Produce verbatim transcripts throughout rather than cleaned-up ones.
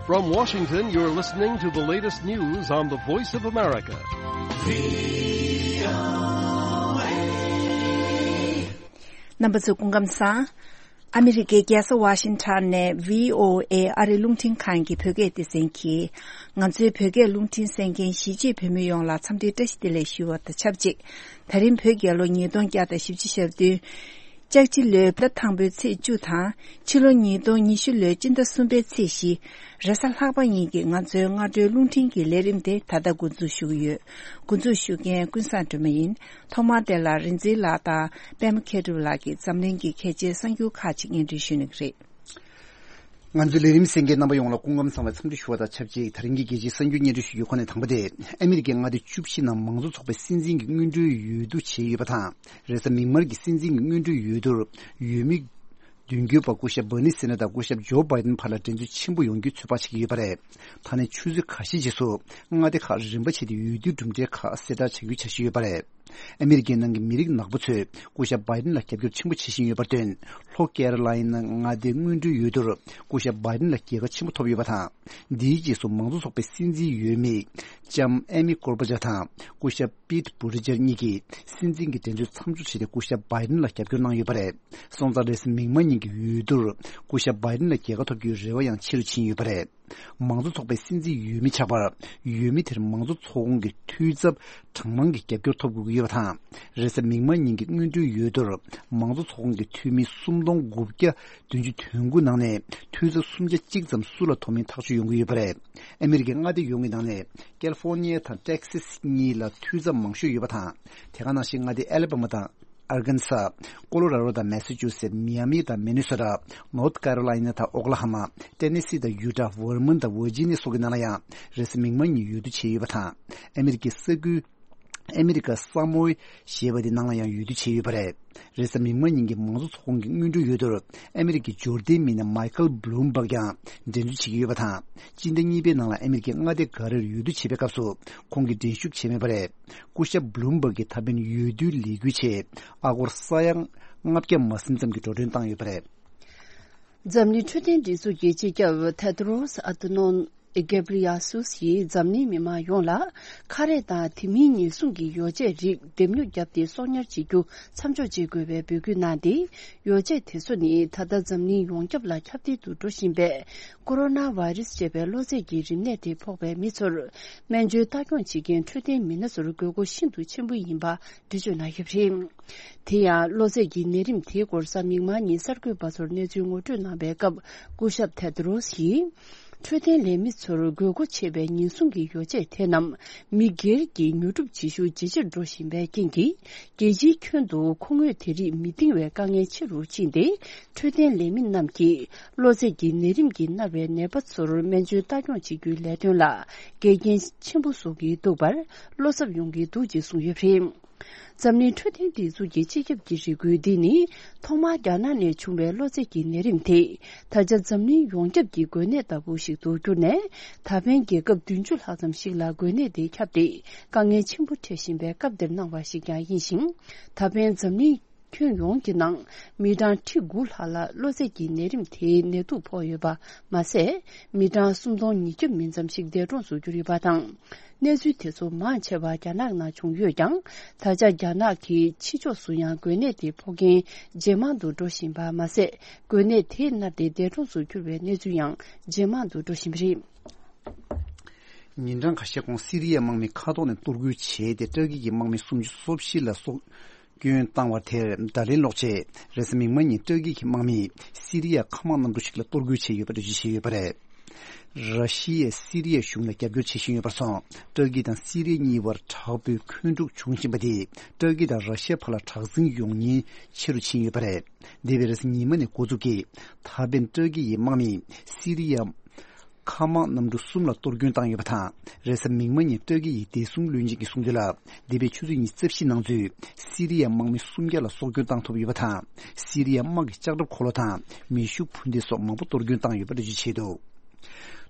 From Washington, you're listening to the latest news on the Voice of America. རྣམ་པ་ཚོ་སྐུ་ཁམས་བཟང་། ཨ་མི་རི་ཀའི་རྒྱལ་ས་ཝ་ཤིང་ཊོན་ནས་བྷི་ཨོ་ཨེ་ཨ་རི་རླུང་འཕྲིན་ཁང་གི་བོད་སྐད་སྡེ་ཚན་གྱིས། ང་ཚོའི་བོད་སྐད་རླུང་འཕྲིན་གསན་མཁན་གཞིས་བྱེས་བོད་མི་ཡོངས་ལ་འཚམས་འདྲི་བཀྲ་ཤིས་བདེ་ལེགས་ཞུ་བ་དང་ཆབས་ཅིག། ད་རིང་བོད་རྒྱལ་ལོ་ཉིས་སྟོང་བརྒྱ་དང་བཞི་བཅུ་ཞེ་བདུན། ལྕགས་བྱི་ལོའི་ཟླ་དང་པོའི་ཚེས་བཅུ་དང་། ཕྱི་ལོ་ཉིས་སྟོང་ཉི་ཤུ་ལོའི་སྤྱི་ཟླ་གསུམ་པའི་ཚེས་བཞི། རེས་གཟའ་ལྷག་པ་ཉིན་གྱི་ང་ཚོའི་སྔ་དྲོའི་རླུང་འཕྲིན་གྱི་ལས་རིམ་དེ་ད་ལྟ་འགོ་འཛུགས་ཞུ་གི་ཡོད། འགོ་འཛུགས་ཞུ་མཁན་ཀུན་བཟང་སྒྲོལ་མ་ཡིན། ཐོག་མར་དེ་ལ་རིག་འཛིན་ལགས་དང་པད་མ་མཁས་གྲུབ་ལགས་ཀྱིས་འཛམ་གླིང་གི་གལ་ཆེའི་གསར་འགྱུར་ཁག་ཅིག་སྙན་སྒྲོན་ཞུ་གནང་གི་རེད། ང་ཚོའི་ལས་རིམ་གསན་མཁན་རྣམ་པ་ཡོངས་ལ་སྐུ་ཁམས་བཟང་བའི་འཚམས་འདྲི་ཞུ་བ་དང་ཆབས་ཅིག། ད་རིང་གི་རྒྱལ་སྤྱིའི་གསར་འགྱུར་སྙན་སྒྲོན་ཞུ་རྒྱུའི་ཁོངས་ནས་དང་པོ་དེ། ཨ་མི་རི་ཀའི་མངའ་སྡེ་བཅུ་བཞི་ནང་མང་གཙོ་ཚོགས་པའི་སྲིད་འཛིན་གྱི་སྔོན་འགྲོའི་འོས་བསྡུ་བྱས་ཡོད་པ་དང་། རེས་གཟའ་མིག་དམར་གྱི་སྲིད་འཛིན་གྱི་སྔོན་འགྲོའི་འོས་བསྡུར་འོས་མི་མདུན་སྐྱོད་པ་སྐུ་ཞབས་བྷར་ནི་སེན་ཌར་དང་སྐུ་ཞབས་ཇོ་བྷའི་ཌེན་བར་ལ་འགྲན་རྩོད་ཆེན་པོ་ཡོང་རྒྱུའི་ཚོད་དཔག་བྱེད་ཀྱི་ཡོད་པ་རེད། ད་ནས་ཆུ་ཚོད་ཁ་ཤས་རྗེས་སུ་མངའ་སྡེ་ཁག་རིམ་པ་བྱས་ཏེ་འོས་བསྡུའི་གྲུབ་འབྲས་ཁག་གསལ་བསྒྲགས་བྱ་རྒྱུའི་འཆར་གཞི་ཡོད་པ་རེད། ཨ་མི་རི་ཀའི་ནང་གི་མི་རིགས་ནག་པོ་ཚོས་སྐུ་ཞབས་བྷའི་ཌེན་ལ་རྒྱབ་སྐྱོར་ཆེན་པོ་བྱེད་བཞིན་ཡོད་པར་བརྟེན། ལྷོ་ཀེ་རོ་ལའི་ན་མངའ་སྡེའི་སྔོན་འགྲོའི་འོས་བསྡུར་སྐུ་ཞབས་བྷའི་ཌེན་ལ་རྒྱལ་ཁ་ཆེན་པོ་ཐོབ་ཡོད་པ་དང་། འདིའི་རྗེས་སུ་མང་གཙོ་ཚོགས་པའི་སྲིད་འཛིན་འོས་མི་ལྕམ་ཨེ་མི་ཀོར་པ་ཆ་དང་སྐུ་ཞབས་པིད་བུ་ཏི་ཇེཇ་གཉིས་ཀྱིས་སྲིད་འཛིན་གྱི་འགྲན་རྩོད་མཚམས་འཇོག་བྱས་ཏེ་སྐུ་ཞབས་བྷའི་ཌེན་ལ་རྒྱབ་སྐྱོར་གནང་ཡོད་པ་རེད། སོང་ཙང་རེས་གཟའ་མིག་དམར་ཉིན་གྱི་འོས་བསྡུར་སྐུ་ཞབས་བྷའི་ཌེན་ལ་རྒྱལ་ཁ་ཐོབ་རྒྱུའི་རེ་བ་ཡང་ཆེ་རུ་ཕྱིན་ཡོད་པ་རེད། མང་གཙོ་ཚོགས་པའི་སྲིད་འཛིན་འོས་མི་ཆགས་པར། འོས་མི་དེར་མང་གཙོ་ཚོགས་ཁོངས་ཀྱི་འཐུས་ཚབ་གྲངས་མང་གི་རྒྱབ་སྐྱོར་ཐོབ་དགོས་ཀྱི་ཡོད་པ་དང་། རེས་གཟའ་མིག་དམར་ཉིན་གྱི་སྔོན་འགྲོའི་འོས་བསྡུར་མང་གཙོ་ཚོགས་ཁོངས་ཀྱི་འཐུས་མི་སུམ་སྟོང་དགུ་བརྒྱ་བདུན་ཅུ་དོན་དགུ་ནང་ནས་འཐུས་ཚབ་སུམ་བརྒྱ་གཅིག་ཙམ་སུ་ལ་ཐོབ་མིན་ཐག་གཅོད་ཡོང་གི་ཡོད་པ་རེད། ཨ་མི་རི་ཀའི་མངའ་སྡེ་ཡོངས་ཀྱི་ནང་ནས་ཀལ་ཧྥོར་ནི་ཡ་དང་ཊེག་སིས་གཉིས་ལ་འཐུས་ཚབ་མང་ཤོས་ཡོད་པ་དང་། དེ་ག་ནང་བཞིན་མངའ་སྡེ་ཨ་ལེ་བྷ་མ་དང་། ཨར་ཀན་ས། ཀོ་ལོ་ར་རོ་དང་མེ་ས་ཅུ་སེ། མི་ཡ་མི་དང་མི་ནི་སོ་ཊ། ནོར་ཐ་ཀེ་རོ་ལའི་ན་དང་ཨོ་ཀ་ལ་ཧ་མ། ཏེ་ནེ་སི་དང་ཡུ་ཊ། ཝར་མོན་དང་ཝར་ཇི་ནི་ཡ་སོགས་ཀྱི་ནང་ལ་ཡང་རེས་གཟའ་མིག་དམར་ཉིན་འོས་བསྡུ་བྱས་ཡོད་པ་དང་། ཨ་མི་རི་ཀའི་ས་ཁུལ་ཨ་མི་རི་ཀ་ས་མོའི་ཞེས་པ་དེ་ནང་ལ་ཡང་འོས་བསྡུ་བྱས་ཡོད་པ་རེད། རེས་གཟའ་མིག་དམར་ཉིན་གྱི་མང་གཙོ་ཚོགས་ཁོངས་ཀྱི་སྔོན་འགྲོའི་འོས་བསྡུར་ཨ་མི་རི་ཀའི་འབྱོར་ལྡན་མི་སྣ་མའི་ཁལ་བྷི་ལུམ་བྷག་ཀྱང་འགྲན་རྩོད་བྱེད་ཀྱི་ཡོད་པ་དང་། སྤྱི་ཟླ་གཉིས་པའི་ནང་ལ་ཨ་མི་རི་ཀའི་མངའ་སྡེ་འགའ་རེར་འོས་བསྡུ་བྱེད་པའི་སྐབས་སུ་ཁོང་གིས་འགྲན་ཞུགས་བྱས་མེད་པ་རེད། སྐུ་ཞབས་བྷི་ལུམ་བྷག་གིས་ད་ཕན་འོས་བསྡུའི་ལས་འགུལ་ཆེད་ཨ་སྒོར་ས་ཡ་ལྔ་བརྒྱ་མ་ཟིན་ཙམ་གྱི་འགྲོ་གྲོན་བཏང་ཡོད་པ་རེད། འཛམ་གླིང་འཕྲོད་བསྟེན་སྒྲིག་འཛུགས་ཀྱི་སྤྱི་ཁྱབ་ཐེ་དྲོ་སི་ཨ་ཐ་ནོམ་གྷེ་བྷི་རི་ཡ་སུས་ཡིས་འཛམ་གླིང་མི་མང་ཡོངས་ལ་ཁ་རས་དང་དེ་མིན་ཉེན་སྲུང་གི་ཡོ་བྱད་རིགས་འདེམས་ཉོ་བརྒྱབ་སྟེ་གསོག་ཉར་བྱེད་རྒྱུ་མཚམས་འཇོག་བྱེད་དགོས་པའི་འབོད་སྐུལ་གནང་སྟེ། ཡོ་བྱད་དེ་ཚོ་ནི་ད་ལྟ་འཛམ་གླིང་ཡོངས་ཁྱབ་ལ་ཁྱབ་གདལ་དུ་འགྲོ་བཞིན་པའི་ཀོ་རོ་ན་ཝའི་རུ་སི་ཅེས་པའི་གློ་ཚད་ཀྱི་རིམས་ནད་དེ་ཕོག་པའི་མི་ཚོར་སྨན་བཅོས་ལྟ་སྐྱོང་བྱེད་མཁན་འཕྲོད་བསྟེན་མི་སྣ་ཚོར་དགོས་མཁོ་ཤིན་ཏུ་ཆེན་པོ་ཡིན་པ་འགྲེལ་བརྗོད་གནང་ཡོད་པ་རེད། དེ་ཡང་གློ་ཚད་ཀྱི་ནད་རིམས་དེའི་སྐོར་གཟའ་མིག་དམར་ཉིན་གསར་འགོད་པ་ཚོར་གནས་ཚུལ་ངོ་སྤྲོད་གནང་པའི་སྐབས། སྐུ་ཞབས་ཐེ་དྲོ་སི་ཡིས། འཕྲོད་བསྟེན་ལས་མི་ཚོར་དགོས་མཁོ་ཆེ་བའི་ཉེན་སྲུང་གི་ཡོ་བྱད་དེ་རྣམས་མི་སྒེར་གྱི་ཉོ་སྒྲུབ་བྱེད་ཤུགས་ཇེ་ཆེར་འགྲོ་བཞིན་པའི་རྐྱེན་གྱིས། རྒྱལ་སྤྱིའི་ཁྱོན་དུ་མཁོ་དངོས་དེ་རིགས་མི་འདང་བའི་དཀའ་ངལ་ཆེ་རུ་ཕྱིན་ཏེ། འཕྲོད་བསྟེན་ལས་མི་རྣམས་ཀྱིས་གློ་ཚད་ཀྱི་ནད་རིམས་ཀྱིས་མནར་བའི་ནད་པ་ཚོར་སྨན་བཅོས་ལྟ་སྐྱོང་བྱེད་རྒྱུའི་ལས་དོན་ལ་འགལ་རྐྱེན་ཆེན་པོ་བཟོ་གི་འདུག་པར་བློ་འཚབ་ཡོང་གི་འདུག་ཅེས་གསུངས་ཡོད་པ་རེད། འཛམ་གླིང་འཕྲོད་བསྟེན་སྒྲིག་འཛུགས་ཀྱི་སྤྱི་ཁྱབ་ཀྱི་རེ་སྐུལ་འདི་ནི། ཐོག་མར་རྒྱ་ནག་ནས་བྱུང་བའི་གློ་ཚད་ཀྱི་ནད་རིམས་དེ། ད་ཆ་འཛམ་གླིང་ཡོངས་ཁྱབ་ཀྱི་འགོས་ནད་ལྟ་བུ་ཞིག་ཏུ་གྱུར་ནས། ད་ཕན་རྒྱལ་ཁབ་བདུན་ཅུ་ལྷག་ཙམ་ཞིག་ལ་འགོས་ནད་དེ་ཁྱབ་སྟེ། དཀའ་ངལ་ཆེན་པོ་འཕྲད་བཞིན་པའི་སྐབས་འདིར་གནང་བ་ཞིག་ཀྱང་ཡིན་ཞིང་། ད་ཕན་འཛམ་གླིང་ཁྱོན་ཡོངས་ཀྱི་ནང་མི་གྲངས་ཁྲི་དགུ་ལྷག་ལ་གློ་ཚད་ཀྱི་ནད་རིམས་དེའི་ནད་དུག་ཕོག་ཡོད་པ་མ་ཟད། མི་གྲངས་སུམ་སྟོང་ཉིས་བརྒྱ་མིན་ཙམ་ཞིག་འདས་གྲོངས་སུ་གྱུར་ཡོད་པ་དང་། གནས་ཚུལ་དེ་ཚོ་མང་ཆེ་བ་རྒྱ་ནག་ནང་བྱུང་ཡོད་ཀྱང་། ད་ཆ་རྒྱ་ནག་གི་ཕྱི་ཕྱོགས་སུ་ཡང་འགོས་ནད་དེ་ཕོག་མཁན་ཇེ་མང་དུ་འགྲོ་བཞིན་པ་མ་ཟད། འགོས་ནད་དེས་མནར་ཏེ་འདས་གྲོངས་སུ་གྱུར་བའི་གནས་ཚུལ་ཡང་ཇེ་མང་དུ་འགྲོ་བཞིན་པ་རེད། ཉིན་གྲངས་ཁ་ཤས་གོང་སི་རི་ཡའི་དམག་མི་མཁའ་ཐོག་ནས་གཏོར་རྒོལ་བྱས་ཏེ། ཏུར་ཀི་གི་དམག་མི་སུམ་ཅུ་སོ་བཞི་ལ་སྲོག་སྐྱོན་བཏང་བ་དེར་བརྡ་ལན་སློག་ཆེད། རེས་གཟའ་མིག་དམར་ཉིན་ཏུར་ཀི་གི་དམག་མིས་སི་རི་ཡའི་མཁའ་དམག་གནམ་གྲུ་ཞིག་ལ་གཏོར་རྒོལ་བྱས་ཡོད་པ་འགྲེལ་བརྗོད་བྱས་ཡོད་པ་རེད། ར་ཤི་ཡས་སི་རི་ཡའི་གཞུང་ལ་རྒྱབ་སྐྱོར་བྱེད་བཞིན་ཡོད་པར་སོང་། ཏུར་ཀི་དང་སི་རི་ཡ་གཉིས་བར་དྲག་པོའི་འཁོན་འཁྲུག་བྱུང་བཞིན་པ་དེས་ཏུར་ཀི་དང་ར་ཤི་ཡ་བར་ལ་དྲག་འཛིང་ཡོང་ཉེན་ཆེ་རུ་ཕྱིན་ཡོད་པ་རེད། འདས་པའི་རེས་གཟའ་ཉི་མ་ནས་འགོ་འཛུགས་ཀྱིས། ད་ཕན་ཏུར་ཀི་ཡི་དམག་མིས་སི་རི་ཡ་མཁའ་དམག་གནམ་གྲུ་གསུམ་ལ་གཏོར་སྐྱོན་བཏང་ཡོད་པ་དང་། རེས་གཟའ་མིག་དམར་ཉིན་ཏུར་ཀི་ཡི་བདེ་སྲུང་བློན་ཆེན་གྱིས་གསུངས་དོན་ལ། འདས་པའི་ཆུ་ཚོད་ཉི་ཤུ་རྩ་བཞི་ནང་ཚུད་སི་རི་ཡའི་དམག་མི་སུམ་བརྒྱ་ལ་སྲོག་སྐྱོན་བཏང་ཐུབ་ཡོད་པ་དང་། སི་རི་ཡའི་དམག་གི་ལྕགས་ཁྲབ་འཁོར་ལོ་དང་མེ་ཤུགས་འཕུར་མདེལ་སོགས་མང་པོ་གཏོར་སྐྱོན་བཏང་ཡོད་པ་འགྲེལ་བརྗོད་བྱས་འདུག།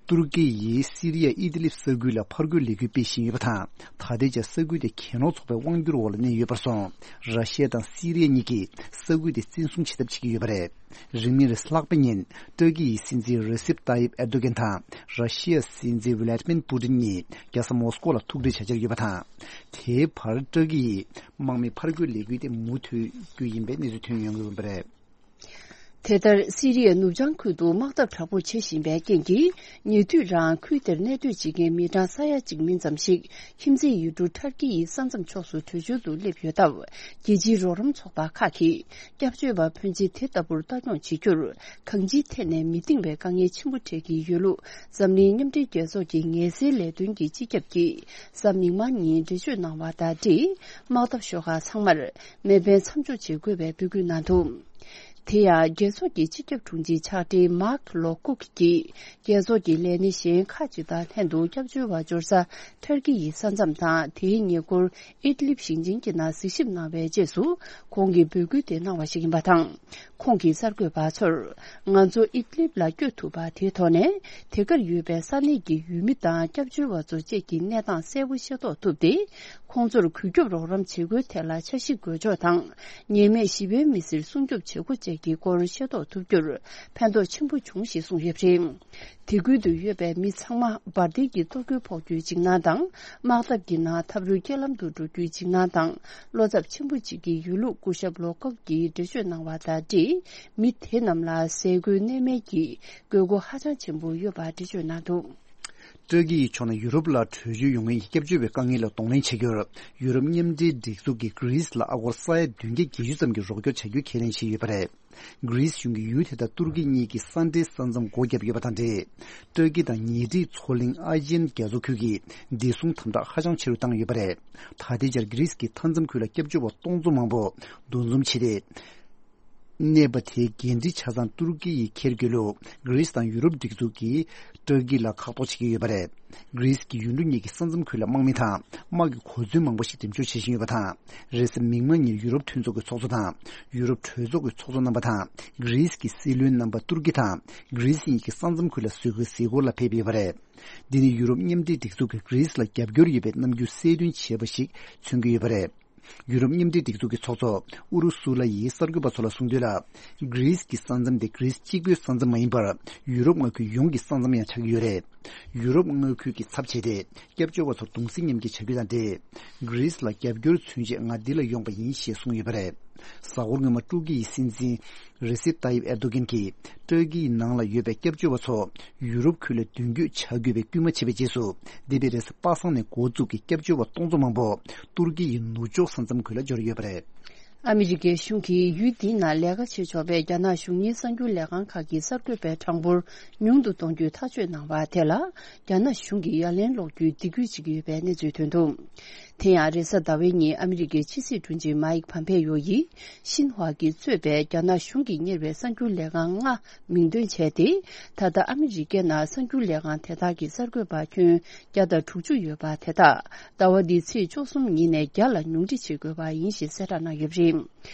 ཏུར་ཀི་ཡིས་སི་རི་ཡ་ཨི་དི་ལིབ་ས་ཁུལ་ལ་ཕར་རྒོལ་ལས་འགུལ་སྤེལ་བཞིན་ཡོད་པ་དང་། ད་ལྟའི་ཆར་ས་ཁུལ་དེ་གྱེན་རོགས་ཚོགས་པའི་དབང་སྒྱུར་འོག་ལ་གནས་ཡོད་པར་སོང་། ར་ཤི་ཡ་དང་སི་རི་ཡ་གཉིས་ཀྱིས་ས་ཁུལ་དེ་བཙན་བཟུང་བྱེད་ཐབས་བྱེད་ཀྱི་ཡོད་པ་རེད། རིང་མིན་རེས་གཟའ་ལྷག་པའི་ཉིན་ཏུར་ཀི་ཡི་སྲིད་འཛིན་རེ་སེབ་ཏཱ་ཡིབ་ཨེར་དོ་གན་དང་ར་ཤི་ཡ་སྲིད་འཛིན་ཝི་ལེད་མིར་པུ་ཏིན་གཉིས་རྒྱལ་ས་མོ་སི་ཀོ་ལ་ཐུག་འཕྲད་བྱ་འཆར་ཡོད་པ་དང་། དེའི་བར་ཏུར་ཀི་ཡིས་དམག་མི་ཕར་རྒོལ་ལས་འགུལ་དེ་མུ་མཐུད་རྒྱུ་ཡིན་པའི་གནས་ཚུལ་ཐོན་ཡོང་གི་ཡོད་པ་རེད། དེ་ལྟར་སི་རི་ཡའི་ནུབ་བྱང་ཁུལ་དུ་དམག་འཐབ་དྲག་པོ་བྱེད་བཞིན་པའི་རྐྱེན་གྱིས། ཉེ་དུས་རང་ཁུལ་དེར་གནས་སྡོད་བྱེད་མཁན་མི་གྲངས་ས་ཡ་གཅིག་མིན་ཙམ་ཞིག་ཁྱིམ་མཚེས་ཡུལ་གྲུ་ཏུར་ཀི་ཡི་ས་མཚམས་ཕྱོགས་སུ་བྲོས་བྱོལ་དུ་སླེབས་ཡོད་སྟབས། རྒྱལ་སྤྱིའི་རོགས་རམ་ཚོགས་པ་ཁག་གིས་སྐྱབས་བཅོལ་བ་ཕོན་ཆེ་དེ་ལྟ་བུར་ལྟ་སྐྱོང་བྱེད་རྒྱུར། གང་ཅིའི་ཐད་ནས་མི་བཏིང་བའི་དཀའ་ངལ་ཆེན་པོ་འཕྲད་ཀྱི་ཡོད་ལུགས། འཛམ་གླིང་མཉམ་འབྲེལ་རྒྱལ་ཚོགས་ཀྱི་ངལ་སེལ་ལས་དོན་གྱི་སྤྱི་ཁྱབ་ཀྱིས་གཟའ་མིག་དམར་ཉིན་འགྲེལ་བརྗོད་གནང་བ་དང་འབྲེལ། དམག་འཐབ་ཤོག་ཁག་ཚང་མར་མེ་འཕེན་མཚམས་འཇོག་བྱེད་དགོས་པའི་འབོད་སྐུལ་གནང་འདུག་དེ་ཡང་རྒྱལ་ཚོགས་ཀྱི་སྤྱི་ཁྱབ་དྲུང་ཆེ་ཕྱག་སྦྲེལ་མཱག་ལོ་ཀུག་གིས། རྒྱལ་ཚོགས་ཀྱི་ལས་སྣེ་གཞན་ཁག་ཅིག་དང་ལྷན་དུ་སྐྱབས་བཅོལ་བ་འབྱོར་ས་ཏུར་ཀི་ཡི་ས་མཚམས་དང་དེའི་ཉེ་འཁོར་ཨིད་ལིབ་ཞིང་ཆེན་གྱི་ནང་གཟིགས་ཞིབ་གནང་བའི་རྗེས་སུ། ཁོང་གིས་འབོད་སྐུལ་དེ་གནང་བ་ཞིག་ཡིན་པ་དང་། ཁོང་གིས་གསར་འགོད་པ་ཚོར། ང་ཚོ་ཨིད་ལིབ་ལ་བསྐྱོད་ཐུབ་པ་དེའི་ཐོག་ནས། དེ་གར་ཡོད་པའི་ས་གནས་ཀྱི་ཡུལ་མི་དང་སྐྱབས་བཅོལ་བ་ཚོ་བཅས་ཀྱི་གནས་སྟངས་གསལ་པོ་ཤེས་རྟོགས་ཐུབ་སྟེ། ཁོང་ཚོར་གུས་སྐྱོབ་རོགས་རམ་བྱེད་སྒོའི་ཐད་ལ་འཆར་གཞི་འགོད་ཕྱོགས་དང་། ཉེས་མེད་ཞི་བའི་མི་སེར་སྲུང་སྐྱོབ་བྱེད་སྒོ་བཅས་ཀྱི་སྐོར་ཤེས་རྟོགས་ཐུབ་རྒྱུར་ཕན་ཐོགས་ཆེན་པོ་བྱུང་ཞེས་གསུངས་ཡོད་པ་རེད། དེ་ཁུལ་དུ་ཡོད་པའི་མི་ཚང་མ་འབར་མདེལ་གྱི་གཏོར་རྒོལ་ཕོག་རྒྱུའི་འཇིགས་སྣང་དང་། དམག་འཐབ་ཀྱི་ནང་འཐབ་རོལ་རྐྱེན་ལམ་དུ་འགྲོ་རྒྱུའི་འཇིགས་སྣང་དང་། བློ་འཚབ་ཆེན་པོ་གཅིག་གི་ཡོད་ལུགས་སྐུ་ཞབས་ལོ་ཀོག་གིས་འགྲེལ་བརྗོད་གནང་བ་དང་འབྲེལ། མི་དེ་རྣམས་ལ་ཟས་གོས་གནས་མལ་གྱི་དགོས་མཁོ་ཧ་ཅང་ཆེན་པོ་ཡོད་པ་འགྲེལ་བརྗོད་གནང་འདུག་ཏུར་ཀི་ཡི་ཕྱོགས་ནས་ཡུ་རོབ་ལ་བྲོས་བྱོལ་ཡོང་མཁན་གྱི་སྐྱབས་བཅོལ་བའི་དཀའ་ངལ་ལ་གདོང་ལེན་བྱ་རྒྱུར། ཡུ་རོབ་མཉམ་འབྲེལ་སྒྲིག་འཛུགས་ཀྱིས་གྷི་རིས་ལ་ཨ་སྒོར་ས་ཡ་བདུན་བརྒྱ་བརྒྱད་ཅུ་ཙམ་གྱི་རོགས་སྐྱོར་བྱ་རྒྱུའི་ཁས་ལེན་བྱས་ཡོད་པ་རེད། གྷི་རིས་གཞུང་གིས་ཡུལ་དེ་དག་ཏུར་ཀི་གཉིས་ཀྱི་ས་འབྲེལ་ས་མཚམས་སྒོ་བརྒྱབ་ཡོད་པ་དང་འབྲེལ། ཏུར་ཀི་དང་ཉེ་འཁྲིས་མཚོ་གླིང་ཨ་ཇན་རྒྱ་མཚོ་ཁུལ་གྱི་བདེ་སྲུང་དམ་དྲག་ཧ་ཅང་ཆེ་རུ་བཏང་ཡོད་པ་རེད། ད་ལྟའི་ཆར་གྷི་རིས་ཀྱི་མཐའ་མཚམས་ཁུལ་ལ་སྐྱབས་བཅོལ་བ་སྟོང་ཚོ་མང་པོ་འདུ་འཛོམས་བྱས་ཏེ། གནས་བབ་དེའི་འགན་འཁྲི་ཆ་ཚང་ཏུར་ཀི་ཡིས་འཁྱེར་དགོས་ལུགས་གྷི་རིས་དང་ཡུ་རོབ་སྒྲིག་འཛུགས་ཀྱིས་ཏུར་ཀི་ལ་ཁག་ཐོག་བྱེད་ཀྱི་ཡོད་པ་རེད། གྷི་རིས་ཀྱི་ཡུལ་གྲུ་གཉིས་ཀྱི་ས་མཚམས་ཁུལ་ལ་དམག་མི་དང་དམག་གི་གོ་མཚོན་མང་པོ་ཞིག་འགྲེམས་འཇོག་བྱེད་བཞིན་ཡོད་པ་དང་། རེས་གཟའ་མིག་དམར་ཉིན་ཡུ་རོབ་མཐུན་ཚོགས་ཀྱི་ཚོགས་གཙོ་དང་། ཡུ་རོབ་གྲོས་ཚོགས་ཀྱི་ཚོགས་གཙོ་རྣམ་པ་དང་། གྷི་རིས་ཀྱི་སྲིད་བློན་རྣམ་པ་ཏུར་ཀི་དང་གྷི་རིས་གཉིས་ཀྱི་ས་མཚམས་ཁུལ་ལ་བཟོད་དགོས་གཟིགས་སྐོར་ལ་ཕེབས་ཡོད་པ་རེད། འདི་ནི་ཡུ་རོབ་མཉམ་འབྲེལ་སྒྲིག་འཛུགས་ཀྱིས་གྷི་རིས་ལ་རྒྱབ་སྐྱོར་ཡོད་པའི་རྣམ་འགྱུར་གསལ་སྟོན་བྱས་པ་ཞིག་མཚོན་གྱི་ཡོད་པ་རེད། ཡུ་རོབ་མཉམ་འབྲེལ་སྒྲིག་འཛུགས་ཀྱི་ཚོགས་གཙོ་ཨུ་རུ་སུ་ལ་ཡིས་གསར་འགོད་པ་ཚོ་ལ་གསུངས་དོན་ལ། གྷི་རིས་ཀྱི་ས་མཚམས་དེ་གྷི་རིས་གཅིག་པུའི་ས་མཚམས་མ་ཡིན་པར། ཡུ་རོབ་མངའ་ཁུལ་ཡོངས་ཀྱི་ས་མཚམས་ཡང་ཆགས་ཀྱི་ཡོད་རེད། ཡུ་རོབ་མངའ་ཁུལ་གྱི་ཚབ་བྱས་ཏེ། སྐྱབས་བཅོལ་བ་ཚོར་གདུང་སེམས་མཉམ་སྐྱེད་བྱ་རྒྱུ་དང་འབྲེལ། གྷི་རིས་ལ་རྒྱབ་སྐྱོར་མཚོན་ཆེད་ང་འདི་ལ་ཡོང་པ་ཡིན་ཞེས་གསུངས་ཡོད་པ་རེད། གཟའ་འཁོར་སྔོན་མ་ཏུར་ཀི་ཡི་སྲིད་འཛིན། རེ་སེབ་ཏཱ་ཡིབ་ཨེར་དོ་གན་གྱིས། ཏུར་ཀིའི་ནང་ལ་ཡོད་པའི་སྐྱབས་བཅོལ་བ་ཚོ། ཡུ་རོབ་ཁུལ་ལ་མདུན་སྐྱོད་བྱ་དགོས་པའི་སྐུལ་མ་བྱས་པའི་རྗེས་སུ། འདས་པའི་རེས་གཟའ་པ་སངས་ནས་འགོ་བཙུགས་ཀྱི་སྐྱབས་བཅོལ་བ་སྟོང་ཚོ་མང་པོ། ཏུར་ཀི་ཡི་ནུབ་ཕྱོགས་ས་མཚམས་ཁུལ་ལ་འབྱོར་ཡོད་པ་རེད། ཨ་མི་རི་ཀའི་གཞུང་གིས་ཡུལ་འདིའི་ནང་ལས་ཀ་བྱེད་ཆོག་པའི་རྒྱ་ནག་གཞུང་གཉེར་གསར་འགྱུར་ལས་ཁང་ཁག་གི་གསར་འགོད་པའི་གྲངས་འབོར་ཉུང་དུ་གཏོང་རྒྱུའི་ཐག་གཅོད་གནང་བ་དེ་ལ། རྒྱ་ནག་གཞུང་གིས་ཡ་ལན་སློག་རྒྱུའི་སྡིགས་སྐུལ་བྱེད་ཀྱི་ཡོད་པའི་གནས་ཚུལ་ཐོན་འདུག་དེ་ཡང་རེས་གཟའ་ཟླ་བའི་ཉིན་ཨ་མི་རི་ཀའི་ཕྱི་སྲིད་དྲུང་ཆེ་མཱིག་ཕམ་པེ་ཡོ་ཡིས། ཤིན་ཧྭ་གིས་གཙོས་པའི་རྒྱ་ནག་གཞུང་གིས་གཉེར་བའི་གསར་འགྱུར་ལས་ཁང་ལྔ་མིང་འདོན་བྱས་ཏེ། ད་ལྟ་ཨ་མི་རི་ཀའི་ནང་གསར་འགྱུར་ལས་ཁང་དེ་དག་གི་གསར་འགོད་པ་ཁྱོན་བརྒྱ་དང་དྲུག་ཅུ་ཡོད་པ་དེ་དག་ཟླ་བ་འདིའི་ཚེས་བཅུ་གསུམ་ཉིན་ནས་བརྒྱ་ལ་ཉུང་འཕྲི་བྱེད་དགོས་པ་ཡིན་ཞེས་གསལ་བསྒྲགས་གནང་ཡོད་པ་རེད།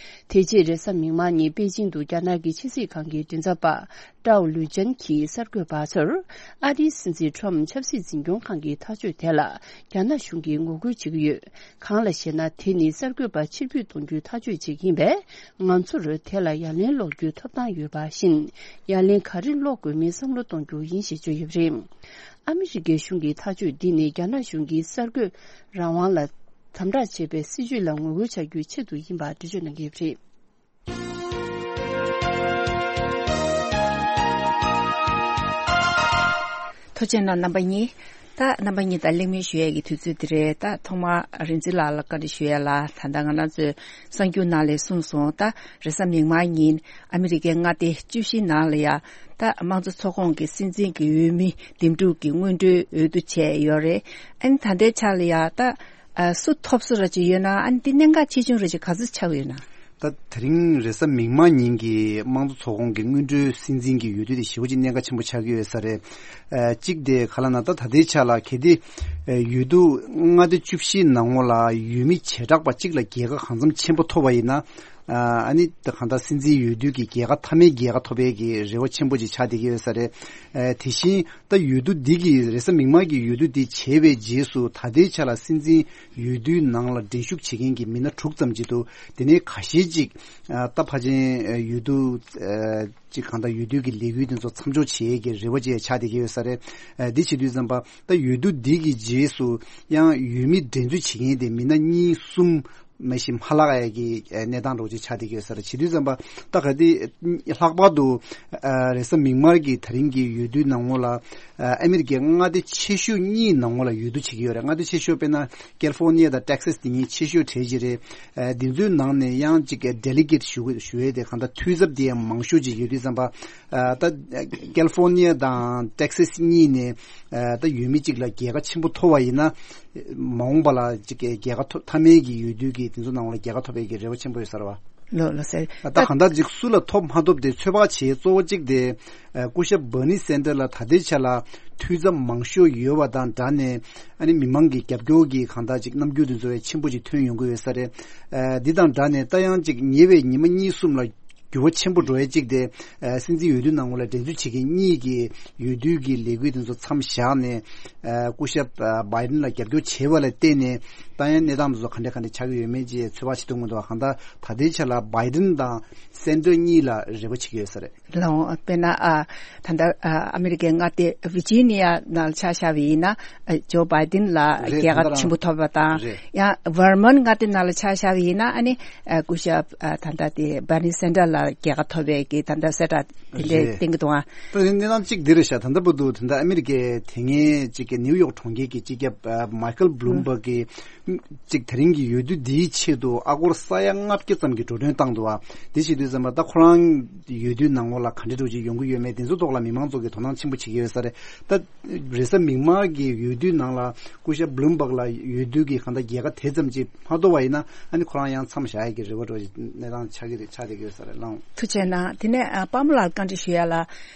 དེ་རྗེས་རེས་གཟའ་མིག་དམར་ཉིན་པེ་ཅིང་དུ་རྒྱ་ནག་གི་ཕྱི་སྲིད་ཁང་གི་མགྲིན་ཚབ་པ། ཀྲའོ་ལུའུ་ཅན་གྱིས་གསར་འགོད་པ་ཚོར། ཨ་རིའི་སྲིད་འཛིན་ཁྲོམ་ཆབ་སྲིད་འཛིན་སྐྱོང་ཁང་གི་ཐག་གཅོད་དེ་ལ་རྒྱ་ནག་གཞུང་གིས་ངོ་རྒོལ་བྱེད་ཀྱི་ཡོད། གང་ལ་ཞེ་ན། དེ་ནི་གསར་འགོད་པ་ཕྱིར་འབུད་གཏོང་རྒྱུའི་ཐག་གཅོད་ཅིག་ཡིན་པས། ང་ཚོར་དེ་ལ་ཡ་ལན་སློག་རྒྱུའི་ཐོབ་ཐང་ཡོད་པ་བཞིན། ཡ་ལན་ག་རེ་སློག་དགོས་མིན་བསམ་བློ་གཏོང་རྒྱུ་ཡིན་ཞེས་བརྗོད་ཡོད་པ་རེད། ཨ་མི་རི་ཀའི་གཞུང་གི་ཐག་གཅོད་འདི་ནི་རྒྱ་ནག་གཞུང་གིས་གསར་འགོད་རང་དབང་ལ་དམ་དྲག་བྱེད་པའི་སྲིད་བྱུས་ལ་ངོ་རྒོལ་བྱ་རྒྱུའི་ཆེད་དུ་ཡིན་པ་འགྲེལ་བརྗོད་གནང་གི་ཡོད་པ་རེད། ཐུགས་རྗེ་གནང་རྣམ་པ་གཉིས། ད་རྣམ་པ་གཉིས་དང་གླེང་མོལ་ཞུ་ཡས་ཀྱི་དུས་ཚོད་འདི་རེད། ད་ཐོག་མར་རིག་འཛིན་ལགས་ལ་བཀའ་འདྲི་ཞུ་ཡས་ལ། ད་ལྟ་ང་རང་ཚོའི་གསར་འགྱུར་ནང་ལ་གསུངས་སོང་། ད་རེས་གཟའ་མིག་དམར་ཉིན་ཨ་མི་རི་ཀའི་མངའ་སྡེ་བཅུ་བཞི་ནང་ལ་ཡ། ད་དམངས་གཙོ་ཚོགས་ཁོངས་ཀྱི་སྲིད་འཛིན་གྱི་འོས་མི་འདེམས་སྒྲུག་གི་སྔོན་འགྲོའི་འོས་བསྡུ་བྱས་ཡོད་རེད། ཨ་ནི་ད་ལྟའི་ཆ་ལ་ཡ་ད། ཨ། སུ་ཐོབ་སུ་ར་ཅིག་ཡོད་ན། ཨ་ནི་འདི་གནད་འགག་ཆེ་ཆུང་ར་ཅིག་ག་ཚོད་ཆགས་ཡོད་ན། ད་དེ་རིང་རེས་གཟའ་མིག་དམར་ཉིན་གྱི་དམངས་གཙོ་ཚོགས་ཁོངས་ཀྱི་སྔོན་འགྲོའི་སྲིད་འཛིན་གྱི་འོས་བསྡུ་དེ་ཞེ་པོ་ཅིག་གནད་འགག་ཆེན་པོ་ཆགས་ཀྱི་ཡོད་ས་རེད། ཨ། གཅིག་དེ་ག་ལབ་ན། ད་ད་ལྟའི་ཆ་ལ་གལ་ཏེ་འོས་བསྡུ་མངའ་སྡེ་བཅུ་བཞིའི་ནང་ལོགས་ལ་འོས་མི་བྱེ་བྲག་པ་གཅིག་ལ་རྒྱལ་ཁ་གང་འཚམ་ཆེན་པོ་ཐོབ་པ་ཡིན་ན། ཨ་ནི་ད་གང་ལྟར་སྲིད་འཛིན་འོས་བསྡུ་གི་རྒྱལ་ཁ་མཐའ་མའི་རྒྱལ་ཁ་ཐོབ་པའི་གི་རེ་བ་ཆེན་པོ་ཅིག་ཆགས་བསྡད་ཀྱི་ཡོད་ས་རེད། ཨ་དེ་བཞིན་ད་འོས་བསྡུ་འདི་གི་རེས་གཟའ་མིག་དམར་གྱི་འོས་བསྡུ་འདི་བྱས་པའི་རྗེས་སུ་ད་ལྟའི་ཆ་ལ་སྲིད་འཛིན་འོས་བསྡུའི་ནང་ལ་འགྲན་ཞུགས་བྱེད་མཁན་གྱི་མི་སྣ་དྲུག་ཙམ་ཅིག་འདུག་དེ་ནས་ཁ་ཤས་ཅིག་ཨ་ད་ཕལ་ཆེར་འོས་བསྡུ་ཨ་ཅིག་གང་ལྟར་འོས་བསྡུ་གི་ལས་འགུལ་དེ་ཚོ་མཚམས་འཇོག་བྱེད་ཡས་ཀྱི་རེ་བ་ཅིག་ཆགས་བསྡད་ཀྱི་ཡོད་ས་རེད། ཨ་འདི་བྱེད་དུས་ཙམ་པ་ད་འོས་བསྡུ་འདི་གི་རྗེས་སུ་ཡང་འོས་མི་འགྲན་རྩོད་བྱེད་མཁན་དེ་མི་སྣ་གཉིས་གསུམ་མ་གཞི་མ་ལྷག་ཡ་གི་གནས་སྟངས་འདྲ་བོ་ཅིག་ཆགས་བསྡད་ཀྱི་ཡོད་ས་རེད། བྱེད་དུས་ཙམ་པ་ད་ག་དེ་ལྷག་པར་དུ་ཨ་རེས་གཟའ་མིག་དམར་གྱི་ད་རིང་གི་འོས་བསྡུའི་ནང་ལོགས་ལ་ཨ་ཨ་མི་རི་ཀའི་མངའ་སྡེ་ཆེ་ཤོས་གཉིས་ནང་ལོགས་ལ་འོས་བསྡུ་བྱེད་ཀྱི་ཡོད་རེད། མངའ་སྡེ་ཆེ་ཤོས་དཔེར་ན་ཀེ་ལི་ཧྥོ་ནི་ཡ་དང་ཊེག་སཱས་དེ་གཉིས་ཆེ་ཤོས་གྲས་ཅིག་རེད། ཨ་དེ་ཚོའི་ནང་ནས་ཡང་ཅིག་ཌེ་ལི་གེཊ་ཞུ་ཞུ་ཡས་དེ་གང་ལྟར་འཐུས་ཚབ་དེ་ཡང་མང་ཤོས་ཅིག་ཡོད་དུས་ཙམ་པ་ཨ་ད་ཀེ་ལི་ཧྥོ་ནི་ཡ་དང་ཊེག་སཱས་གཉིས་ནས་ཨ་ད་འོས་མི་གཅིག་ལ་རྒྱལ་ཁ་ཆེན་པོ་ཐོབ་པ་ཡིན་ན། མ་འོངས་པ་ལ་ཅིག་གི་རྒྱལ་ཁ་ཐོབ་མཐའ་མའི་གི་འོས་བསྡུ་གི་དེ་ཚོ་ནང་ལ་རྒྱལ་ཁ་ཐོབ་པའི་གི་རེ་བ་ཆེན་པོ་ཡོད་ས་རེད་བ། ལོ་ལོ་ཟེར། ད་གང་ལྟར་ཅིག་སུ་ལ་ཐོབ་མ་ཐོབ་དེ་ཚོད་དཔག་བྱེད་གཙོ་བོ་གཅིག་དེ་ཨ་སྐུ་ཞབས་བྷར་ནི་སན་ཌར་ལ་ད་ལྟའི་ཆ་ལ་འཐུས་ཚབ་མང་ཤོས་ཡོད་པ་དང་སྦྲགས་ནས་ཨ་ནི་མི་མང་གི་རྒྱབ་སྐྱོར་གི་གང་ལྟར་ཅིག་རྣམ་འགྱུར་དེ་ཚོ་ཡང་ཆེན་པོ་ཅིག་ཐོན་ཡོང་གི་ཡོད་ས་རེད། ཨ་འདི་དང་སྦྲགས་ནས་ད་ཡང་ཅིག་ཉེ་བའི་ཉི་མ་གཉིས་གསུམ་ལ་འགྱུར་བ་ཆེན་པོ་འགྲོ་ཡས་གཅིག་དེ་ཨ་སྲིད་འཛིན་འོས་བསྡུ་ནང་ལ་འགྲན་རྩོད་བྱེད་མཁན་གཉིས་ཀྱི་འོས་བསྡུ་གི་ལས་འགུལ་དེ་ཚོ་མཚམས་བཞག་ནས་ཨ་སྐུ་ཞབས་ཨ་བྷའི་ཌེན་ལ་རྒྱབ་སྐྱོར་བྱས་པ་ལ་བརྟེན་ནས་ད་ཡང་གནས་སྟངས་དེ་ཚོ་ག་འདྲ་ག་འདྲ་ཆགས་ཀྱི་ཡོད་མེད་ཅེས་ཚོད་དཔག་བྱེད་ཐུབ་མི་འདུག་གང་ལྟར་ད་ལྟའི་ཆ་ལ་བྷའི་ཌེན་དང་སན་ཌར་གཉིས་ལ་རེ་བ་བྱེད་ཀྱི་ཡོད་ས་རེད། ལའོ་དཔེར་ན་ཨ་ད་ལྟ་ཨ་ཨ་མི་རི་ཀའི་མངའ་སྡེ་ཝི་ཇི་ནི་ཡ་ནང་ཆ་བཞག་པ་ཡིན་ན་ཨ་ཇོ་བྷའི་ཌེན་ལ་རེད། རྒྱལ་ཁ་ད་ལྟ་ཆེན་པོ་ཐོབ་པ་དང་། རེད། ཡང་ཝར་མོན་མངའ་སྡེ་ནང་ལ་ཆ་བཞག་པ་ཡིན་ན་ཨ་ནི་ཨ་སྐུ་ཞབས་ཨ་ད་ལྟ་དེ་བྷར་ནི་སན་ཌར་ལ་རྒྱལ་ཁ་ཐོབ་པའི་གི་ད་ལྟ་གསལ་བསྒྲགས་དེ་འདྲས་རེད། བསྟན་གྱི་འདུག་ཨ། ད་ནི་གནས་སྟངས་གཅིག་འདི་རེད་ཤག་ད་ལྟ་བར་དུ་ད་ལྟ་ཨ་མི་རི་ཀའི་དེ་སྔའི་གཅིག་གི་ནིའུ་ཡོག་གྲོང་ཁྱེར་གྱི་སྤྱི་ཁྱབ་ཨ་མའི་ཁལ་བྷ་ལུམ་བྷག་གིས་གཅིག་དེ་རིང་གི་འོས་བསྡུ་འདིའི་ཆེད་དུ་ཨ་སྒོར་ས་ཡ་ལྔ་བརྒྱ་ཙམ་གྱི་འགྲོ་གྲོན་བཏང་འདུག་ཨ། དེ་བྱེད་དུས་ཙམ་པ་ད་ཁོ་རང་འོས་བསྡུའི་ནང་ལོགས་ལ་ག་འདྲ་འདྲ་ཅིག་ཡོང་གི་ཡོད་མེད་དེ་ཚོ་ཐོག་ལ་མི་མང་ཚོ་གིས་དོ་སྣང་ཆེན་པོ་བྱེད་ཀྱི་ཡོད་ས་རེད། ད་རེས་གཟའ་མིག་དམར་གྱི་འོས་བསྡུའི་ནང་ལ་སྐུ་ཞབས་བྷ་ལུམ་བྷག་ལ་འོས་བསྡུ་གི་གང་ལྟར་རྒྱལ་ཁ་དེ་ཙམ་ཅིག་མ་ཐོབ་པ་ཡིན་ན་ཨ་ནི་ཁོ་རང་ཡང་མཚམས་བཞག་ཡས་ཀྱི་རེ་བ་འདྲ་ཅིག་གནས་སྟངས་ཆགས་ཀྱི་རེད། ཆགས་བསྡད་ཀྱི་ཡོད་ས་རེད་ལགས། ཐུགས་རྗེ་གནང་། དེ་ནས་ཨ་པདྨ་ལགས་བཀའ་འདྲི་ཞུ་ཡ་ལ།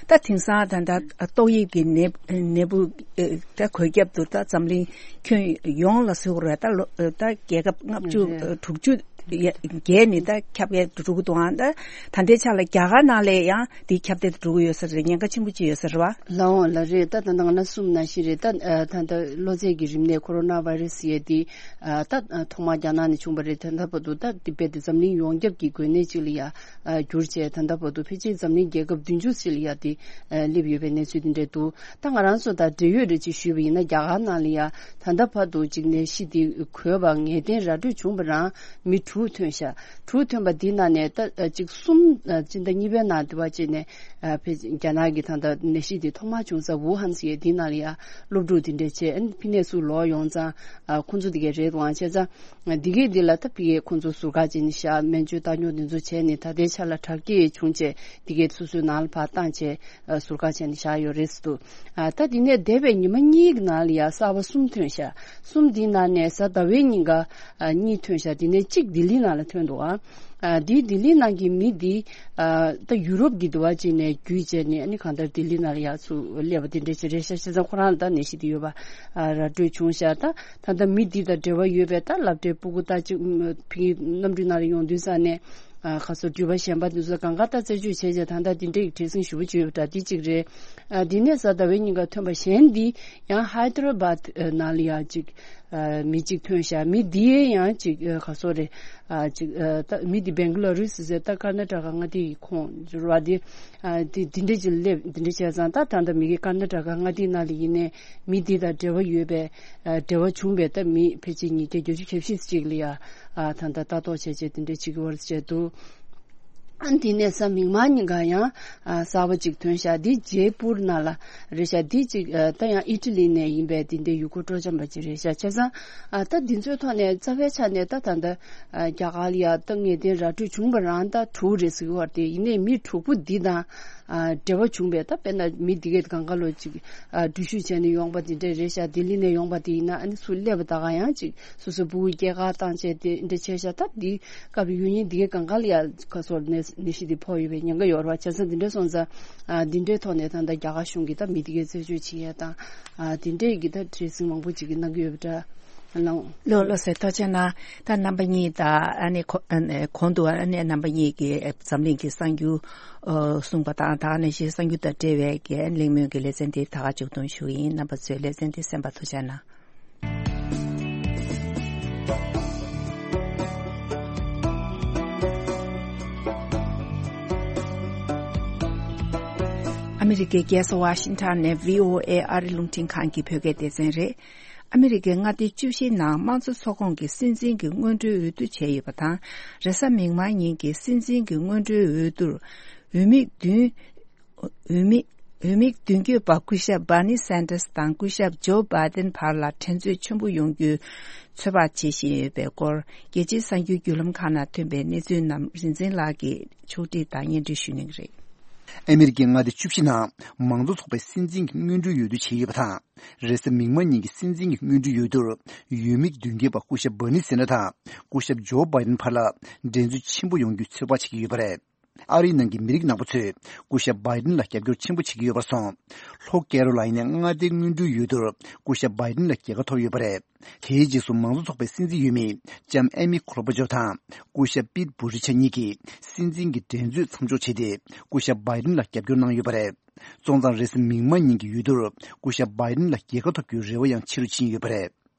ད་དེང་སང་ད་ལྟ་ཏོག་དབྱིབས་ཀྱི་ནད་ནད་འབུ་ཨེ་ད་འགོས་ཁྱབ་ཏུ་ད་འཛམ་གླིང་ཁྱོན་ཡོངས་ལ་ཟེར་དགོས་རེད། ད་ལོ་ད་རྒྱལ་ཁབ་ལྔ་བཅུ་རེད། དྲུག་ཅུ་བརྒལ་ནས་ད་ཁྱབ་གདལ་འགྲོ་གི་འདུག་ཨང་། ད་ད་ལྟའི་ཆ་ལ་རྒྱ་གར་ནང་ལ་ཡང་འདི་ཁྱབ་གདལ་འགྲོ་གི་ཡོད་ས་རེད། ཉེན་ཁ་ཆེན་པོ་ཅིག་ཡོད་ས་རེད་བ། ལགས་འོང་ལགས་རེད། ད་ད་ནང་ན་གསུམ་ནང་བཞིན་རེད། ད་ཨ་ད་ད་གློ་ཚད་ཀྱི་རིམས་ནད་ཁོ་རོ་ན་བྷའི་རེ་སི་ཡ་དེ་ཨ་ད་ཐོག་མར་རྒྱ་ནག་ནས་བྱུང་བ་རེད། ད་ད་བར་དུ་ད་དེ་རྦད་དེ་འཛམ་གླིང་ཡོངས་ཁྱབ་ཀྱི་འགོས་ནད་ཅིག་ལ་ཡ་ཨ་གྱུར་བྱས། ད་ལྟ་བར་དུ་ཕལ་ཆེར་འཛམ་གླིང་རྒྱལ་ཁབ་བདུན་ཅུ་ཙམ་ལ་ཡ་དེ་ཨ་སླེབས་ཡོད་པའི་གནས་ཚུལ་དེ་འདྲ་འདུག་ད་ང་རང་ཚོ་དང་འབྲེལ་ཡོད་རེ་ཅིག་ཞུས་པ་ཡིན་ན། རྒྱ་གར་ནང་ལ་ཡ་ད་ལྟ་བར་དུ་ཅིག་ནད་གཞི་དེ་འགོས་པ་ངེས་གཏན་ར་སྤྲོད་བྱུང་བ་རང་མི་དྲུག་ཐོན་ཤག་དྲུག་ཐོན་པ་འདི་ནང་ནས་ད་ཨ་ཅིག་གསུམ་ཨ་སྤྱི་ཟླ་གཉིས་པའི་ནང་དེ་བ་ཅིག་ནས་ཨ་ཕེ་རྒྱ་ནག་གི་ད་ལྟ་ནད་གཞི་དེ་ཐོག་མར་བྱུང་ས་ཝུ་ཧན་ཟེར་ཡས་དེ་ནང་ལ་ཡ་སློབ་ཕྲུག་དེ་འདྲ་བྱས། ཨ་ནི་ཕི་ནས་ཚུར་ལོག་ཡོང་ཙང་ཨ་ཁོང་ཚོ་དེ་གས་རེད་དབང་བྱས་ཙང་། འདི་གས་འདི་ལ་ད་ཕི་གས་ཁོང་ཚོ་ཟུར་བཀག་བྱས་ནས་བཞག་སྨན་བཅོས་བཏང་སྙོམས་འདི་ཚོ་བྱས་ནས་ད་ལྟའི་ཆ་ལ་དྲག་སྐྱེད་བྱུང་བྱས་འདི་གས་སོ་སོའི་ནང་ལ་ཕར་བཏང་བྱས་ཨ་ཟུར་བཀག་བྱས་ནས་བཞག་ཡོད་རེད་ཟེར་འདུག་ཨ་ད་འདི་ནས་འདས་པའི་ཉི་མ་གཉིས་ཀྱི་ནང་ལ་ཡ་གསར་པ་གསུམ་ཐོན་ཤག་གསུམ་འདིའི་ནང་ནས་གཟའ་ཟླ་བའི་ཉིན་ཀ་ཨ་གཉིས་ཐོན་ཤག་དེ་ནས་གཅིག་ལྡི་ལི་ནང་ལ་ཐོན་འདུག་ཨ། ཨ་འདི་ལྡི་ལི་ནང་གི་མི་འདི་ཨ་ད་ཡུ་རོབ་ཀྱི་འདི་བ་ཅིག་ནས་བརྒྱུད་བྱས་ནས་ཨ་ནི་གང་ལྟར་ལྡི་ལི་ནང་ལ་ཡ་ཚུར་སླེབས་པ་དེ་འདྲ་ཅིག་རེད་ཤག་བྱས་ཙང་ཁོ་རང་ལ་ད་ནད་གཞི་འདི་ཡོད་པ་ཨ་ར་སྤྲོད་བྱུང་ཤག་ད་ད་ལྟ་མི་འདི་དང་འབྲེལ་བ་ཡོད་པའི་ད་སློབ་གྲྭའི་སྤུ་གུ་ད་ཅིག་ཕ་གི་གནམ་གྲུའི་ནང་ལ་ཡོང་དུས་ཙང་ནས་ཨ་ཁ་སོ་འགྲུལ་པ་གཞན་པ་འདི་ཚོ་གང་ག་ད་རྩད་གཅོད་བྱས་བྱས་ད་ལྟ་འདི་འདྲའི་བྲེལ་ཟིང་ཞེ་པོ་ཅིག་ཡོད་པ་འདྲ་འདི་གཅིག་རེད། ཨ་འདི་ནས་གཟའ་ཟླ་བའི་ཉིན་ཀ་ཐོན་པ་གཞན་འདི་ཡང་ཧའི་ད་ར་བཱད་ནང་ལ་ཡང་ཅིག་ཨ་མི་གཅིག་ཐོན་ཤག་མི་འདི་ཡང་ཅིག་ཨ་ག་སོ་རེད། ཨ་ཅིག་ཨ་ད་མི་འདི་བེང་ག་ལ་རུ་སི་ཟེར་ད་ཀར་ན་ཊ་ཀ་མངའ་སྡེ་ཡི་ཁོངས་ར་དེ་ཨ་དེ་འདི་འདྲ་ཅིག་སླེབས། འདི་འདྲ་བྱས་ཙང་ད་ད་ལྟ་མི་གི་ཀར་ན་ཊ་ཀ་མངའ་སྡེ་ནང་ལ་ཡིན་ནའི་མི་འདི་དང་འབྲེལ་བ་ཡོད་པའི་ཨ་འབྲེལ་བ་བྱུང་བའི་ད་མི་ཕལ་ཆེར་ཉིས་བརྒྱ་བརྒྱད་ཅུ་གྱ་བཞི་ཅིག་ལ་ཡ་ཨ་ད་ལྟ་ལྟ་རྟོག་བྱས་བྱས་དེ་འདྲ་བྱེད་ཀྱི་ཡོད་རེད་བྱས་འདུག་ཨ་འདི་ནས་གཟའ་མིག་དམར་ཉིན་ཀ་ཡང་ཨ་གསར་པ་ཅིག་ཐོན་ཤག་འདི་ཇེ་པུར་ནང་ལ་རེད་ཤག་འདི་ཅིག་ཨ་ད་ཡང་ཨི་ཊ་ལི་ནས་ཡིན་པའི་འདི་འདྲའི་ཡུལ་སྐོར་སྤྲོ་འཆམ་པ་ཅིག་རེད་ཤག་བྱས་ཙང་ཨ་ད་འདི་ཚོའི་ཐོག་ནས་རྩ་བའི་ཆ་ནས་ད་ད་ལྟ་ཨ་རྒྱ་གར་ལ་ཡ་ད་ངེས་གཏན་ར་སྤྲོད་བྱུང་བ་རང་ད་དྲུག་རེད་ཟེར་གྱི་ཡོད་རེད་དེ། ཡིན་ནའི་མི་དྲུག་པོ་འདི་དང་ཨ་འབྲེལ་བ་བྱུང་བའི་ད་དཔེར་ན་མི་འདི་གས་གང་ག་ལོ་ཅིག་ཨ་འགྲུལ་བཞུད་བྱས་ནས་ཡོང་པ་འདི་འདྲ་རེད་ཤག་ལྡི་ལི་ནས་ཡོང་པ་དེ་ཡིན་ན་ཨ་ནི་ཚུར་སླེབས་པ་ད་ག་ཡང་ཅིག་སོ་སོའི་སྤུ་གུ་སྐྱེལ་ག་བཏང་བྱས་དེ་འདྲ་བྱས་ཤག་ད་འདི་སྐབས་ཡུལ་ཉིན་འདི་གས་གང་ག་ལ་ཡ་ཁ་སོར་ནད་ནད་གཞི་འདི་ཕོག་ཡོད་པའི་ཉེན་ཁ་ཡོད་རེད་བ། བྱས་ཙང་འདི་འདྲ་སོང་ཙང་ཨ་འདི་འདྲའི་ཐོག་ནས་ད་ལྟ་རྒྱ་གར་གཞུང་གིས་ད་མི་འདི་གས་རྩད་གཅོད་བྱེད་ཡ་དང་ཨ་འདི་འདྲའི་གི་ད་བྲེལ་ཟིང་མང་པོ་ཅིག་གི་གནང་གི་ཡོད་པ་འདྲ། ལགས་ལགས་སོ། ཐུགས་རྗེ་གནང་། ད་རྣམ་པ་གཉིས་དང་ཨ་ནི་གོ- ཨ་ནི་གོང་དུ་ཨ་ནི་རྣམ་པ་གཉིས་ཀྱིས་འཛམ་གླིང་གི་གསར་འགྱུར་ཨ་གསུངས་པ་དང་། ད་ནང་བཞིན་གསར་འགྱུར་དང་འབྲེལ་བའི་གི་གླེང་མོལ་གྱི་ལེ་ཚན་དེ་ད་ག་མཇུག་སྡོམ་ཞུ་ཡིན། རྣམ་པ་ཚོས་ལེ་ཚན་དེ་གསན་པར་ཐུགས་རྗེ་གནང་། ཨ་མི་རི་ཀའི་རྒྱལ་ས་ཝ་ཤིང་ཊོན་ནས་བྷི་ཨོ་ཨེ་ཨ་རི་རླུང་འཕྲིན་ཁང་གི་བོད་སྐད་སྡེ་ཚན་རེད། ཨ་མི་རི་ཀའི་མངའ་སྡེ་བཅུ་བཞིའི་ནང་དམངས་གཙོ་ཚོགས་ཁོངས་ཀྱི་སྲིད་འཛིན་གྱི་སྔོན་འགྲོའི་འོས་བསྡུ་བྱས་ཡོད་པ་དང་། རེས་གཟའ་མིག་དམར་ཉིན་གྱི་སྲིད་འཛིན་གྱི་སྔོན་འགྲོའི་འོས་བསྡུར་འོས་མི་བདུན། འོས་མི། འོས་མི་མདུན་སྐྱོད་པ་སྐུ་ཞབས་བྷར་ནི་སན་ཏར་སི་དང་སྐུ་ཞབས་ཇོ་བྷའི་ཏིན་བར་ལ་འགྲན་རྩོད་ཆེན་པོ་ཡོང་རྒྱུའི་ཚོད་དཔག་བྱེད་བཞིན་ཡོད་པའི་སྐོར། རྒྱལ་སྤྱིའི་གསར་འགྱུར་བརྒྱུད་ལམ་ཁག་ནང་ཐོན་པའི་གནས་ཚུལ་རྣམས་རིག་འཛིན་ལགས་ཀྱིས་ཕྱོགས་སྒྲིག་དང་སྙན་སྒྲོན་ཞུ་གནང་གི་རེད། ཨ་མི་རི་ཀའི་མངའ་སྡེ་བཅུ་བཞི་ནང་མང་གཙོ་ཚོགས་པའི་སྲིད་འཛིན་གྱི་སྔོན་འགྲོའི་འོས་བསྡུ་བྱས་ཡོད་པ་དང་། རེས་གཟའ་མིག་དམར་ཉིན་གྱི་སྲིད་འཛིན་གྱི་སྔོན་འགྲོའི་འོས་བསྡུར་འོས་མི་མདུན་སྐྱོད་པ་སྐུ་ཞབས་བྷར་ནི་སན་ཏར་དང་སྐུ་ཞབས་ཇོ་བྷའི་ཏིན་བར་ལ་འགྲན་རྩོད་ཆེན་པོ་ཡོང་རྒྱུའི་ཚོད་དཔག་བྱེད་ཀྱི་ཡོད་པ་རེད། ཨ་རིའི་ནང་གི་མི་རིགས་ནག་པོ་ཚོས་སྐུ་ཞབས་བྷའི་ཏིན་ལ་རྒྱབ་སྐྱོར་ཆེན་པོ་བྱེད་ཀྱི་ཡོད་པར་སོང་། ལྷོ་ཀེ་རོ་ལའི་ནའི་མངའ་སྡེའི་སྔོན་འགྲོའི་འོས་བསྡུར་སྐུ་ཞབས་བྷའི་ཏིན་ལ་རྒྱལ་ཁ་ཐོབ་ཡོད་པ་རེད། དེའི་རྗེས་སུ་མང་གཙོ་ཚོགས་པའི་སྲིད་འཛིན་འོས་མི་ལྕམ་ཨེ་མི་ཁོ་ལོ་བྷ་ཇོ་དང་སྐུ་ཞབས་པིད་བུ་ཏི་ཇེཇ་གཉིས་ཀྱིས་སྲིད་འཛིན་གྱི་འགྲན་རྩོད་མཚམས་འཇོག་བྱས་ཏེ། སྐུ་ཞབས་བྷའི་ཏིན་ལ་རྒྱབ་སྐྱོར་གནང་ཡོད་པ་རེད། སོང་ཙང་རེས་གཟའ་མིག་དམར་ཉིན་གྱི་འོས་བསྡུར་སྐུ་ཞབས་བྷའི་ཏིན་ལ་རྒྱལ་ཁ་ཐོབ་རྒྱུའི་རེ་བ་ཡང་ཆེ་རུ་ཕྱིན་ཡོད་པ་རེད།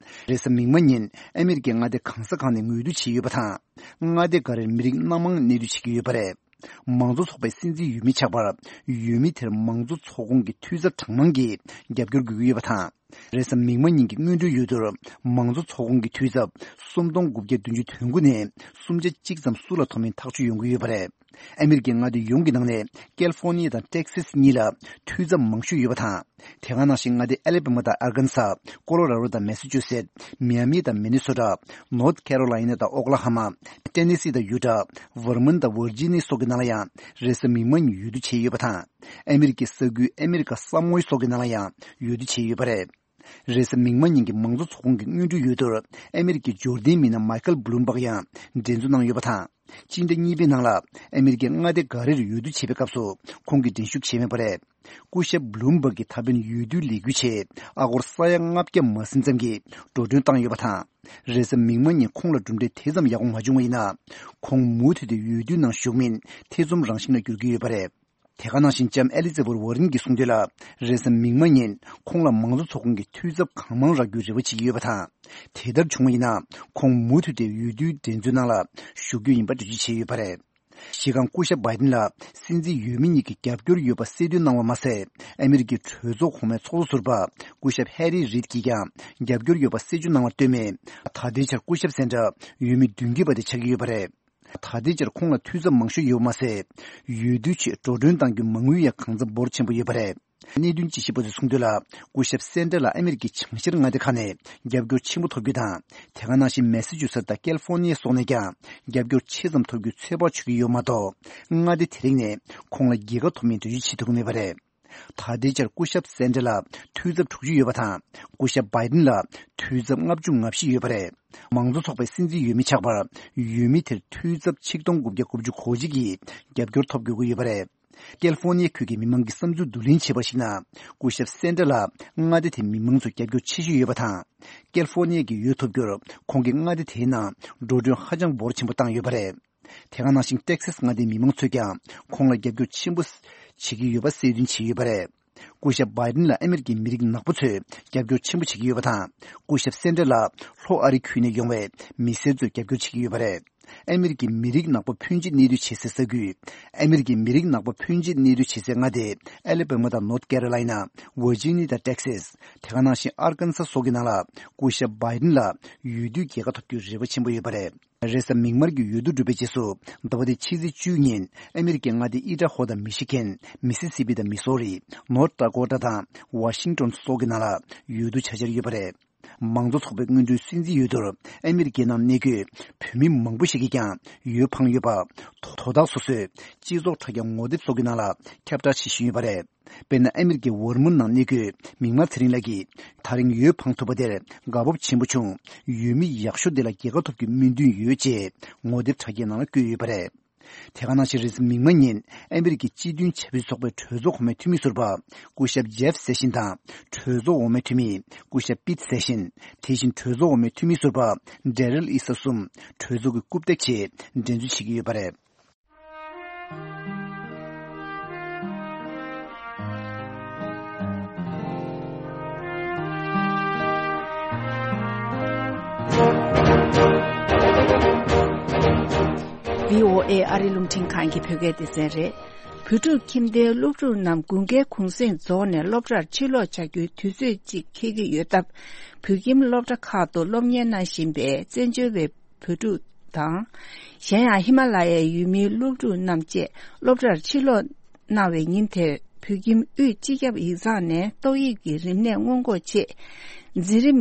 རེས་གཟའ་མིག་དམར་ཉིན་ཨ་མི་རི་ཀའི་མངའ་སྡེ་གང་ས་གང་ནས་འོས་བསྡུ་བྱས་ཡོད་པ་དང་། མངའ་སྡེ་འགའ་རེར་མི་རིགས་སྣ་མང་གནས་སྡོད་བྱེད་ཀྱི་ཡོད་པ་རེད། མང་གཙོ་ཚོགས་པའི་སྲིད་འཛིན་འོས་མི་ཆགས་པར་འོས་མི་དེར་མང་གཙོ་ཚོགས་ཁོངས་ཀྱི་འཐུས་ཚབ་གྲངས་མང་གིས་རྒྱབ་སྐྱོར་དགོས་ཀྱི་ཡོད་པ་དང་། རེས་གཟའ་མིག་དམར་ཉིན་གྱི་སྔོན་འགྲོའི་འོས་བསྡུར་མང་གཙོ་ཚོགས་ཁོངས་ཀྱི་འཐུས་ཚབ་སུམ་སྟོང་དགུ་བརྒྱ་བདུན་ཅུ་དོན་དགུ་ནས་སུམ་བརྒྱ་གཅིག་ཙམ་སུ་ལ་ཐོབ་མིན་ཐག་གཅོད་ཡོང་གི་ཡོད་པ་རེད། ཨ་མི་རི་ཀའི་མངའ་སྡེ་ཡོངས་ཀྱི་ནང་ནས་ཀལ་ཧྥོར་ནི་ཡ་དང་ཏེག་སཱས་གཉིས་ལ་འཐུས་ཚབ་མང་ཤོས་ཡོད་པ་དང་། དེ་ག་ནང་བཞིན་མངའ་སྡེ་ཨ་ལེ་བྷ་མ་དང་ཨར་ཀན་ས། ཀོ་ལོ་ར་རོ་དང་མེ་སི་ཅུ་སེད། མི་ཡ་མི་དང་མི་ནི་སོ་ཊ། ནོར་ཐ་ཁེ་རོ་ལའི་ན་དང་ཨོ་ཀླ་ཧོ་མ། ཏེ་ནེ་སི་དང་ཡུ་ཊ། ཝར་མོན་དང་ཝར་ཇི་ནི་ཡ་སོགས་ཀྱི་ནང་ལ་ཡང་རེས་གཟའ་མིག་དམར་ཉིན་འོས་བསྡུ་བྱས་ཡོད་པ་དང་། ཨ་མི་རི་ཀའི་ས་ཁུལ་ཨ་མི་རི་ཀ་ས་མོའི་སོགས་ཀྱི་ནང་ལ་ཡང་འོས་བསྡུ་བྱས་ཡོད་པ་རེད། རེས་གཟའ་མིག་དམར་ཉིན་གྱི་མང་གཙོ་ཚོགས་ཁོངས་ཀྱི་སྔོན་འགྲོའི་འོས་བསྡུར་ཨ་མི་རི་ཀའི་འབྱོར་ལྡན་མི་སྣ་མའི་ཁལ་བྷུ་ལུམ་བྷག་ཡང་འགྲན་རྩོད་གནང་ཡོད་པ་དང་། སྤྱི་ཟླ་གཉིས་པའི་ནང་ལ་ཨ་མི་རི་ཀའི་མངའ་སྡེ་འགའ་རེར་འོས་བསྡུ་བྱེད་པའི་སྐབས་སུ་ཁོང་གིས་འགྲན་ཞུགས་བྱས་མེད་པ་རེད། སྐུ་ཞབས་བྷུ་ལུམ་བྷག་གིས་ད་ཕན་འོས་བསྡུའི་ལས་འགུལ་ཆེད་ཨ་སྒོར་ས་ཡ་ལྔ་བརྒྱ་མ་ཟིན་ཙམ་གྱི་འགྲོ་གྲོན་བཏང་ཡོད་པ་དང་། རེས་གཟའ་མིག་དམར་ཉིན་ཁོང་ལ་གྲུབ་འབྲས་དེ་ཙམ་ཡག་པོ་མ་བྱུང་བ་ཡིན་ན། ཁོང་མུ་མཐུད་དེ་འོས་བསྡུའི་ནང་ཞུགས་མིན་ཐེ་ཚོམ་རང་བཞིན་ལ་འགྱུར་གྱི་ཡོད་པ་རེད། དེ་ག་ནང་བཞིན་ལྕམ་ཨེ་ལི་ཛ་བྷེཐ་ཝར་རན་གྱིས་གསུངས་དོན་ལ། རེས་གཟའ་མིག་དམར་ཉིན་ཁོང་ལ་མང་གཙོ་ཚོགས་ཁོངས་ཀྱི་འཐུས་ཚབ་གང་མང་རག་རྒྱུའི་རེ་བ་བྱེད་ཀྱི་ཡོད་པ་དང་། དེ་ལྟར་བྱུང་བ་ཡིན་ན། ཁོང་མུ་མཐུད་དེ་འོས་བསྡུའི་འགྲན་རྩོད་ནང་ལ་ཞུགས་རྒྱུ་ཡིན་པ་འགྲེལ་བརྗོད་བྱས་ཡོད་པ་རེད། གཞི་རྐང་སྐུ་ཞབས་བྷའི་ཏིན་ལ་སྲིད་འཛིན་འོས་མི་གཉིས་ཀྱིས་རྒྱབ་སྐྱོར་ཡོད་པ་གསལ་སྟོན་གནང་བ་མ་ཟད། ཨ་མི་རི་ཀའི་གྲོས་ཚོགས་གོང་མའི་ཚོགས་གཙོ་ཟུར་པ་སྐུ་ཞབས་ཧེ་རི་རིད་ཀྱིས་ཀྱང་རྒྱབ་སྐྱོར་ཡོད་པ་གསལ་སྟོན་གནང་བར་ལྟོས་མེད། ད་ལྟའི་ཆར་སྐུ་ཞབས་སན་ཏར་འོས་མི་མདུན་སྐྱོད་པ་དེ་ཆགས་ཀྱི་ཡོད་པ་རེད། ད་ལྟའི་ཆར་ཁོང་ལ་འཐུས་ཚབ་མང་ཤོས་ཡོད་པ་མ་ཟད། འོས་བསྡུའི་ཆེད་འགྲོ་གྲོན་གཏང་རྒྱུའི་མ་དངུལ་ཡང་གང་འཚམ་འབོར་ཆེན་པོ་ཡོད་པ་རེད། གནད་དོན་དཔྱད་ཞིབ་པ་ཚོས་གསུངས་དོན་ལ། སྐུ་ཞབས་སན་ཏར་ལ་ཨ་མི་རི་ཀའི་བྱང་ཤར་མངའ་སྡེ་ཁག་ནས་རྒྱབ་སྐྱོར་ཆེན་པོ་ཐོབ་རྒྱུ་དང་། དེ་ག་ནང་བཞིན་མེ་སི་ཅུ་སེ་ཊི་དང་ཀལ་ཧྥོར་ནི་ཡ་སོགས་ནས་ཀྱང་རྒྱབ་སྐྱོར་ཆེ་ཙམ་ཐོབ་རྒྱུའི་ཚོད་དཔག་བྱེད་ཀྱི་ཡོད་མ་གཏོགས། མངའ་སྡེ་དེ་རིགས་ནས་ཁོང་ལ་རྒྱལ་ཁ་ཐོབ་མིན་འགྲེལ་བརྗོད་བྱེད་ཐུབ་ཀྱི་མེད་པ་རེད། ད་ལྟའི་ཆར་སྐུ་ཞབས་སན་ཏར་ལ་འཐུས་ཚབ་དྲུག་ཅུ་ཡོད་པ་དང་། སྐུ་ཞབས་བྷའི་ཏིན་ལ་འཐུས་ཚབ་ལྔ་བཅུ་ང་བཞི་ཡོད་པ་རེད། མང་གཙོ་ཚོགས་པའི་སྲིད་འཛིན་འོས་མི་ཆགས་པར་འོས་མི་དེར་འཐུས་ཚབ་ཆིག་སྟོང་དགུ་བརྒྱ་དགུ་བཅུ་གོ་གཅིག་གིས་རྒྱབ་སྐྱོར་ཐོབ་དགོས་ཀྱི་ཡོད་པ་རེད། ཀལ་ཧྥོར་ནི་ཡ་ཁུལ་གྱི་མི་མང་གི་བསམ་ཚུལ་བསྡུ་ལེན་བྱས་པར་གཞིགས་ན། སྐུ་ཞབས་སན་ཏར་ལ་མངའ་སྡེ་དེའི་མི་མང་ཚོས་རྒྱབ་སྐྱོར་ཆེ་ཤོས་ཡོད་པ་དང་། ཀལ་ཧྥོར་ནི་ཡ་གི་འོས་ཐོབ་རྒྱུར་ཁོང་གིས་མངའ་སྡེ་དེའི་ནང་འགྲོ་གྲོན་ཧ་ཅང་འབོར་ཆེན་པོ་བཏང་ཡོད་པ་རེད། དེ་ག་ནང་བཞིན་ཏེག་སཱས་མངའ་སྡེའི་མི་མང་ཚོས་ཀྱང་ཁོང་ལ་རྒྱབ་སྐྱོར་ཆེན་པོ་བྱེད་ཀྱི་ཡོད་པ་གསལ་སྟོན་བྱས་ཡོད་པ་རེད། སྐུ་ཞབས་བྷའི་ཏིན་ལ་ཨ་མི་རི་ཀའི་མི་རིགས་ནག་པོ་ཚོས་རྒྱབ་སྐྱོར་ཆེན་པོ་བྱེད་ཀྱི་ཡོད་པ་དང་། སྐུ་ཞབས་སན་ཏར་ལ་ལྷོ་ཨ་རི་ཁུལ་ནས་ཡོང་བའི་མི་སེར་ཚོས་རྒྱབ་སྐྱོར་བྱེད་ཀྱི་ཡོད་པ་རེད། ཨ་མི་རི་ཀའི་མི་རིགས་ནག་པོ་ཕོན་ཆེ་གནས་སྡོད་བྱེད་སའི་ས་ཁུལ། ཨ་མི་རི་ཀའི་མི་རིགས་ནག་པོ་ཕོན་ཆེ་གནས་སྡོད་བྱེད་སའི་མངའ་སྡེ་ཨ་ལེ་བྷ་མ་དང་ནོར་ཐ་ཁེ་རོ་ལའི་ན། ཝར་ཇི་ནི་ཡ་དང་ཏེག་སཱས། དེ་ག་ནང་བཞིན་ཨར་ཀན་ས་སོགས་ཀྱི་ནང་ལ་སྐུ་ཞབས་བྷའི་ཏིན་ལ་འོས་བསྡུའི་རྒྱལ་ཁ་ཐོབ་རྒྱུའི་རེ་བ་ཆེན་པོ་ཡོད་པ་རེད། རེས་གཟའ་མིག་དམར་གྱི་འོས་བསྡུ་གྲུབ་པའི་རྗེས་སུ། ཟླ་བ་འདིའི་ཕྱི་ཚེས་བཅུ་ཉིན་ཨ་མི་རི་ཀའི་མངའ་སྡེ་ཨི་ཌ་ཧོ་དང་མི་ཤི་གན། མི་སི་སི་པི་དང་མི་སོ་རི། ནོར་ད་ཀོ་ཊ་དང་ཝ་ཤིང་ཊོན་སོགས་ཀྱི་ནང་ལ་འོས་བསྡུ་བྱ་འཆར་ཡོད་པ་རེད། མང་གཙོ་ཚོགས་པའི་སྔོན་འགྲོའི་སྲིད་འཛིན་འོས་བསྡུར་ཨ་མི་རི་ཀའི་ནང་གནས་འཁོད་བོད་མི་མང་པོ་ཞིག་གིས་ཀྱང་འོས་འཕངས་ཡོད་པ། དོ་བདག་སོ་སོས་སྤྱི་ཚོགས་དྲ་རྒྱ་ངོ་དེབ་སོགས་ཀྱི་ནང་ལ་ཁྱབ་བསྒྲགས་བྱེད་བཞིན་ཡོད་པ་རེད། དཔེར་ན། ཨ་མི་རི་ཀའི་ཝར་མོན་ནང་གནས་འཁོད་མིག་དམར་ཚེ་རིང་ལགས་ཀྱིས། ད་རིང་འོས་འཕངས་ཐུབ་པ་དེར་དགའ་སྤོབས་ཆེན་པོ་བྱུང་། འོས་མི་ཡག་ཤོས་དེ་ལ་རྒྱལ་ཁ་ཐོབ་རྒྱུའི་སྨོན་འདུན་ཡོད་ཅེས་ངོ་དེབ་དྲ་རྒྱའི་ནང་ལ་བཀོད་ཡོད་པ་རེད། དེ་ག་ནང་བཞིན་རེས་གཟའ་མིག་དམར་ཉིན་ཨ་མི་རི་ཀའི་སྤྱི་མཐུན་བྱ་སྤྱོད་ཚོགས་པའི་གྲོས་ཚོགས་གོང་མའི་འཐུས་མི་ཟུར་པ་སྐུ་ཞབས་ཇེབ་སེ་ཤིན་དང་གྲོས་ཚོགས་འོག་མའི་འཐུས་མི་སྐུ་ཞབས་པིད་སེ་ཤིན། དེ་བཞིན་གྲོས་ཚོགས་འོག་མའི་འཐུས་མི་ཟུར་པ་ཌེ་རལ་ཨི་ས་གསུམ་གྲོས་ཚོགས་ཀྱི་རྐུབ་སྟེགས་ཆེད་འགྲན་རྩོད་བྱེད་ཀྱི་ཡོད་པ་རེད། བྷི་ཨོ་ཨེ་ཨ་རིའི་རླུང་འཕྲིན་ཁང་གི་བོད་སྐད་སྡེ་ཚན་རེད། བོད་ཕྲུག་ཁྱིམ་སྡེའི་སློབ་ཕྲུག་རྣམས་དགུན་ཁའི་གུང་གསེང་རྫོགས་ནས་སློབ་གྲྭར་ཕྱིར་ལོག་བྱ་རྒྱུའི་དུས་ཚོད་ཅིག་འཁེལ་གྱི་ཡོད་སྟབས། བོད་ཁྱིམ་སློབ་གྲྭ་ཁག་ཏུ་སློབ་གཉེར་གནང་བཞིན་པའི་བཙན་བྱོལ་བའི་བོད་ཕྲུག་དང་། གཞན་ཡང་ཧི་མ་ལ་ཡའི་ཡུལ་མིའི་སློབ་ཕྲུག་རྣམས་བཅས་སློབ་གྲྭར་ཕྱིར་ལོག་གནང་བའི་ཉིན་དེར་བོད་ཁྱིམ་དབུས་སྤྱི་ཁྱབ་ཡིག་ཚང་ནས་ཏོག་དབྱིབས་ཀྱི་རིམས་ནད་སྔོན་འགོག་ཆེད་འཛིན་རིམ་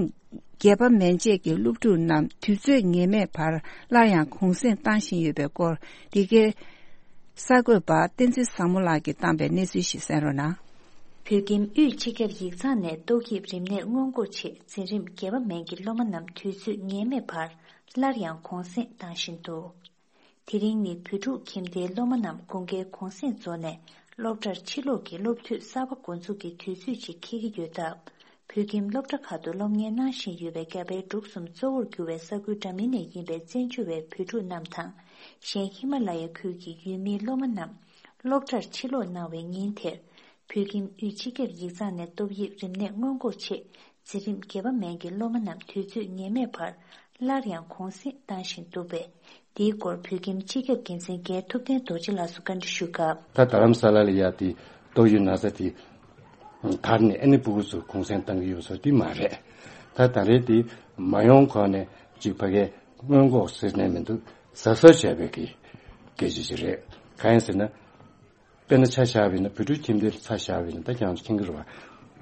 བརྒྱད་པ་མན་ཆད་ཀྱི་སློབ་ཕྲུག་རྣམས་དུས་ཚོད་ངེས་མེད་བར་སླར་ཡང་གུང་གསེང་བཏང་བཞིན་ཡོད་པའི་སྐོར། འདི་གའི་གསར་འགོད་པ་བསྟན་འཛིན་བཟང་མོ་ལགས་ཀྱིས་བཏང་པའི་གནས་ཚུལ་ཞིག་གསན་རོགས་གནང་། བོད་ཁྱིམ་དབུས་སྤྱི་ཁྱབ་ཡིག་ཚང་ནས་ཏོག་དབྱིབས་རིམས་ནད་སྔོན་འགོག་ཆེད་འཛིན་རིམ་བརྒྱད་པ་མན་གྱི་སློབ་མ་རྣམས་དུས་ཚོད་ངེས་མེད་བར་སླར་ཡང་གུང་གསེང་བཏང་བཞིན་འདུག་དེ་རིང་ནི་བོད་ཕྲུག་ཁྱིམ་སྡེའི་སློབ་མ་རྣམས་དགུན་ཁའི་གུང་གསེང་རྫོགས་ནས་སློབ་གྲྭར་ཕྱིར་ལོག་གི་སློབ་དུས་གསར་པ་འགོ་འཛུགས་ཀྱི་དུས་ཚོད་ཅིག་འཁེལ་གྱི་ཡོད་སྟབས། བོད་ཁྱིམ་སློབ་གྲྭ་ཁག་ཏུ་སློབ་གཉེར་གནང་བཞིན་ཡོད་པའི་རྒྱ་བལ་འབྲུག་གསུམ་གཙོ་བོར་གྱུར་བའི་ས་ཁུལ་འདྲ་མིན་ནས་ཡིན་པའི་བཙན་བྱོལ་བའི་བོད་ཕྲུག་རྣམས་དང་། གཞན་ཧི་མ་ལ་ཡ་ཁུལ་གྱི་ཡུལ་མིའི་སློབ་མ་རྣམས་སློབ་གྲྭར་ཕྱིར་ལོག་གནང་བའི་ཉིན་དེར། བོད་ཁྱིམ་དབུས་སྤྱི་ཁྱབ་ཡིག་ཚང་ནས་ཏོག་དབྱིབས་རིམས་ནད་སྔོན་འགོག་ཆེད་འཛིན་རིམ་བརྒྱད་པ་མན་གྱི་སློབ་མ་རྣམས་དུས་ཚོད་ངེས་མེད་བར་སླར་ཡང་གུང་གསེང་བཏང་བཞིན་འདུག་པས། འདིའི་སྐོར་བོད་ཁྱིམ་སྤྱི་ཁྱབ་འགན་འཛིན་རྒན་ཐུབ་བསྟན་རྡོ་རྗེ་ལགས་སུ་བཀའ་འདྲི་ཞུས་སྐབས། ད་རྡ་རམ་ས་ལ་ལ་ཡ་དེ་ཏོག་དབྱིབས་ན་ཚ་དེ་དར་ནས་ཨ་ནི་ཕྲུ་གུ་ཚོ་གུང་གསེང་བཏང་གི་ཡོད་ཟེར་དེ་མ་རེད། ད་ད་རེས་དེ་མ་ཡོང་གོང་ནས་ཅིག་ཕ་གིའི་སྔོན་འགོག་ཟེར་ནས་མི་འདུག་གཟབ་གཟབ་བྱས་པའི་གི་སྐད་ཆ་ཅིག་རེད། གང་ཡིན་ཟེར་ན། དཔེར་ན་ཆ་བཞག་པ་ཡིན་ན་བོད་ཕྲུག་ཁྱིམ་སྡེ་ལ་ཆ་བཞག་པ་ཡིན་ན་ད་ཁྱེད་རང་ཚོ་མཁྱེན་གྱི་རེད་བ།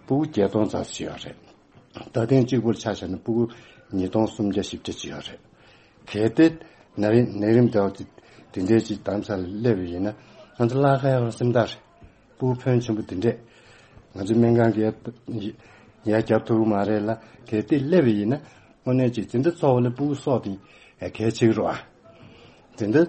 ཕྲུ་གུ་བརྒྱད་སྟོང་ཙམ་ཞིག་ཡོད་རེད། ད་ཐེངས་གཅིག་པུར་ཆ་བཞག་ན་ཕྲུ་གུ་ཉིས་སྟོང་སུམ་བརྒྱ་བཞི་བརྒྱ་ཅིག་ཡོད་རེད། གལ་ཏེ་ན་རིམ་ནད་རིམས་དེ་བ་དེ་དེ་འདྲའི་ཅིག་དམ་ས་ལ་སླེབས་པ་ཡིན་ན་ང་ཚོ་བརླག་ག་ཡག་རང་སེམས་ཐག་རེད། ཕྲུ་གུ་ཕོན་ཆེན་པོ་དེ་འདྲས་ང་ཚོ་སྨན་ཁང་གི་ཡ་རྒྱབ་ཐུབ་ཀྱི་མ་རེད་ལ། གལ་ཏེ་སླེབས་པ་ཡིན་ན་དངོས་གནས་ཅིག་དེ་འདྲ་ཚོགས་ལ་ཕྲུ་གུ་སྲོག་དེ་གལ་ཆེ་གི་རེད་བ། དེ་འདྲ་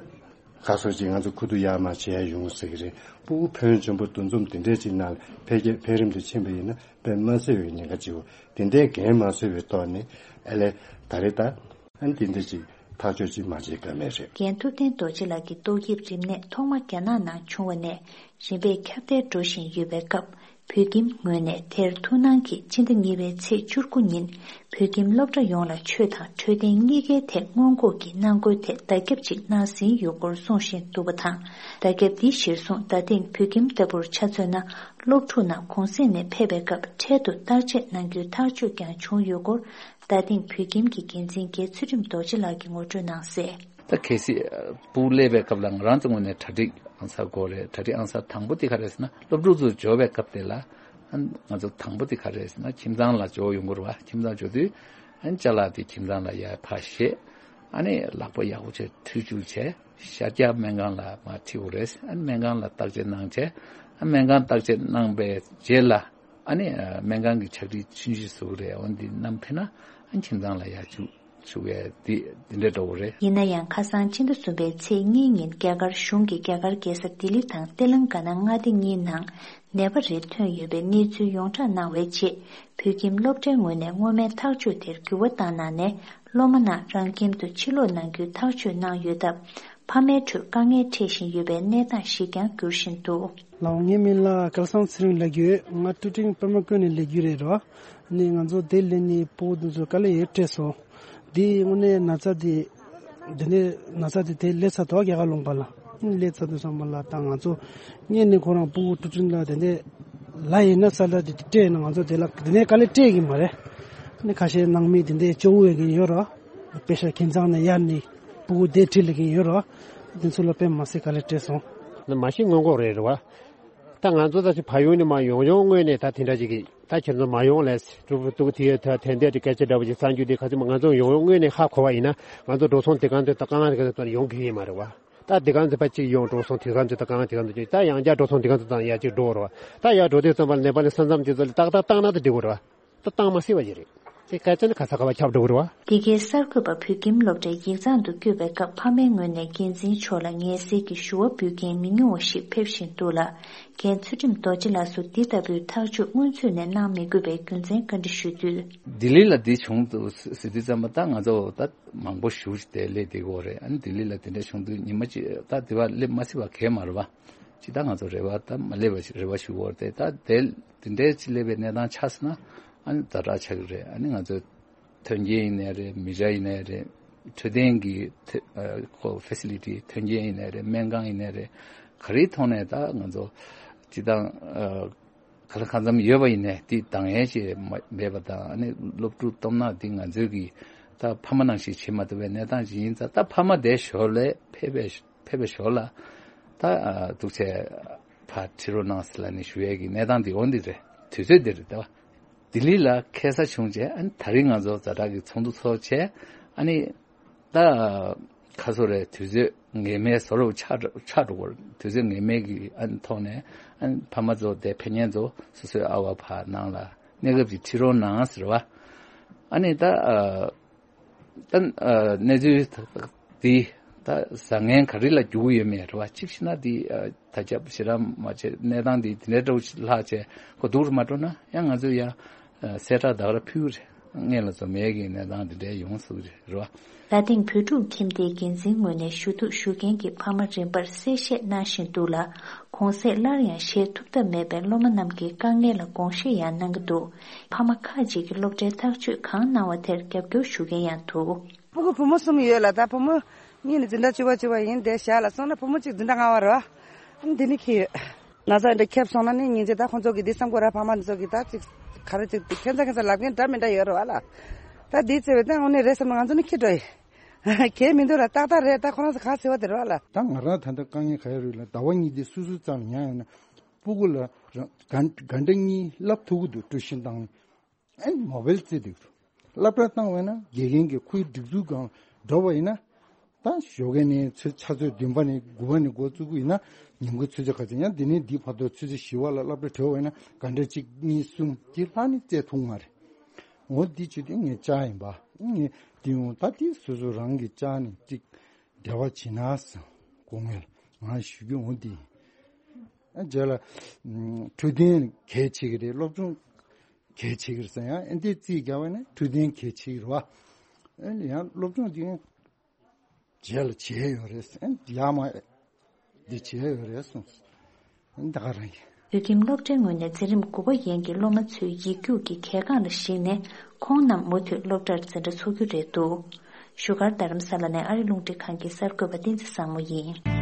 ཁ་སོ་ཅིག་ང་ཚོ་ཁུ་བསྡུ་ཡར་མར་བྱེད་ཡ་ཡོང་ཟེར་གི་རེད། ཕྲུ་གུ་ཕོན་ཆེན་པོ་འདུ་འཛོམས་དེ་འདྲས་ཅིག་ནང་ལ་འཕེལ་རྒྱས་འཕེལ་རིམ་དུ་ཕྱིན་པ་ཡིན་ན་དཔེ་མ་སྲིད་པའི་ཉེན་ཁ་ཅིག་ཡོད། དེ་འདྲའི་འགན་མ་ཚུད་པའི་ཐོག་ནས་ཨ་ལས་ད་རེས་ད་ཨ་ནི་དེ་འདྲས་ཅིག་ཐག་གཅོད་ཅིག་མ་བྱེད་ཀ་མེད་རེད། རྒན་ཐུབ་བསྟན་རྡོ་རྗེ་ལགས་ཀྱིས་ཏོག་དབྱིབས་རིམས་ནད་ཐོག་མ་རྒྱ་ནག་ནང་བྱུང་བ་ནས་རིམ་པས་ཁྱབ་གདལ་འགྲོ་བཞིན་ཡོད་པའི་སྐབས། བོད་ཁྱིམ་ངོས་ནས་དེར་ཐུགས་སྣང་གིས་སྤྱི་ཟླ་གཉིས་པའི་ཚེས་བཅུ་དགུ་ཉིན་བོད་ཁྱིམ་སློབ་གྲྭ་ཡོངས་ལ་ཆོས་དང་འཕྲོད་བསྟེན་གཉིས་ཀའི་ཐད་སྔོན་འགོག་གི་གནང་སྒོའི་ཐད་བརྡ་ཁྱབ་ཅིག་གནང་ཟིན་ཡོད་སྐོར་གསུང་བཞིན་འདུག་པ་དང་། བརྡ་ཁྱབ་འདི་གཞིར་བཟུང་ད་ཐེངས་བོད་ཁྱིམ་ལྟ་བུར་ཆ་མཚོན་ན་སློབ་ཕྲུག་རྣམས་གུང་གསེང་ནས་ཕེབས་པའི་སྐབས་འཕྲལ་དུ་བརྟག་དཔྱད་གནང་རྒྱུའི་ཐག་གཅོད་ཀྱང་བྱུང་ཡོད་སྐོར། ད་ཐེངས་བོད་ཁྱིམ་གྱི་འགན་འཛིན་རྒན་ཚུལ་ཁྲིམས་རྡོ་རྗེ་ལགས་ཀྱིས་ངོ་སྤྲོད་གནང་གསལ། ད་གལ་སྲིད་ཕྲུ་གུ་སླེབས་པའི་སྐབས་ལ་ང་རང་ཚོ་ངོས་ནས་གྲ་སྒྲིག་ཨང་གསར་དགོས་རེད། གྲ་སྒྲིག་ཨང་གསར་དང་པོ་དེ་ག་རེད་ཟེར་ན་སློབ་ཕྲུག་ཚོ་འབྱོར་བའི་སྐབས་དེ་ལ་ང་ཚོ་དང་པོ་དེ་ག་རེད་ཟེར་ན་ཁྱིམ་ཚང་ལ་འབྱོར་ཡོང་དགོས་རེད་བ། ཁྱིམ་ཚང་འབྱོར་དུས་ཅ་ལག་དེ་ཁྱིམ་ཚང་ལ་ཡར་ཕར་བཞེས། ཨ་ནི་ལག་པ་ཡག་པོ་བྱས་འཁྲུད་སྦྱོར་བྱས། ཤར་རྒྱག་སྨན་ཁང་ལ་མར་ཁྲིད་དགོས་རེད། ཨ་ནི་སྨན་ཁང་ལ་བརྟག་དཔྱད་གནང་བྱས། ཨ་སྨན་ཁང་བརྟག་དཔྱད་གནང་པའི་རྗེས་ལ། ཨ་ནི་སྨན་ཁང་གི་ཕྱག་བྲིས་ཆུང་ཆུང་བཟོ་གི་རེད། འོ་འདི་བསྣམས་ཕེབས་ན་ཨ་ཁྱིམ་ཚང་ལ་ཡར་བཅུག་བཅུག་ཡས་འདི་འདི་འདྲ་འགྲོ་གི་རེད། ཡིན་ན་ཡང་ཁ་སང་ཕྱི་ཟླ་གསུམ་པའི་ཚེས་གཉིས་ཉིན་རྒྱ་གར་གཞུང་གིས་རྒྱ་གར་རྒྱལ་ས་ལྡི་ལི་དང་ཏེ་ལང་ག་ན་མངའ་སྡེ་གཉིས་ནང་ནད་པ་རེ་ཐོན་ཡོད་པའི་གནས་ཚུལ་ཡོངས་གྲགས་གནང་བའི་རྗེས། བོད་ཁྱིམ་སློབ་གྲྭའི་ངོས་ནས་སྔོན་མའི་ཐག་གཅོད་དེར་འགྱུར་བ་བཏང་གནང་ནས། སློབ་མ་རྣམས་རང་ཁྱིམ་དུ་ཕྱིར་ལོག་གནང་རྒྱུའི་ཐག་གཅོད་གནང་ཡོད་སྟབས། ཕ་མའི་ཁྲོད་དཀའ་ངལ་འཕྲད་བཞིན་ཡོད་པའི་གནས་སྟངས་ཤིག་ཀྱང་འགྱུར་བཞིན་འདུག། ལགས་འོང་། ངའི་མིང་ལ་སྐལ་བཟང་ཚེ་རིང་ལབ་ཀྱི་ཡོད། ང་ཊུ་ཀྲིང་པད་མ་ཀུན་ནས་སླེབས་ཀྱི་རེད་རོ། ནི་ང་ཚོ་དེ་སླེབས་ནས་ཕྲུ་གུ་དེ་ཚོ་དཀའ་ལས་ཡོད་སྤྲད་སོང་། དེ་དངོས་གནས་ན་ཚ་དེ། དེ་ནས་ན་ཚ་དེ་དེ་སླེབས་ཚར་འདུག་རྒྱ་གར་ལུང་པ་ལ། སླེབས་ཚར་དུས་ཙམ་པ་ལ་ད་ང་ཚོ་སྔོན་ནས་ཁོ་རང་ཕྲུ་གུ་ཊུ་ཊི་ལ་དེ་འདྲས་ལ་ཡིན་ན་ས་ལ་དེ་སྤྲད་ན་ང་ཚོ་དེ་ལ་དེ་ནས་དཀའ་ལས་སྤྲད་ཀྱི་མ་རེད། ནི་ཁ་ཤས་ནང་མི་དེ་འདྲས་སྐྱོ་བོ་ཡོད་ཀྱི་ཡོད་རོ། དཔེ་ཤ་ཁྱིམ་ཚང་ནས་གཡར་ནས་ཕྲུ་གུ་དེ་ཁྲིད་ལ་གི་ཡོད་རོ། དེ་ཚོ་ལ་དཔེ་མ་སྲིད་དཀའ་ལས་སྤྲད་སོང་། ནི་མ་གཞི་སྔོན་འགོག་རེད་རེད་བ། ད་ང་ཚོ་ད་ཕ་ཡུལ་ནས་མ་ཡོང་ཡོང་སྔོན་ནས་ད་དེ་འདྲ་ཅིག་གི་ད་ཁྱེད་ཚོ་མ་ཡོང་ལས་ཕྲུ་གུ་ཕྲུ་གུ་དེ་ད་དེ་འདྲ་ཅིག་སྐད་ཆ་འདྲ་བོ་ཅིག་གསང་རྒྱུ་དེ་ག་ཚོད་མ་ང་ཚོ་ཡོང་ཡོང་སྔོན་ནས་ཧ་གོ་བ་ཡིན་ན་ང་ཚོ་འགྲོ་སོང་དེ་གང་དུ་ད་དཀའ་ངལ་དེ་ག་ཚོད་ཡོང་གི་ཡིན་མ་རེད་བ། ད་དེ་གང་དུ་ཕ་གཅིག་ཡོང་འགྲོ་སོང་དེ་གང་དུ་ད་དཀའ་ངལ་དེ་གང་དུ་ཅིག་ད་ཡང་བསྐྱར་འགྲོ་སོང་དེ་གང་དུ་ད་ཡང་གཅིག་འགྲོ་རེད་བ། ད་ཡར་འགྲོ་དུས་ཙམ་པ་ནེ་པ་ལི་ས་མཚམས་དེ་ཚོ་ལ་ཏག་ཏག་བཏང་ན་ད་འགྲིག་གི་རེད་བ། ད་བཏང་མ་སྲིད་པ་ཅིག་རེད། དེ་སྐད་ཆ་ནི་ག་ས་ག་བ་ཁྱབ་འགྲོ་གི་རེད་བ། འདི་གའི་གསར་འགོད་པ་བོད་ཁྱིམ་སློབ་གྲྭའི་ཡིག་ཚང་དུ་བསྐྱོད་པའི་སྐབས་ཕ་མའི་ངོས་ནས་འགན་འཛིན་མཆོག་ལ་ངལ་སེལ་གྱི་ཞུ་བ་འབུལ་མཁན་མི་ཉུང་བ་ཞིག་ཕེབས་བཞིན་འདུག་ལ། རྒན་ཚུལ་ཁྲིམས་རྡོ་རྗེ་ལགས་སུ་འདི་ལྟ་བུའི་ཐག་གཅོད་སྔོན་ཚུད་ནས་གནང་མི་དགོས་པའི་རྒྱུ་མཚན་བཀའ་འདྲི་ཞུས་དུས། ལྡི་ལི་ལ་འདི་བྱུང་འདུག་ཟེར་དུས་ཙམ་པ་ད་ང་ཚོ་ད་མང་པོ་ཞེ་པོ་ཅིག་དེ་སླེབས་བསྡད་ཀྱི་ཡོད་རེད། ཨ་ནི་ལྡི་ལི་ལ་དེ་འདྲ་བྱུང་དུས་ཉི་མ་གཅིག་ད་དེ་བ་སླེབས་མ་སྲིད་པ་གས་མ་རེད་བ། ཅི་ད་ང་ཚོ་རེ་བ་ད་མ་སླེབས་པ་ཞིག་རེ་བ་ཞུ་བར་དེ་ད་དེ་དེ་འདྲའི་ཅི་སླེབས་པའི་གནས་སྟངས་ཆགས་སོང་ན་ཨ་ནི་ཛ་དྲག་ཆགས་ཀྱི་རེད། ཨ་ནི་ང་ཚོ་མཐུན་རྐྱེན་ཡིན་ནའི་རེད། མི་རབས་ཡིན་ནའི་རེད། འཕྲོད་བསྟེན་གྱི་ཐེ་ཨ་ཁོ་ཕེ་སི་ལི་ཊི་མཐུན་རྐྱེན་ཡིན་ནའི་རེད། སྨན་ཁང་ཡིན་ནའི་རེད། ག་རེའི་ཐོག་ནས་ད་ང་ཚོ་སྤྱི་བཏང་ཨ་ག་ལ་གང་འཚམ་ཡོད་པ་ཡིན་ནའི་དེ་འདང་ཡས་ཅིག་མ་མེད་པ་དང་། ཨ་ནི་སློབ་ཕྲུག་སྟོབས་ན་དེ་ང་ཚོའི་གི་ད་ཕ་མ་ནང་བཞིན་བྱེད་མ་ཐུབ་པའི་གནས་སྟངས་ཅིག་ཡིན་ཙང་། ད་ཕ་མ་དེ་ཞོར་ལས་ཕེབས་པའི་ཕེབས་པའི་ཞོར་ལ་ད་ཨ་འདུག་བྱས་ཕར་ཁྲིད་རོགས་གནང་ཟེར་ལབ་ནས་ཞུ་ཡས་ཀྱི་གནས་སྟངས་འདི་འོ་འདི་རེད། དུས་ཚོད་འདི་རེད་ད། ལྡི་ལི་ལ་ཁེལ་ས་བྱུང་རྗེས་ཨ་ནི་ད་རིང་ང་ཚོ་ཛ་དྲག་གི་ཚོགས་འདུ་ཚོགས་བྱས། ཨ་ནི་ད་ཁ་སོ་རེ་དུས་ཚོད་ངེས་མེད་བཟོ་འདྲ་ཆགས་ཆགས་འགྲོ་གི་རེད། དུས་ཚོད་ངེས་མེད་ཀྱི་ཨ་ནི་ཐོག་ནས་ཨ་ནི་ཕ་མ་ཚོ་དེ་ཕེབས་མཁན་ཚོ་སོ་སོའི་ཨ་བ་ཕ་ནང་ལ་གནས་སྐབས་ཀྱི་ཁྲིད་རོགས་གནང་ཟེར་བ། ཨ་ནི་ད་ཨ། ད་ཨ་གནས་ཚུལ་འདི་ད་བཟང་ངན་ག་རེ་ལ་འགྱུར་གྱི་ཡོད་མེད་རེད་བ། གཅིག་བྱས་ན་འདི་ཨ་ད་ཆ་ཞེ་དྲག་མ་བྱས། གནས་སྟངས་འདི་འདི་འདྲའི་འདྲ་བོ་ཞིག་ལྷག་བྱས་ཁོ་སྡུག་རུ་མ་འགྲོ་ན་ཡང་ང་ཚོས་ཡང་ཨ་གསལ་བསྒྲགས་ད་ག་རང་ཕུལ་གྱི་རེད། སྔོན་ལ་བཟོ་མེད་ཀྱི་གནས་སྟངས་འདི་འདྲའི་ཡོང་སྲིད་ཀྱི་རེད་བ། ད་ཐེངས་བོད་ཕྲུག་ཁྱིམ་སྡེའི་འགན་འཛིན་ངོས་ནས་ཞུ་གཏུག་ཞུ་མཁན་གྱི་ཕ་མ་རིམ་པར་གསལ་བཤད་གནང་བཞིན་འདུག་ལ། གོང་གསལ་སླར་ཡང་བཤད་ཐུབ་ཐབས་མེད་པའི་སློབ་མ་རྣམས་ཀྱི་དཀའ་ངལ་ལ་དགོངས་བཞེས་ཡང་གནང་གི་འདུག་ཕ་མ་ཁག་ཅིག་གིས་སློབ་གྲྭའི་ཐག་གཅོད་གང་གནང་བ་དེར་རྒྱབ་སྐྱོར་ཞུ་མཁན་ཡང་འདུག་ཕྲུ་གུ་བུ་མོ་གསུམ་ཡོད་ལ། ད་བུ་མོ་གཉིས་ནི་འཛིན་གྲྭ་བཅུ་པ་བཅུ་པ་ཡིན། དེ་ཞག་ལ་སོང་ན་བུ་མོ་གཅིག་འཛིན་གྲྭ་ལྔ་པ་རེད་བ། ཨ་འདི་ནི་ཁྱི་ཡོད། ན་ཚ་འདི་ཁྱབ་སོང་ན་ནི་སྙིང་རྗེ། ད་ཁོང་ཚོ་གི་འདི་བསམ་དགོས་ར། ཕ་མ་འདི་ཚོ་གི་ད་ཅིག་ག་རེ་ཅིག་ཁྱད་མཚར་ཁྱད་མཚར་ལབ་མཁན་འདྲ་མི་འདྲ་ཡོད་རེད་བ་ལ། ད་འདི་བརྩེ་བས་ད་དངོས་གནས་རེད་བསམ་ན་ང་ཚོ་ནི་ཁྱི་འགྲོ་ཡི། གལ་མི་འདུག་ལ། ཏག་ཏག་རེད། ད་ཁོ་རང་ཚོ་ག་ཟེར་བ་དེ་རེད་བ་ལ། ད་ང་རང་ད་ལྟ་དཀའ་ངལ་ག་ཡོད་རེད་ལ། ཟླ་བ་གཉིས་འདི་སུ་སུ་ཙམ་ལ་ཉར་ཡོང་ན་སྤུ་གུ་ལ་རང་ག་འདྲ་གཉིས་བསླབ་ཐུབ་ཀྱི་འདུག་ཀྲུའུ་ཤིན་བཏང་། ཨེ་མོ་བེལ་རྩེ་འདུག་སློབ་གྲྭ་བཏང་བས་ན་དགེ་རྒན་གྱི་ཁོའི་སྒྲིག་འཛུགས་སྒང་འགྲོ་བ་ཡིན་ན། ད་ཞོགས་ཀས་ནས་ཆུ་ཚོད་བདུན་པ་ནས་དགུ་པ་ནས་འགོ་བཙུགས་ཀྱི་ཡིན་ན་ཉིན་གུང་ཆུ་ཚོད་ག་ཚོད་ཡང་དེ་ནས་འདི་བར་དུ་ཆུ་ཚོད་བཞི་པ་ལ་སློབ་གྲྭ་གྲོལ་བ་ཡིན་ན་ག་འདྲ་གཅིག་གཉིས་གསུམ་གྱི་ལྷག་ནས་རྩེ་ཐུབ་མ་རེད། འོ་འདི་བྱེད་དུས་ངས་བཅར་ཡིན་པ། ངས་འདི་ཡོང་ད་འདི་སོ་སོ་རང་གིས་བཅར་ནས་གཅིག་འབྲེལ་བ་བྱེད་ན་བསམ། སྐུ་ངལ་ང་ཞུ་རྒྱུ་འོ་འདི་ཡིན། རྗེས་ལ་འཕྲོད་བསྟེན་གལ་ཆེ་གི་རེད། སློབ་སྦྱོང་གལ་ཆེ་གི་རེད་ཟེར་ཡང་ཨེ་འདི་རྩིས་རྒྱག་པ་ནི་འཕྲོད་བསྟེན་གལ་ཆེ་གི་རེད་བ། ཨེ་ཡང་སློབ་སྦྱོང་འདི་རྗེས་ལ་བྱེད་ཡོད་རེད་ཟེར། ཨེ་ཡ་མ་འདི་བྱེད་ཡོད་རེད་གསུངས། ཨེ་འདི་ག་རང་ཡིན། བོད་ཁྱིམ་སློབ་གྲྭའི་ངོས་ནས་འཛིན་རིམ་དགུ་པ་ཡན་གྱི་སློབ་མ་ཚོའི་ཡིག་རྒྱུགས་ཀྱི་གལ་འགངས་ལ་གཞིགས་ནས་ཁོང་རྣམས་མུ་མཐུད་སློབ་གྲྭར་འཛིན་གྲྭ་འཚོགས་རྒྱུ་རེད་འདུག་བཞུགས་སྒར་རྡ་རམ་ས་ལ་ནས་ཨ་རི་རླུང་འཕྲིན་ཁང་གི་གསར་འགོད་པ་བསྟན་འཛིན་བཟང་མོ་ཡིན།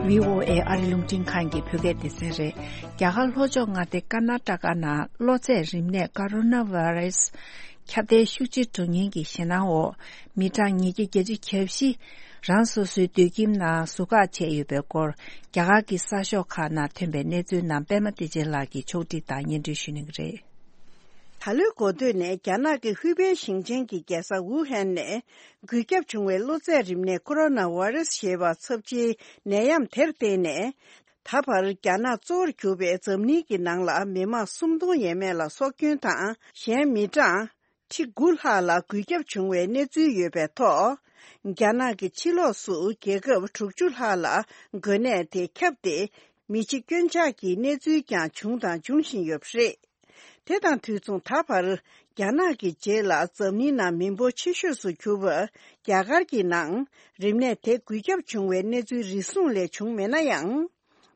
བྷི་ཨོ་ཨེ་ཨ་རི་རླུང་འཕྲིན་ཁང་གི་བོད་སྐད་སྡེ་ཚན་རེད། རྒྱ་གར་ལྷོ་ཕྱོགས་མངའ་སྡེ་ཀར་ན་ཊ་ཀ་ནང་གློ་ཚད་རིམས་ནད་ཀོ་རོ་ན་བྷ་རེ་སི་ཁྱབ་གདལ་ཤུགས་ཆེ་འགྲོ་ཉེན་གྱི་ཞེད་སྣང་འོག་མི་གྲངས་ཉིས་བརྒྱ་བརྒྱད་ཅུ་གྱ་བཞི་རང་སོ་སོའི་སྡོད་ཁྱིམ་ནང་ཟུར་བཀག་བྱས་ཡོད་པའི་སྐོར། རྒྱ་གར་གྱི་གསར་ཤོག་ཁག་ནང་ཐོན་པའི་གནས་ཚུལ་རྣམས་པད་མ་བདེ་ཆེན་ལགས་ཀྱིས་ཕྱོགས་སྒྲིག་དང་སྙན་སྒྲོན་ཞུ་གནང་གི་རེད། ད་ལོའི་འགོ་སྟོད་ནས་རྒྱ་ནག་གི་ཧུའུ་པེ་ཞིང་ཆེན་གྱི་རྒྱལ་ས་ཝུ་ཧན་ནས་འགོས་ཁྱབ་བྱུང་བའི་གློ་ཚད་རིམས་ནད་ཀོ་རོ་ན་བྷ་རེ་སི་ཞེས་པ་ཚབས་ཆེའི་ནད་ཡམས་དེར་བརྟེན་ནས། ད་བར་རྒྱ་ནག་གཙོ་བོར་གྱུར་པའི་འཛམ་གླིང་གི་ནང་ལ་མི་མང་སུམ་སྟོང་ཡས་མས་ལ་སྲོག་སྐྱོན་དང་། གཞན་མི་གྲངས་ཁྲི་དགུ་ལྷག་ལ་འགོས་ཁྱབ་བྱུང་བའི་གནས་ཚུལ་ཡོད་པའི་ཐོག་རྒྱ་ནག་གི་ཕྱི་ལོགས་སུ་རྒྱལ་ཁབ་དྲུག་ཅུ་ལྷག་ལ་འགོས་ནད་དེ་ཁྱབ་སྟེ། མི་འཆི་སྐྱོན་ཆག་གི་གནས་ཚུལ་ཀྱང་བྱུང་དང་འབྱུང་བཞིན་ཡོད་པ་རེད། དེ་དང་དུས་མཚུངས། ད་བར་རྒྱ་ནག་གི་རྗེས་ལ་འཛམ་གླིང་ནང་མི་འབོར་ཆེ་ཤོས་སུ་གྱུར་པ་རྒྱ་གར་གྱི་ནང་རིམས་ནད་དེ་འགོས་ཁྱབ་བྱུང་བའི་གནས་ཚུལ་རེ་ཟུང་ལས་བྱུང་མེད་ན་ཡང་།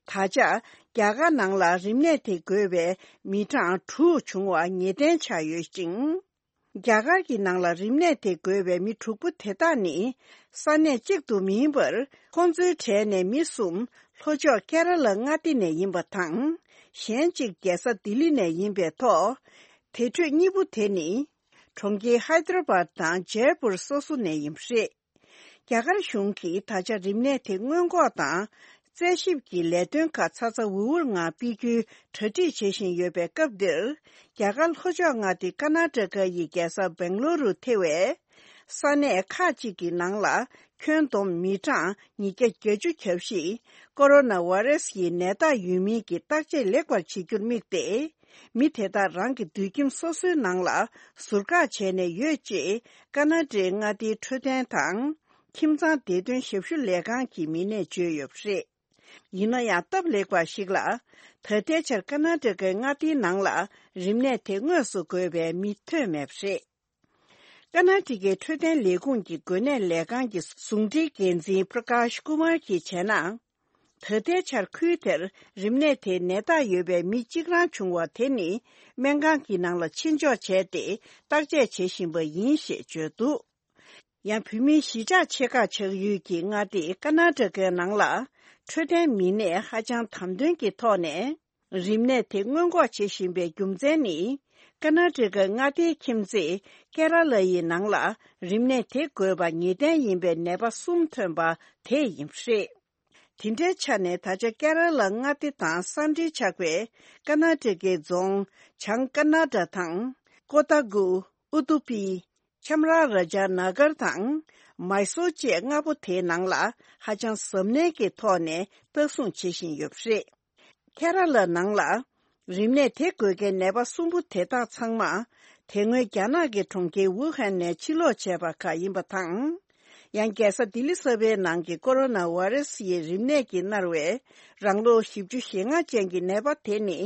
ད་ཆ་རྒྱ་གར་ནང་ལ་རིམས་ནད་དེ་འགོས་པའི་མི་གྲངས་དྲུག་བྱུང་བ་ངེས་གཏན་ཆགས་ཡོད་ཅིང་། རྒྱ་གར་གྱི་ནང་ལ་རིམས་ནད་དེ་འགོས་པའི་མི་དྲུག་པོ་དེ་དག་ནི་ས་གནས་གཅིག་ཏུ་མིན་པར། ཁོང་ཚོའི་གྲས་ནས་མི་གསུམ་ལྷོ་ཕྱོགས་ཀེ་ར་ལ་མངའ་སྡེ་ནས་ཡིན་པ་དང་། གཞན་གཅིག་རྒྱལ་ས་ལྡི་ལི་ནས་ཡིན་པའི་ཐོག་དེ་འཕྲོས་གཉིས་པོ་དེ་ནི་གྲོང་ཁྱེར་ཧའི་ཏྲ་བཱད་དང་ཇེ་པུར་སོ་སོ་ནས་ཡིན་པ་རེད། རྒྱ་གར་གཞུང་གིས་ད་ཆ་རིམས་ནད་དེ་སྔོན་འགོག་དང་ རྩད་ཞིབ་ཀྱི་ལས་དོན་ཁག་ཚ་ཚ་འུར་འུར་ངང་སྤེལ་རྒྱུའི་གྲ་སྒྲིག་བྱེད་བཞིན་ཡོད་པའི་སྐབས་འདིར། རྒྱ་གར་ལྷོ་ཕྱོགས་མངའ་སྡེ་ཀར་ནཱ་ཊ་ཀ་ཡི་རྒྱལ་ས་སྦེང་ལོ་རུ་ཐེ་བའི་ས་གནས་ཁག་ཅིག་གི་ནང་ལ། ཁྱོན་བསྡོམས་མི་གྲངས་ཉིས་བརྒྱ་བརྒྱད་ཅུ་གྱ་བཞི་ཀོ་རོ་ན་ཝེ་རེ་སི་ཡི་ནད་རྟགས་ཡོད་མིན་གྱི་བརྟག་དཔྱད་ལེགས་པར་བྱེད་རྒྱུར་དམིགས་ཏེ། མི་དེ་དག་རང་གི་སྡོད་ཁྱིམ་སོ་སོའི་ནང་ལ་ཟུར་བཀག་བྱས་ནས་ཡོད་ཅེས། ཀར་ནཱ་ཊའི་མངའ་སྡེའི་འཕྲོད་བསྟེན་དང་ཁྱིམ་ཚང་བདེ་དོན་ཞབས་ཞུ་ལས་ཁང་གི་མི་སྣས་བརྗོད་ཡོད་པ་རེད། ཡིན་ན་ཡང་སྟབས་ལེགས་པ་ཞིག་ལ། ད་ལྟའི་ཆར་ཀར་ནཱ་ཊ་ཀའི་མངའ་སྡེའི་ནང་ལ་རིམས་ནད་དེ་དངོས་སུ་འགོས་པའི་མི་ཐོན་མེད་པ་རེད། ཀར་ནཱ་ཊ་ཀའི་འཕྲོད་བསྟེན་ལས་ཁུངས་ཀྱི་འགོས་ནད་ལས་ཁང་གི་ཟུང་འབྲེལ་འགན་འཛིན་པྲ་ཀཱཤ་ཀུ་མར་གྱིས་བྱས་ན། ད་ལྟའི་ཆར་ཁུལ་དེར་རིམས་ནད་དེའི་ནད་རྟགས་ཡོད་པའི་མི་གཅིག་རང་བྱུང་བ་དེ་ནི་སྨན་ཁང་གི་ནང་ལ་ཕྱིར་འཇོག་བྱས་ཏེ་བརྟག་དཔྱད་བྱེད་བཞིན་པ་ཡིན་ཞེས་བརྗོད་འདུག་ཡང་བོད་མིའི་གཞིས་ཆགས་ཆེ་ཁག་ཆགས་ཡུལ་གྱི་མངའ་སྡེ་ཀར་ནཱ་ཊ་ཀའི་ནང་ལ་འཕྲོད་བསྟེན་མི་སྣས་ཧ་ཅང་དམ་དོན་གྱི་ཐོག་ནས། རིམས་ནད་དེ་སྔོན་འགོག་བྱེད་བཞིན་པའི་རྒྱུ་མཚན་ནི། ཀར་ནཱ་ཊ་ཀ་མངའ་སྡེའི་ཁྱིམ་མཚེས་ཀེ་ར་ལ་ཡི་ནང་ལ་རིམས་ནད་དེ་འགོས་པ་ངེས་གཏན་ཡིན་པའི་ནད་པ་གསུམ་ཐོན་པ་དེ་ཡིན་པ་རེད། དེ་འདྲའི་ཆ་ནས་ད་ཆ་ཀེ་ར་ལ་མངའ་སྡེ་དང་ས་འབྲེལ་ཆགས་པའི་ཀར་ནཱ་ཊ་ཀའི་རྫོང་བྱང་ཀར་ནཱ་ཊ་དང་ཀོ་ཏ་གུ། ཨུ་ཏུ་པི། ཁྱམ་ར་ར་ཇ་ན་གར་དང་མའི་སོར་བཅས་ལྔ་པོ་དེའི་ནང་ལ་ཧ་ཅང་གཟབ་ནན་གྱི་ཐོག་ནས་ལྟ་སྲུང་བྱེད་བཞིན་ཡོད་པ་རེད། ཁེ་ར་ལ་ནང་ལ་རིམས་ནད་དེ་འགོས་མཁན་ནད་པ་གསུམ་པོ་དེ་དག་ཚང་མ་དེ་སྔོན་རྒྱ་ནག་གི་གྲོང་ཁྱེར་ཝུ་ཧན་ནས་ཕྱིར་ལོག་བྱས་པ་ཁག་ཡིན་པ་དང་། ཡང་རྒྱལ་ས་ལྡི་ལི་གསར་པའི་ནང་གི་ཀོ་རོ་ན་ཝེ་རེ་སི་ཡི་རིམས་ནད་ཀྱིས་མནར་བའི་རང་ལོ་བཞི་བཅུ་ཞེ་ལྔ་ཅན་གྱི་ནད་པ་དེ་ནི།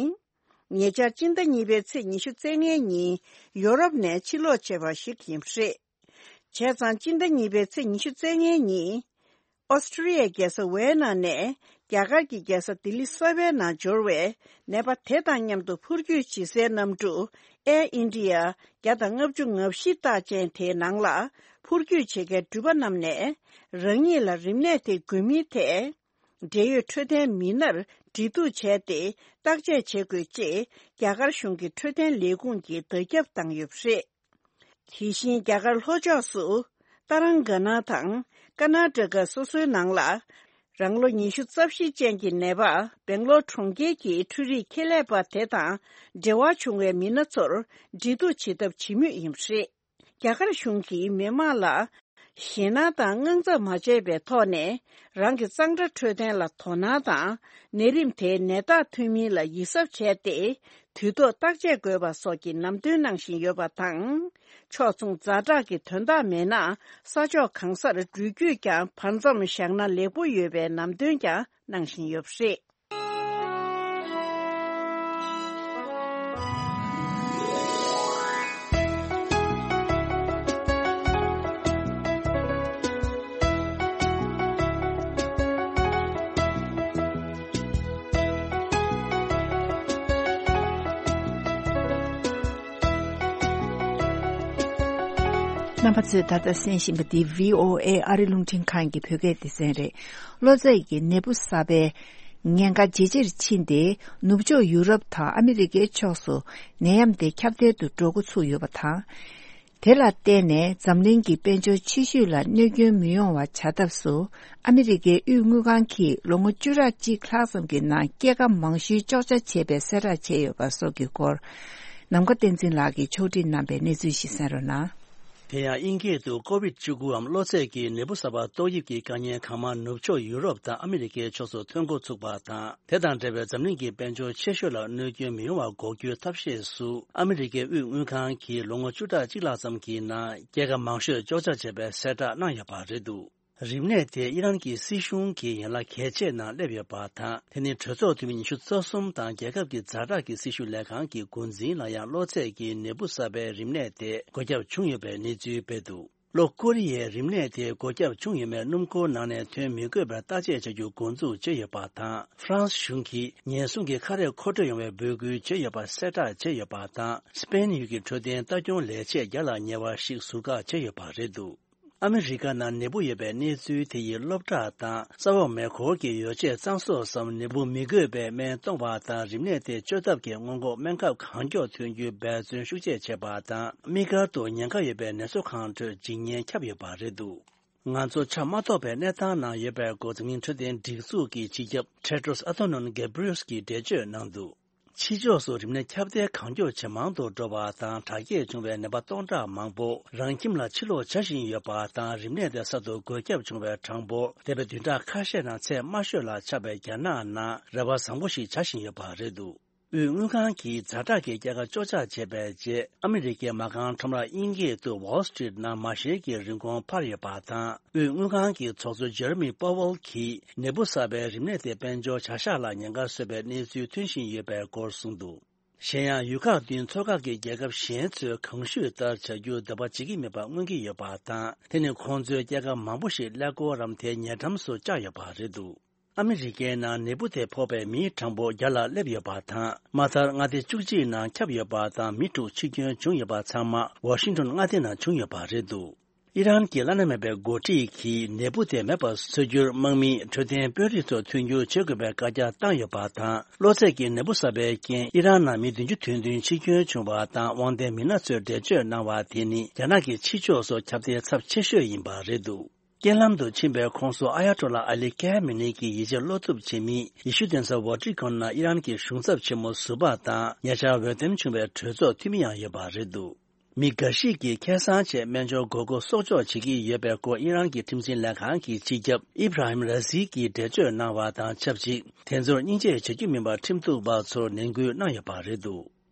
ཉེ་ཆར་སྤྱི་ཟླ་གཉིས་པའི་ཚེས་ཉི་ཤུ་རྩ་ལྔའི་ཉིན་ཡོ་རོབ་ནས་ཕྱིར་ལོག་བྱས་པ་ཞིག་ཡིན་པ་རེད། བྱས་ཙང་སྤྱི་ཟླ་གཉིས་པའི་ཚེས་ཉི་ཤུ་རྩ་ལྔའི་ཉིན། ཨོ་སི་ཀྲི་ཡའི་རྒྱལ་ས་ཝེ་ན་ནས་རྒྱ་གར་གྱི་རྒྱལ་ས་ལྡི་ལི་གསར་པའི་ནང་འབྱོར་བའི་ནད་པ་དེ་དང་མཉམ་དུ་འཕུར་སྐྱོད་བྱེད་སའི་གནམ་གྲུ་ཨེར་ཨིན་ཌི་ཡ་བརྒྱ་དང་ལྔ་བཅུ་ང་བཞི་རྟགས་ཅན་དེའི་ནང་ལ་འཕུར་སྐྱོད་བྱེད་མཁན་འགྲུལ་པ་རྣམས་ནས་རང་ཉིད་ལ་རིམས་ནད་དེ་འགོས་མིན་ཐད། འབྲེལ་ཡོད་འཕྲོད་བསྟེན་མི་སྣར་འབྲེལ་གཏུག་བྱས་ཏེ་བརྟག་དཔྱད་བྱེད་དགོས་ཅེས་རྒྱ་གར་གཞུང་གི་འཕྲོད་བསྟེན་ལས་ཁུངས་ཀྱིས་བརྡ་ཁྱབ་བཏང་ཡོད་པ་རེད། དེ་བཞིན་རྒྱ་གར་ལྷོ་ཕྱོགས་སུ་ཏཱ་རང་ག་ན་དང་ཀར་ནཱ་ཊ་ཀ་སོ་སོའི་ནང་ལ་རང་ལོ་ཉི་ཤུ་རྩ་བཞི་ཅན་གྱི་ནད་པ་སྦེང་ལོར་གྲོང་ཁྱེར་གྱི་འཕྲུལ་རིག་ཁེ་ལས་པ་དེ་དང་འབྲེལ་བ་བྱུང་བའི་མི་སྣ་ཚོར་འབྲེལ་གཏུག་བྱེད་ཐབས་བྱེད་མུས་ཡིན་པ་རེད། རྒྱ་གར་གཞུང་གིས་མི་མང་ལ་ཞེད་སྣང་དང་དངངས་འཚབ་མ་བྱས་པའི་ཐོག་ནས་རང་གི་གཙང་སྦྲ་འཕྲོད་བསྟེན་ལ་དོ་སྣང་དང་ནད་རིམས་དེའི་ནད་རྟགས་ཐོན་མིན་ལ་ཡིད་གཟབ་བྱས་ཏེ་དུས་ཐོག་བརྟག་དཔྱད་དགོས་པ་སོགས་ཀྱི་ལམ་སྟོན་གནང་བཞིན་ཡོད་པ་དང་། ཕྱོགས་མཚུངས་ཛ་དྲག་གི་དོན་དག་མེད་ན་ས་ཕྱོགས་གང་སར་འགྲུལ་སྐྱོད་ཀྱང་བར་མཚམས་བཞག་ན་ལེགས་པོ་ཡོད་པའི་ལམ་སྟོན་ཀྱང་གནང་བཞིན་ཡོད་པ་རེད། རྣམ་པ་ཚོས་ད་ལྟ་གསན་བཞིན་པ་འདི་བྷི་ཨོ་ཨེ་ཨ་རི་རླུང་འཕྲིན་ཁང་གི་བོད་སྐད་སྡེ་ཚན་རེད། གློ་ཚད་ཀྱི་ནད་འབུ་གསར་པའི་ཉེན་ཁ་ཇེ་ཆེར་ཕྱིན་ཏེ། ནུབ་ཕྱོགས་ཡུ་རོབ་དང་ཨ་མི་རི་ཀའི་ཕྱོགས་སུ་ནད་ཡམས་དེ་ཁྱབ་གདལ་དུ་འགྲོ་འགོ་ཚུགས་ཡོད་པ་དང་། དེ་ལ་བརྟེན་ནས་འཛམ་གླིང་གི་དཔལ་འབྱོར་ཕྱི་བཤོལ་ལ་གནོད་སྐྱོན་མི་ཡོང་བ་བྱ་ཐབས་སུ། ཨ་མི་རི་ཀའི་དབུས་དངུལ་ཁང་གིས་ལོ་ངོ་བཅུ་ཕྲག་གཅིག་ལྷག་ཙམ་གྱི་ནང་སྐྱེད་ཀ་མང་ཤོས་གཅོག་ཆ་བྱས་པའི་གསལ་བསྒྲགས་བྱས་ཡོད་པ་སོགས་ཀྱི་སྐོར། ནམ་མཁའ་བསྟན་འཛིན་ལགས་ཀྱིས་ཕྱོགས་སྒྲིག་གནང་པའི་གནས་ཚུལ་ཞིག་གསན་རོགས་གནང་། དེ་ཡང་དབྱིན་སྐད་དུ་ཀོ་ཝིད་བཅུ་དགུའམ་གློ་ཚད་ཀྱི་ནད་འབུ་གསར་པ་ཏོག་དབྱིབས་ཀྱི་དཀའ་ངལ་གང་མང་ནུབ་ཕྱོགས་ཡུ་རོབ་དང་ཨ་མི་རི་ཀའི་ཕྱོགས་སུ་ཐོན་འགོ་ཚུགས་པ་དང་། དེ་དང་འབྲེལ་བའི་འཛམ་གླིང་གི་དཔལ་འབྱོར་ཆེ་ཤོས་ལ་གནོད་སྐྱོན་མི་ཡོང་བ་འགོག་རྒྱུའི་ཐབས་ཤེས་སུ། ཨ་མི་རི་ཀའི་དབུས་དངུལ་ཁང་གིས་ལོ་ངོ་བཅུ་ཕྲག་གཅིག་ལྷག་ཙམ་གྱི་ནང་སྐྱེད་ཀ་མང་ཤོས་གཅོག་ཆ་བྱས་པའི་གསལ་བསྒྲགས་གནང་ཡོད་པ་རེད་འདུག་རིམས་ནད་དེ་ཨི་རན་གྱི་སྲིད་གཞུང་གི་ཡན་ལག་གལ་ཆེ་ནང་སླེབས་ཡོད་པ་དང་། དེ་ནི་གྲོས་ཚོགས་འཐུས་མི་ཉི་ཤུ་རྩ་གསུམ་དང་རྒྱལ་ཁབ་ཀྱི་ཛ་དྲག་གི་སྲི་ཞུ་ལས་ཁང་གི་འགོ་འཛིན་ལ་ཡང་གློ་ཚད་ཀྱི་ནད་འབུ་གསར་པའི་རིམས་ནད་དེ་འགོས་ཁྱབ་བྱུང་ཡོད་པའི་གནས་ཚུལ་སྤེལ་འདུག་ལྷོ་ཀོ་རི་ཡའི་རིམས་ནད་དེ་འགོས་ཁྱབ་བྱུང་ཡོད་མེད་སྣུམ་འཁོར་ནང་ནས་ཐོན་མི་དགོས་པར་བརྟག་དཔྱད་བྱ་རྒྱུ་འགོ་འཛུགས་བྱས་ཡོད་པ་དང་། ཧྥ་རན་སི་གཞུང་གིས་ཉེན་སྲུང་གི་ཁ་རས་མཁོ་སྤྲོད་ཡོང་བའི་འབོད་སྐུལ་བྱས་ཡོད་པ་གསལ་བསྒྲགས་བྱས་ཡོད་པ་དང་། སྤེན་ཡུལ་གྱི་འཕྲོད་བསྟེན་ལྟ་སྐྱོང་ལས་བྱེད་བརྒྱ་ལ་ཉེ་བ་ཞིག་ཟུར་བཀག་བྱས་ཡོད་པ་རེད་འདུག་ཨ་མི་རི་ཀ་ནང་ནད་འབུ་ཡོད་པའི་གནས་ཚུལ་དེ་ཡིས་སློབ་གྲྭ་དང་ས་འོག་མེ་འཁོར་གྱི་ཡོ་བྱད་གཙང་བཟོ་སམ་ནད་འབུ་མི་འགོས་པའི་སྨན་གཏོང་བ་དང་རིམས་ནད་དེ་བཅོས་ཐབས་ཀྱི་སྔོན་འགོག་སྨན་ཁབ་གང་མགྱོགས་ཐོན་རྒྱུའི་འབད་བརྩོན་ཤུགས་ཆེ་བྱས་པ་དང་། དམིགས་བཀར་དུ་ཉེན་ཁ་ཡོད་པའི་ནད་གསོ་ཁང་ཁྲོད་འཇིགས་ཉེན་ཁྱབ་ཡོད་པ་རེད་འདུག་ང་ཚོ་ཆ་མ་རྟོགས་པའི་གནས་སྟངས་ནང་ཡོད་པའི་སྐོར་འཛམ་གླིང་འཕྲོད་བསྟེན་སྒྲིག་འཛུགས་ཀྱི་སྤྱི་ཁྱབ་Tedros Adhanom Ghebreyesus་གིས་འགྲེལ་བརྗོད་གནང་འདུག་ཕྱི་ཕྱོགས་སུ་རིམས་ནད་ཁྱབ་གདལ་གང་མགྱོགས་ཇེ་མང་དུ་འགྲོ་བ་དང་དྲག་སྐྱེད་བྱུང་བའི་ནད་པ་སྟོང་ཕྲག་མང་པོ་རང་ཁྱིམ་ལ་ཕྱིར་ལོག་བྱ་བཞིན་ཡོད་པ་དང་། རིམས་ནད་དེ་གསར་དུ་འགོས་ཁྱབ་བྱུང་བའི་གྲངས་འབོར་འདས་པའི་བདུན་ཕྲག་ཁ་ཤས་ནང་ཚད་དམའ་ཤོས་ལ་ཆགས་པའི་རྒྱ་ནག་ནང་རེ་བ་བཟང་པོ་ཞིག་བྱ་བཞིན་ཡོད་པ་རེད་འདུག་དབུས་དངུལ་ཁང་གིས་ཛ་དྲག་གི་སྐྱེད་ཀ་གཅོག་ཆ་བྱས་པའི་རྗེས། ཨ་མི་རི་ཀའི་མ་རྐང་ཁྲོམ་ར་དབྱིན་སྐད་དུ་Wall Street་ནང་མ་ཤེལ་གྱི་རིན་གོང་འཕར་ཡོད་པ་དང་། དབུས་དངུལ་ཁང་གི་ཚོགས་གཙོ་Jerome Powell་གྱིས་ནད་འབུ་གསར་པའི་རིམས་ནད་དེ་དཔལ་འབྱོར་བྱ་གཞག་ལ་ཉེན་ཁ་བཟོ་བའི་གནས་ཚུལ་ཐོན་བཞིན་ཡོད་པའི་སྐོར་གསུངས་འདུག་གཞན་ཡང་། ཡུལ་ཁག་བདུན་ཚོགས་ཁག་གི་རྒྱལ་ཁབ་གཞན་ཚོས་གོང་ཞུས་ལྟར་བྱ་རྒྱུར་འདོད་པ་བྱེད་ཀྱི་མེད་པ་མངོན་གྱི་ཡོད་པ་དང་། དེ་ནི་ཁོང་ཚོའི་སྐྱེད་ཀ་མང་པོ་ཞིག་ཀླད་ཀོར་རམ་དེའི་ཉེ་འགྲམ་སུ་བཅག་ཡོད་པ་རེད་འདུག་ཨ་མི་རི་ཀའི་ནང་ནད་འབུ་དེ་ཕོག་པའི་མིའི་གྲངས་འབོར་བརྒྱ་ལ་སླེབས་ཡོད་པ་དང་། མ་མཐར་མངའ་སྡེ་བཅུ་གཅིག་ནང་ཁྱབ་ཡོད་པ་དང་། མི་དྲུག་འཆི་སྐྱོན་བྱུང་ཡོད་པ་ཚང་མ་ཝ་ཤིང་ཏོན་མངའ་སྡེ་ནང་བྱུང་ཡོད་པ་རེད་འདུག་ཨི་རན་གྱི་བླ་ན་མེད་པའི་འགོ་ཁྲིད་ཀྱིས་ནད་འབུ་དེ་མེད་པར་བཟོ་རྒྱུར་དམག་མིས་འཕྲོད་བསྟེན་དཔོན་རིགས་ཚོར་མཐུན་འགྱུར་བྱེད་དགོས་པའི་བཀའ་རྒྱ་བཏང་ཡོད་པ་དང་། གློ་ཚད་ཀྱི་ནད་འབུ་གསར་པའི་རྐྱེན་ཨི་རན་ནང་མི་བདུན་ཅུ་དོན་བདུན་འཆི་སྐྱོན་བྱུང་བ་དང་། དབང་ལྡན་མི་སྣ་ཚོས་འགྲེལ་བརྗོད་གནང་བ་དེ་ནི་རྒྱ་ནག་གི་ཕྱི་ཕྱོགས་སུ་ཁྱབ་གདལ་ཚབས་ཆེ་ཤོས་ཡིན་པ་རེད་འདུག་རྐྱེན་ལམ་དུ་ཕྱིན་པའི་ཁོངས་སུ་ཨ་ཡ་ཏོ་ལ་ཨ་ལི་ཁེ་མི་ནི་གི་ཡིད་ཆེས་བློ་གཏུབ་བྱེད་མི་ཡེ་ཤུ་གདན་ས་ཝ་ཏི་ཀོན་ནང་ཨི་རན་གྱི་གཞུང་ཚབ་ཆེན་མོ་ཟུར་པ་དང་། ཉེ་ཆར་འོས་འདེམས་བྱུང་བའི་གྲོས་ཚོགས་འཐུས་མི་ཡང་ཡོད་པ་རེད་འདུག་མི་འགའ་ཞིག་གིས་ཁེ་སང་ཆེད་སྨན་སྦྱོར་དགོས་མཁོ་གསོག་འཇོག་བྱེད་ཀྱི་ཡོད་པའི་སྐོར་ཨི་རན་གྱི་ཁྲིམས་འཛིན་ལས་ཁང་གི་སྤྱི་ཁྱབ་ཨི་བྷ་ར་ཧིམ་ར་ཟི་གིས་འགྲེལ་བརྗོད་གནང་བ་དང་ཆབས་ཅིག་དེ་ཚོར་སྙིང་རྗེ་བྱེད་རྒྱུ་མིན་པར་ཁྲིམས་གཏུག་པ་ཚོར་ནན་སྐུལ་གནང་ཡོད་པ་རེད་འདུག་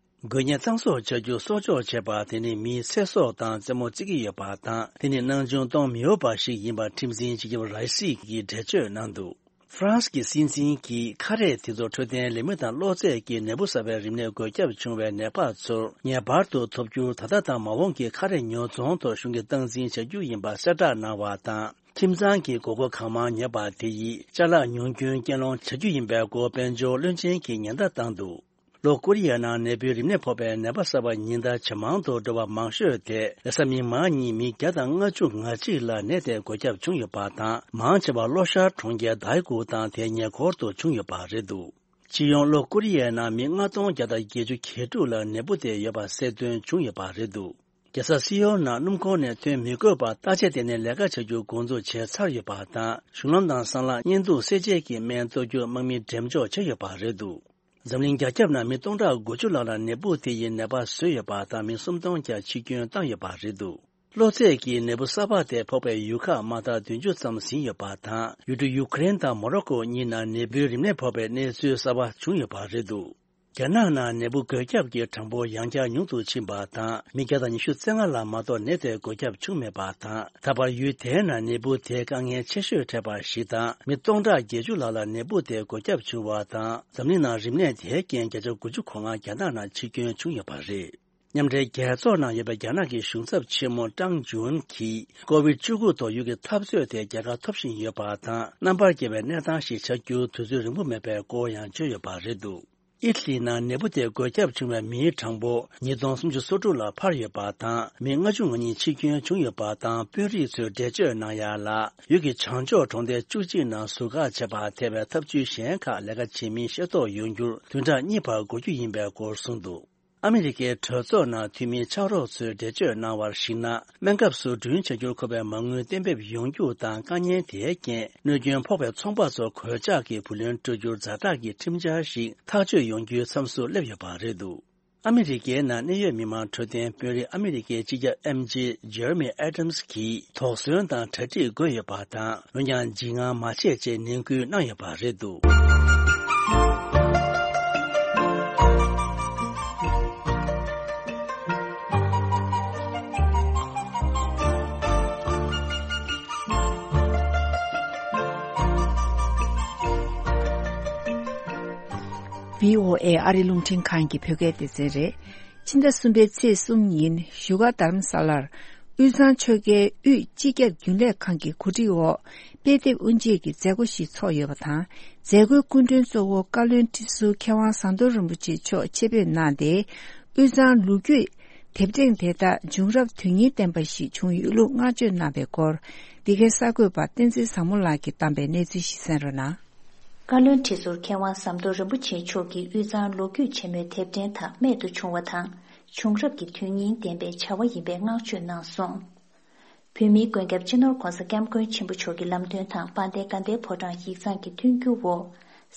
འགོས་ནད་གཙང་བཟོ་བྱ་རྒྱུ་གསོག་འཇོག་བྱས་པ་དེ་ནི་མིའི་ཚེ་སྲོག་དང་རྩེད་མོ་རྩེ་གི་ཡོད་པ་དང་། དེ་ནི་སྣང་ཆུང་གཏོང་མི་འོས་པ་ཞིག་ཡིན་པ་ཁྲིམས་འཛིན་སྤྱི་ཁྱབ་རའི་སི་གིས་འགྲེལ་བརྗོད་གནང་འདུག་ཧྥ་རན་སི་གི་སྲིད་འཛིན་གྱིས་ཁ་རས་དེ་ཚོ་འཕྲོད་བསྟེན་ལས་མི་དང་གློ་ཚད་ཀྱི་ནད་འབུ་གསར་པའི་རིམས་ནད་འགོས་ཁྱབ་བྱུང་བའི་ནད་པ་ཚོར་ངེས་པར་དུ་ཐོབ་རྒྱུར་ད་ལྟ་དང་མ་འོངས་ཀྱི་ཁ་རས་ཉོ་ཚོང་ཐོག་གཞུང་གིས་སྟངས་འཛིན་བྱ་རྒྱུ་ཡིན་པ་གསལ་བསྒྲགས་གནང་བ་དང་། ཁྱིམ་ཚང་གི་དགོས་མཁོ་གང་མང་ཉོས་པ་དེ་ཡིས་ཅ་ལག་ཉུང་སྐྱོན་རྐྱེན་སློང་བྱ་རྒྱུ་ཡིན་པའི་སྐོར་དཔལ་འབྱོར་བློན་ཆེན་གྱིས་ཉེན་བརྡ་བཏང་འདུག་ལྷོ་ཀོ་རི་ཡའི་ནང་ནད་འབུའི་རིམས་ནད་ཕོག་པའི་ནད་པ་གསར་པ་ཉིན་ལྟར་ཇེ་མང་དུ་འགྲོ་བ་མང་ཤོས་དེ་ལས་ས་མི་མང་གཉིས་མི་བརྒྱ་དང་ལྔ་བཅུ་ང་གཅིག་ལ་ནད་དེ་འགོས་ཁྱབ་བྱུང་ཡོད་པ་དང་། མང་ཆེ་བ་ལྷོ་ཤར་གྲོང་ཁྱེར་དཱའི་ཀུ་དང་དེའི་ཉེ་འཁོར་དུ་བྱུང་ཡོད་པ་རེད་འདུག་སྤྱི་ཡོངས་ལྷོ་ཀོ་རི་ཡའི་ནང་མི་ལྔ་སྟོང་བརྒྱ་དང་བརྒྱད་ཅུ་གྱ་དྲུག་ལ་ནད་འབུ་དེ་ཡོད་པ་གསལ་སྟོན་བྱུང་ཡོད་པ་རེད་འདུག་རྒྱལ་ས་སི་ཡོལ་ནང་སྣུམ་འཁོར་ནས་ཐོན་མི་དགོས་པར་བརྟག་དཔྱད་ལྟེ་གནས་ལས་ཀ་བྱ་རྒྱུ་འགོ་འཛུགས་བྱས་ཚར་ཡོད་པ་དང་། གཞུང་ལམ་དང་སྲང་ལམ་བརྙན་ཐུང་གསལ་འབྱེད་ཀྱི་སྨན་གཏོར་རྒྱུར་དམག་མི་འགྲེམས་འཇོག་བྱས་ཡོད་པ་རེད་འདུག་འཛམ་གླིང་རྒྱ་ཁྱབ་ནང་མི་སྟོང་ཕྲག་དགུ་བཅུ་ལྷག་ལ་ནད་འབུ་དེ་ཡིས་ནད་པ་བཟོས་ཡོད་པ་དང་། མི་སུམ་སྟོང་བརྒྱ་འཆི་སྐྱོན་བཏང་ཡོད་པ་རེད་འདུག་གློ་ཚད་ཀྱི་ནད་འབུ་གསར་པ་དེ་ཕོག་པའི་ཡུལ་ཁག་མ་མཐའ་བདུན་ཅུ་ཙམ་ཟིན་ཡོད་པ་དང་། ཡུལ་གྲུ་ཡུ་ཀེ་རེན་དང་མོ་རོ་ཀོ་གཉིས་ནང་ནད་འབུའི་རིམས་ནད་ཕོག་པའི་གནས་ཚུལ་གསར་པ་བྱུང་ཡོད་པ་རེད་འདུག་རྒྱ་ནག་ནང་ནད་འབུ་འགོས་ཁྱབ་ཀྱི་གྲངས་འབོར་ཡང་བསྐྱར་ཉུང་དུ་ཕྱིན་པ་དང་། མི་བརྒྱ་དང་ཉི་ཤུ་རྩ་ལྔ་ལ་མ་གཏོགས་ནད་དེ་འགོས་ཁྱབ་བྱུང་མེད་པ་དང་། ད་བར་ཡུལ་དེའི་ནང་ནད་འབུ་དེ་དཀའ་ངལ་ཆེ་ཤོས་འཕྲད་པ་ཞིག་དང་། མི་སྟོང་ཕྲག་བརྒྱད་ཅུ་ལྷག་ལ་ནད་འབུ་དེ་འགོས་ཁྱབ་བྱུང་བ་དང་། འཛམ་གླིང་ནང་རིམས་ནད་དེའི་རྐྱེན་བརྒྱ་ཆ་དགུ་བཅུ་གོ་ལྔ་རྒྱ་ནག་ནང་འཆི་སྐྱོན་བྱུང་ཡོད་པ་རེད། མཉམ་འབྲེལ་རྒྱལ་ཚོགས་ནང་ཡོད་པའི་རྒྱ་ནག་གི་གཞུང་ཚབ་ཆེན་མོ་ཀྲང་ཅུན་གྱིས་ཀོ་བིད་བཅུ་དགུ་ཐོག་ཡུལ་གྱི་འཐབ་རྩོད་དེ་རྒྱལ་ཁ་ཐོབ་བཞིན་ཡོད་པ་དང་། རྣམ་པར་རྒྱལ་བའི་གནས་སྟངས་ཤིག་ཆགས་རྒྱུར་དུས་ཚོད་རིང་པོ་མེད་པའི་སྐོར་ཡང་བརྗོད་ཡོད་པ་རེད་འདུག་ཨི་ཊ་ལི་ནང་ནད་འབུ་དེ་འགོས་ཁྱབ་བྱུང་བའི་མིའི་གྲངས་འབོར་ཉིས་སྟོང་སུམ་ཅུ་སོ་དྲུག་ལ་འཕར་ཡོད་པ་དང་། མི་ལྔ་བཅུ་ང་གཉིས་འཆི་སྐྱོན་བྱུང་ཡོད་པ་དང་། དཔོན་རིགས་ཚོས་འགྲེལ་བརྗོད་གནང་ཡ་ལ། ཡུལ་གྱི་བྱང་ཕྱོགས་གྲོང་རྡལ་བཅུ་གཅིག་ནང་ཟུར་བཀག་བྱས་པ་ཐེ་བའི་ཐབས་ཇུས་གཞན་ཁག་ལས་ཀ་བྱེད་མིན་ཤེས་རྟོགས་ཡོང་རྒྱུར་བདུན་ཕྲག་གཉིས་བར་འགོར་རྒྱུ་ཡིན་པའི་སྐོར་གསུངས་འདུག་ཨ་མི་རི་ཀའི་གྲོས་ཚོགས་ནང་འཐུས་མི་ཕྱག་རོགས་ཚོས་འགྲེལ་བརྗོད་གནང་བར་གཞིགས་ན། སྨན་ཁབ་བཟོ་སྐྲུན་བྱ་རྒྱུར་མཁོ་བའི་མ་དངུལ་གཏན་འབེབས་ཡོང་རྒྱུ་དང་། དཀའ་ངལ་དེའི་རྐྱེན་གནོད་སྐྱོན་ཕོག་པའི་ཚོང་པ་ཚོར་གོད་ཆག་གི་བུ་ལོན་སྤྲོད་རྒྱུར་ཛ་དྲག་གི་ཁྲིམས་འཆར་ཞིག་ཐག་གཅོད་ཡོང་རྒྱུའི་མཚམས་སུ་སླེབས་ཡོད་པ་རེད་འདུག་ཨ་མི་རི་ཀའི་ནང་གནད་ཡོད་མི་མང་འཕྲོད་བསྟེན་དཔོན་རིགས་ཨ་མི་རི་ཀའི་སྤྱི་ཁྱབ་ཨེམ་ཇེ་ཇེ་རེ་མི་ཨེ་ཏམ་སི་གིས་དོགས་ཟོན་དང་གྲ་སྒྲིག་དགོས་ཡོད་པ་དང་། འོན་ཀྱང་འཇིགས་དངངས་མ་བྱེད་ཅེས་ནན་སྐུལ་གནང་ཡོད་པ་རེད་འདུག་བྷི་ཨོ་ཨེ་ཨ་རི་རླུང་འཕྲིན་ཁང་གི་བོད་སྐད་སྡེ་ཚན་རེད། ཕྱི་ཟླ་གསུམ་པའི་ཚེས་གསུམ་ཉིན་བཞུགས་སྒར་རྡ་རམ་ས་ལར་དབུས་གཙང་ཆོལ་ཁའི་དབུས་སྤྱི་ཁྱབ་རྒྱུན་ལས་ཁང་གི་གོ་སྒྲིག་འོག་དཔེ་དེབ་དབུ་འབྱེད་ཀྱི་མཛད་སྒོ་ཞིག་ཚོགས་ཡོད་པ་དང་། མཛད་སྒོའི་སྐུ་མགྲོན་གཙོ་བོ་བཀའ་བློན་ཁྲི་ཟུར་མཁས་དབང་ཟམ་གདོང་རིན་པོ་ཆེ་མཆོག་ཆེད་ཕེབས་གནང་སྟེ། དབུས་གཙང་ལོ་རྒྱུས་དེབ་ཕྲེང་དེ་དག་བྱུང་རབས་དོན་སྙིང་ལྡན་པ་ཞིག་བྱུང་ཡོད་ལུགས་བསྔགས་བརྗོད་གནང་བའི་སྐོར། འདི་གའི་གསར་འགོད་པ་བསྟན་འཛིན་བཟང་མོ་ལགས་ཀྱིས་བཏང་པའི་གནས་ཚུལ་ཞིག་གསན་རོགས་གནང་། བཀའ་བློན་ཁྲི་ཟུར་མཁས་དབང་ཟམ་གདོང་རིན་པོ་ཆེ་མཆོག་གིས་དབུས་གཙང་ལོ་རྒྱུས་ཆེན་མོའི་དེབ་ཕྲེང་དག་རྨད་དུ་བྱུང་བ་དང་། བྱུང་རབས་ཀྱི་དོན་སྙིང་ལྡན་པའི་བྱ་བ་ཡིན་པའི་བསྔགས་བརྗོད་གནང་སོང་། བོད་མིའི་མགོན་སྐྱབས་སྤྱི་ནོར་༧གོང་ས་༧སྐྱབས་མགོན་ཆེན་པོ་མཆོག་གི་ལམ་སྟོན་དང་དཔལ་ལྡན་དགའ་ལྡན་ཕོ་བྲང་ཡིག་ཚང་གི་མཐུན་འགྱུར་འོག་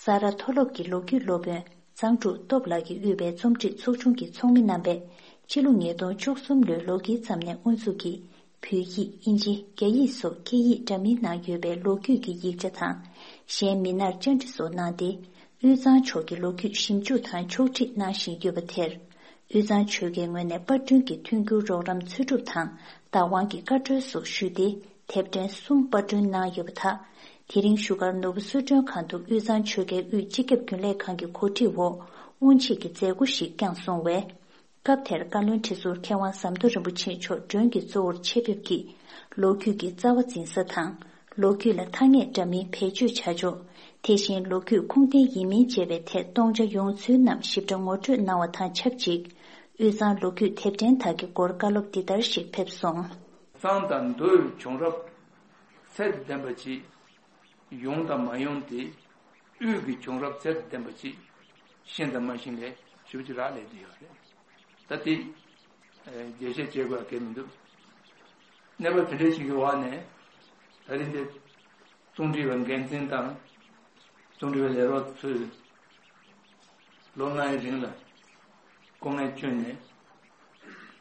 ས་རཱ་མཐོ་སློབ་ཀྱི་ལོ་རྒྱུས་སློབ་དཔོན་གཙང་ཕྲུག་སྟོབས་ལགས་ཀྱིས་དབུས་པའི་རྩོམ་སྒྲིག་ཚོགས་ཆུང་གི་ཚོགས་མི་རྣམ་པས་ཕྱི་ལོ་ཉིས་སྟོང་བཅུ་གསུམ་ལོའི་ལོ་དཀྱིལ་ཙམ་ནས་དབུ་འཛུགས་ཀྱིས། བོད་ཡིག་ཨིན་ཇི། རྒྱ་ཡིག་སོགས་སྐད་ཡིག་འདྲ་མིན་ནང་ཡོད་པའི་ལོ་རྒྱུས་ཀྱི་ཡིག་ཆ་དང་། གཞན་མི་སྣར་བཅར་འདྲི་སོགས་གནང་སྟེ། དབུས་གཙང་ཕྱོགས་ཀྱི་ལོ་རྒྱུས་ཞིབ་འཇུག་དང་ཕྱོགས་སྒྲིག་གནང་བཞིན་ཡོད་པ་དེར། དབུས་གཙང་ཆོལ་ཁའི་ངོས་ནས་པར་སྐྲུན་གྱི་མཐུན་འགྱུར་རོགས་རམ་འཚོལ་སྒྲུབ་དང་བདག་དབང་གི་བཀའ་འཁྲོལ་སོགས་ཞུས་ཏེ། དེབ་ཕྲེང་གསུམ་པར་སྐྲུན་གནང་ཡོད་པ་དག་དེ་རིང་བཞུགས་སྒར་ནོར་བུ་གསོལ་མགྲོན་ཁང་དུ་དབུས་གཙང་ཆོལ་ཁའི་དབུས་སྤྱི་ཁྱབ་རྒྱུན་ལས་ཁང་གི་གོ་སྒྲིག་འོག་དབུ་འབྱེད་ཀྱི་མཛད་སྒོ་ཞིག་བསྐྱངས་སོང་བས། སྐབས་དེར་བཀའ་བློན་ཁྲི་ཟུར་མཁས་དབང་ཟམ་གདོང་རིན་པོ་ཆེ་མཆོག་མགྲོན་གྱིས་གཙོ་བོར་ཆེད་ཕེབས་ཀྱིས་ལོ་རྒྱུས་ཀྱི་རྩ་བ་འཛིན་ས་དང་། ལོ་རྒྱུས་ལ་ཐ་སྙད་འདྲ་མིན་བེད་སྤྱོད་བྱ་ཕྱོགས། དེ་བཞིན་ལོ་རྒྱུས་ཁུངས་ལྡན་ཡིན་མིན་བཅས་པའི་ཐད་སྟོང་ཆ་ཡོང་ཚུལ་རྣམས་ཞིབ་ཕྲ་ངོ་སྤྲོད་གནང་བ་དང་ཆབས་ཅིག་དབུས་གཙང་ལོ་རྒྱུས་དེབ་ཕྲེང་དག་གི་སྐོར་བཀའ་སློབ་འདི་ལྟར་ཞིག་ཕེབས་སོང་། གཙང་དང་མདོའི་བྱུང་རབས་ཚད་ལྡན་པ་ཅིག་ཡོང་དང་མ་ཡོང་དེ། དབུས་ཀྱི་བྱུང་རབས་ཚད་ལྡན་པ་ཅིག་ཤེས་དང་མ་ཤེས་ལས་ཞིབ་ཅིག་རག་ལས་དེ་ཡོད་རེད། ད་དེ་རྒྱས་བཤད་བྱེད་དགོས་གལ་མི་འདུག་གནས་བབ་དེ་འདྲའི་ཞིག་གི་འོག་ནས་ད་རིང་འདི་རྩོམ་སྒྲིག་པ་འགན་འཛིན་དང་རྩོམ་སྒྲིག་པའི་ལས་རོགས་ཚོས་ལོ་ལྔའི་རིང་ལ་སྐུ་ངལ་བསྐྱོན་ནས་